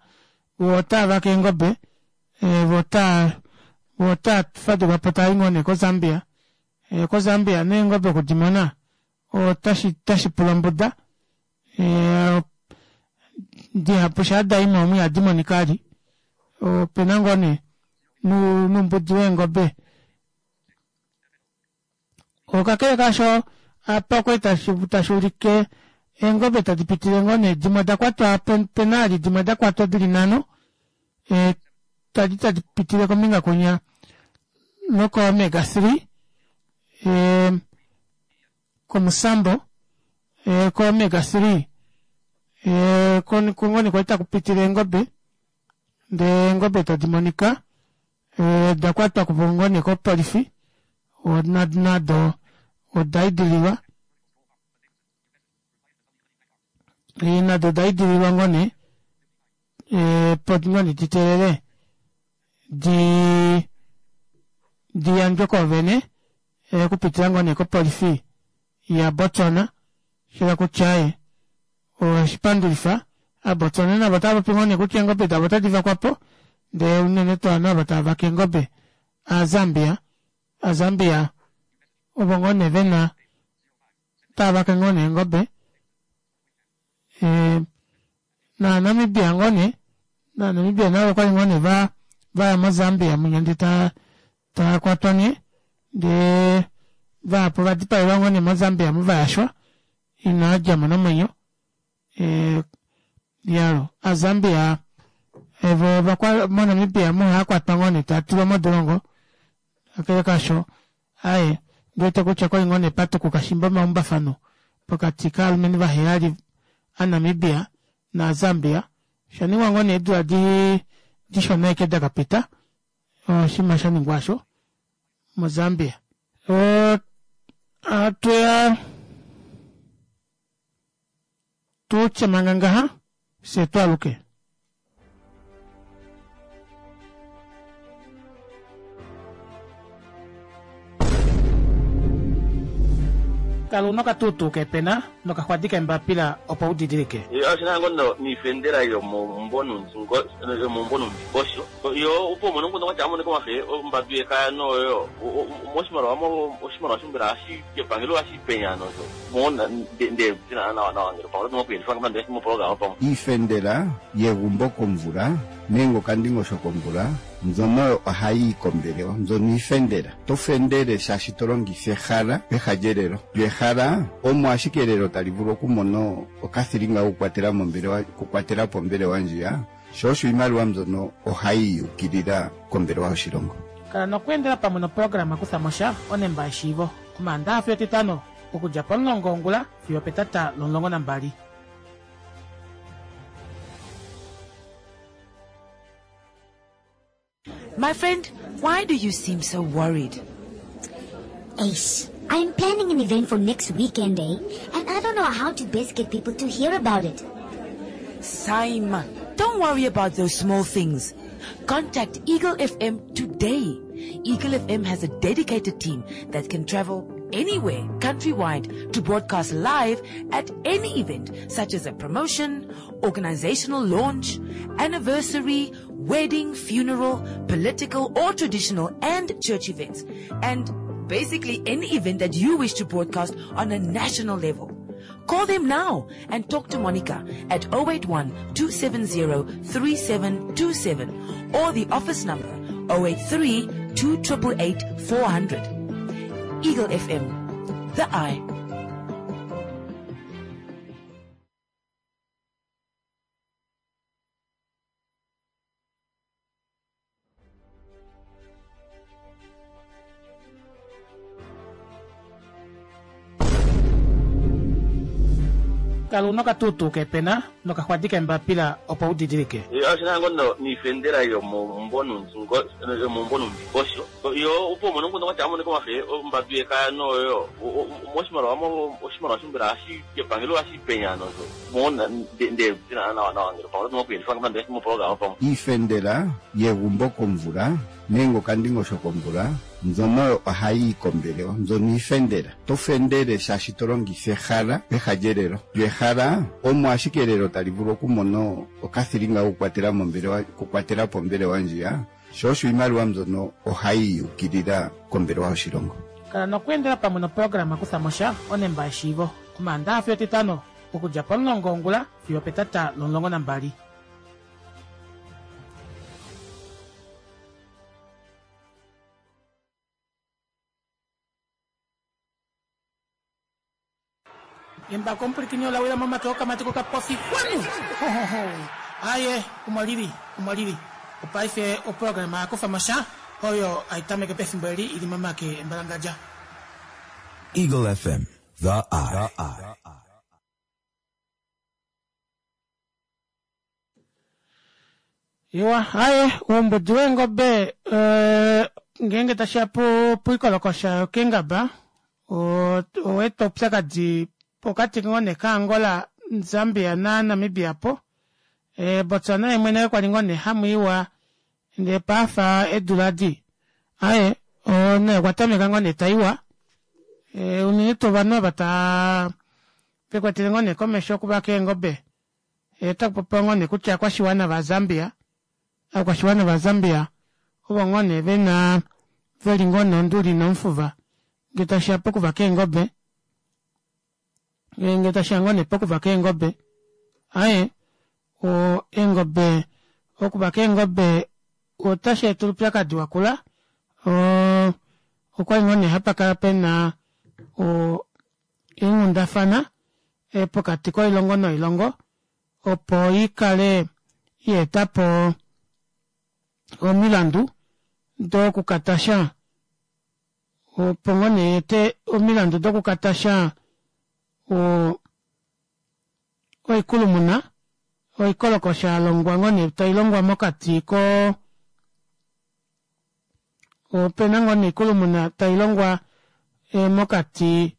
Speaker 1: voo otaavake eengobe voo otaa voo otaafadukapo taayi ngoo nee ko Zambia. Ko Zambia nee eengobe okudimona otashi otashi pula ombuda dihapu shaa dayimo omu ihadi monika vali opena ngoo nee noumbudi weengobe. Kakele kaasho apa okwali tashuulike eengobe tadi pitile ngoo nee dimwe odakwatwa penaali dimwe odakwatwa dili nhano dali tadi pitile kombinga kwinya loko omega three komusambo ko omega three oko ngoo nee kwali takupitile eengobe ndee eengobe tadi monika odakwatwapo ngoo nee kopolifi nado odaidililwa nado odaidililwa ngoo nee opo ngoo nee diteelele dii diyandjwe koovene okupitila ngoo nee kopolifi ya Botswana shayela kutya aaye oshipandulifa aaBotswana navo otavapopi ngoo nee kutya eengobe davo otadi vakwapo ndee unene tuu ovanhu ava tavake eengobe aaZambia, aaZambia ovo ngoo nee vena tavake ngoo nee eengobe naa Namibia ngoo nee naa Namibia navo okwali ngoo nee vaya mo Zambia munya ndee taakwatwa nee ndee Vahapu ovadipaelwa ngoo nee moZambia muvayashwa inaa djamo nomwenyo. Eh, yalo aZambia evo vakwa moNamibia muhaakwatwa ngoo nee taatulwa modolongo kakele kaasho aaye ndiwete kutya kwali ngoo nee patukuka shimba omaumbafano pokati kaalumenhu vaheyali aNamibia naZambia oshaningwa ngoo nee eedula dishona ashike dakapita oshinima shaningwa aasho moZambia. Atuya tutye manga ngaha fye twaaluke. Kala una okatuutuu kepena nokaxwadi kembapila opo udidilike.
Speaker 8: Oshina ngoo niifendela yomomumbo nomundingosho yo opo umone nguno kwatya amoneka omafe ombadu yekaya noyo moshimaliwa oshimaliwa shombela hashi epangelo hashi penya nosho mona nde tina nawa nawa ngele pamwe oto mokuyendifa ngapande moprograma pamwe
Speaker 9: Iifendela yegumbo komvula nenge okandingosho komvula mbyono ohayi yi kombelewa mbyono iifendela. To fendele shaashi to longitha ehala peha lyelelo. Lyo ehala omo ashike elelo tali vulu okumona okathilinga kokukwatela mombelewa okukwatela po ombelewa ndjiya sho osho iimaliwa mbyono ohayi yukilila kombelewa yoshilongo.
Speaker 1: Kala nokweendela pamwe noprograma Kutha mo sha onemba yeshiivo Omaandaxa fiyo Etitano okudja pomulongo wongula fiyo opetata lomulongo nambali.
Speaker 12: My friend, why do you seem so worried?
Speaker 13: Ace, I'm planning an event for next weekend, eh? And I don't know how to best get people to hear about it.
Speaker 12: Simon, don't worry about those small things. Contact Eagle F M today. Eagle F M has a dedicated team that can travel anywhere countrywide to broadcast live at any event, such as a promotion, organizational launch, anniversary, wedding, funeral, political or traditional and church events, and basically any event that you wish to broadcast on a national level. Call them now and talk to Monica at oh eight one, two seven zero, three seven two seven or the office number oh eight three, two triple eight, four hundred. Eagle F M, the eye.
Speaker 1: Kala una okatuutuu kepena nokaxwadi kembapila opo udidilike.
Speaker 8: Oshina ngoo niifendela yomomumbo nomundingosho yo opo umone nguno kwatya amoneka omafe ombadu yekaya noyo moshimaliwa oshimaliwa shombela hashi epangelo hashi penya nosho mona nde tina nawa nawa ngele pamwe oto mokuyendifa ngapande moprograma pamwe.
Speaker 9: Iifendela yegumbo komvula nenge okandingosho komvula mbyono ohayi yi kombelewa mbyono iifendela. To fendele shaashi to longitha ehala peha lyelelo. Lyo ehala omo ashike elelo tali vulu okumona okathilinga kokukwatela mombelewa okukwatela po ombelewa ndjiya sho osho iimaliwa mbyono ohayi yukilila kombelewa yoshilongo.
Speaker 1: Kala nokweendela pamwe noprograma Kutha mo sha onemba yeshiivo Omaandaxa fiyo Etitano okudja pomulongo wongula fiyo opetata lomulongo nambali. Embako omupulikini ola wila momake okamati kokapofi kwanu. Aye, omwalili, omwalili. Opaife oprograma yakufa mo sha oyo aitameke pefimbo eli ili momake embalangadja.
Speaker 7: Eagle F M, the eye.
Speaker 1: Iwa, aye, oumbudi weengobe ngeenge tashiya poikolokosha yokengaba oweeta oupyakadi pokati ngoo nee kaAngola, Zambia naNamibia po. Botswana ye mwene kwali ngoo nee hamwiiwa ndee paafa eedula adi. Aye, naye okwa tameka ngoo nee taiwa. Unene tuu ovanhu ava taa vekwetele ngoo nee komesho okuvaka eengobe. Otakupopiwa ngoo nee kutya ovakwashiwana vaZambia, ovakwashiwana vaZambia ovo ngoo nee vena veli ngoo nee onduli nomufuva ngee tashiya pokuvaka eengobe. Ngee tashiya ngoo nee pokuvaka eengobe. Aye, eengobe, okuvaka eengobe otashi eta oupyakadi wakula. Okwali ngoo nee hapakala pena o eenghundafana pokati koilongo noilongo opo ikale yeetapo omilandu dokukatasha opo ngoo nee yeete omilandu dokukatasha o oikulumuna oikolokosha yalongwa ngoo nee tailongwa mokati ko opena ngoo nee oikulumuna tailongwa mokati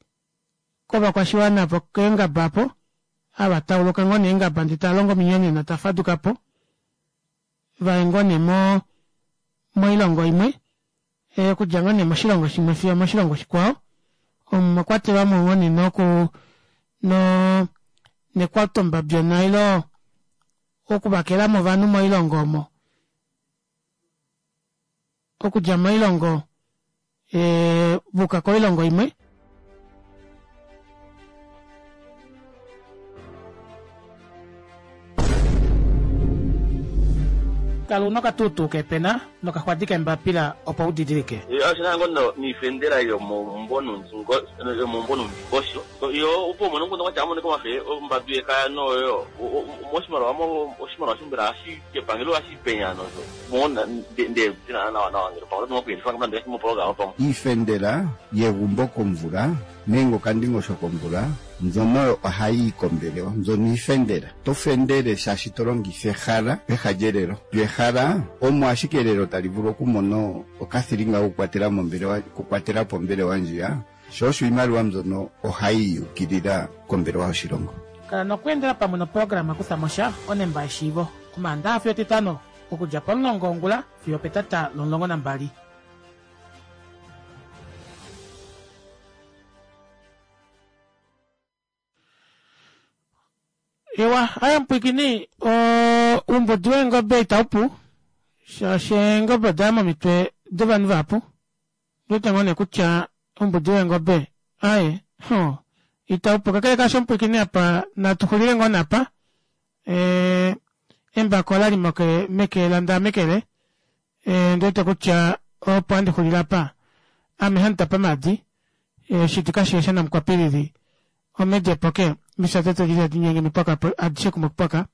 Speaker 1: kovakwashiwana vokeengaba apo ava tauluka ngoo nee eengaba ndee taalongo ominyonena tafadukapo vaye ngoo nee mo moilongo imwe okudja ngoo nee moshilongo shimwe fiyo moshilongo shikwao omo mwakwatelwa ngoo nee noku no nekwatombabyona ile okuvakelamo ovanhu moilongo omo okudja moilongo ee vuka koilongo imwe. Kala una okatuutuu kepena nokaxwadi kembapila opo udidilike.
Speaker 8: Oshina ngoo niifendela yomomumvo nomundingosho yo opo umone nguno kwatya amoneka omafe ombadu yekaya noyo moshimaliwa oshimaliwa shombela hashi kepangelo hashi penya nozo mona nde nawa nawa ngelo pamwe oto nokuyelifa moprograma pamwe.
Speaker 9: Iifendela yegumbo komvula nenge okandingosho komvula mbyono ohayi yi kombelewa, mbyono iifendela. To fendele shaashi to longitha ehala peha lyelelo. Lyo ehala omo ashike elelo tali vulu okumona okathilinga kokukwatela mombelewa, okukwatela po ombelewa ndjiya, sho osho iimaliwa mbyono ohayi yukilila kombelewa yoshilongo.
Speaker 1: Kala nokweendela pamwe noprograma Kufa mo sha onemba yeshiivo Omaandaxa fiyo Etitano okudja pomulongo wongula fiyo opetata lomulongo nambali. Ewa, aya mpwikini oumbudi weengobe itaupu shaashi eengobe odaya momitwe dovanhu vahapu. Ndiwete ngoo nee kutya oumbudi weengobe aaye ho itaupu kakele kaasho mupwiikini apa natuxulile ngoo napa ee embako olali moke meke landaamekele ee ndiwete kutya opo handi xulile apa ame hamutapa maadi shiti kashiye shanamukwapilili omedi epoke mishate tadi tadi mipwaka adishe kumwe kupwaka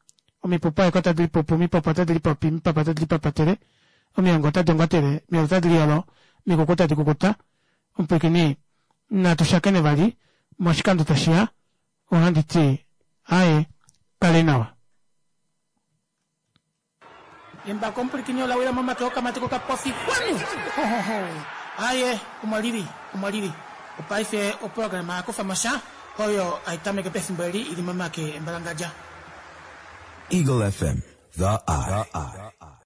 Speaker 1: omipupu aeke otadi lipupu omipopo otadi lipopi omipapa otadi lipapatele omiongo otadi ongotele omiyolo otadi liyolo omikuku otadi kukuta omupwiikini natu shakene vali moshikando tashiya ohandi ti aaye kale nawa. Embako omupwilikini ola wila momake okamati kokapofi kwanu! Hohoho! Aaye, omo lili, omo lili. Opaife oprograma ya kufa mo sha oyo hai tameke pefimbo eli i li momake embalangadja.
Speaker 7: Eagle F M, The Eye.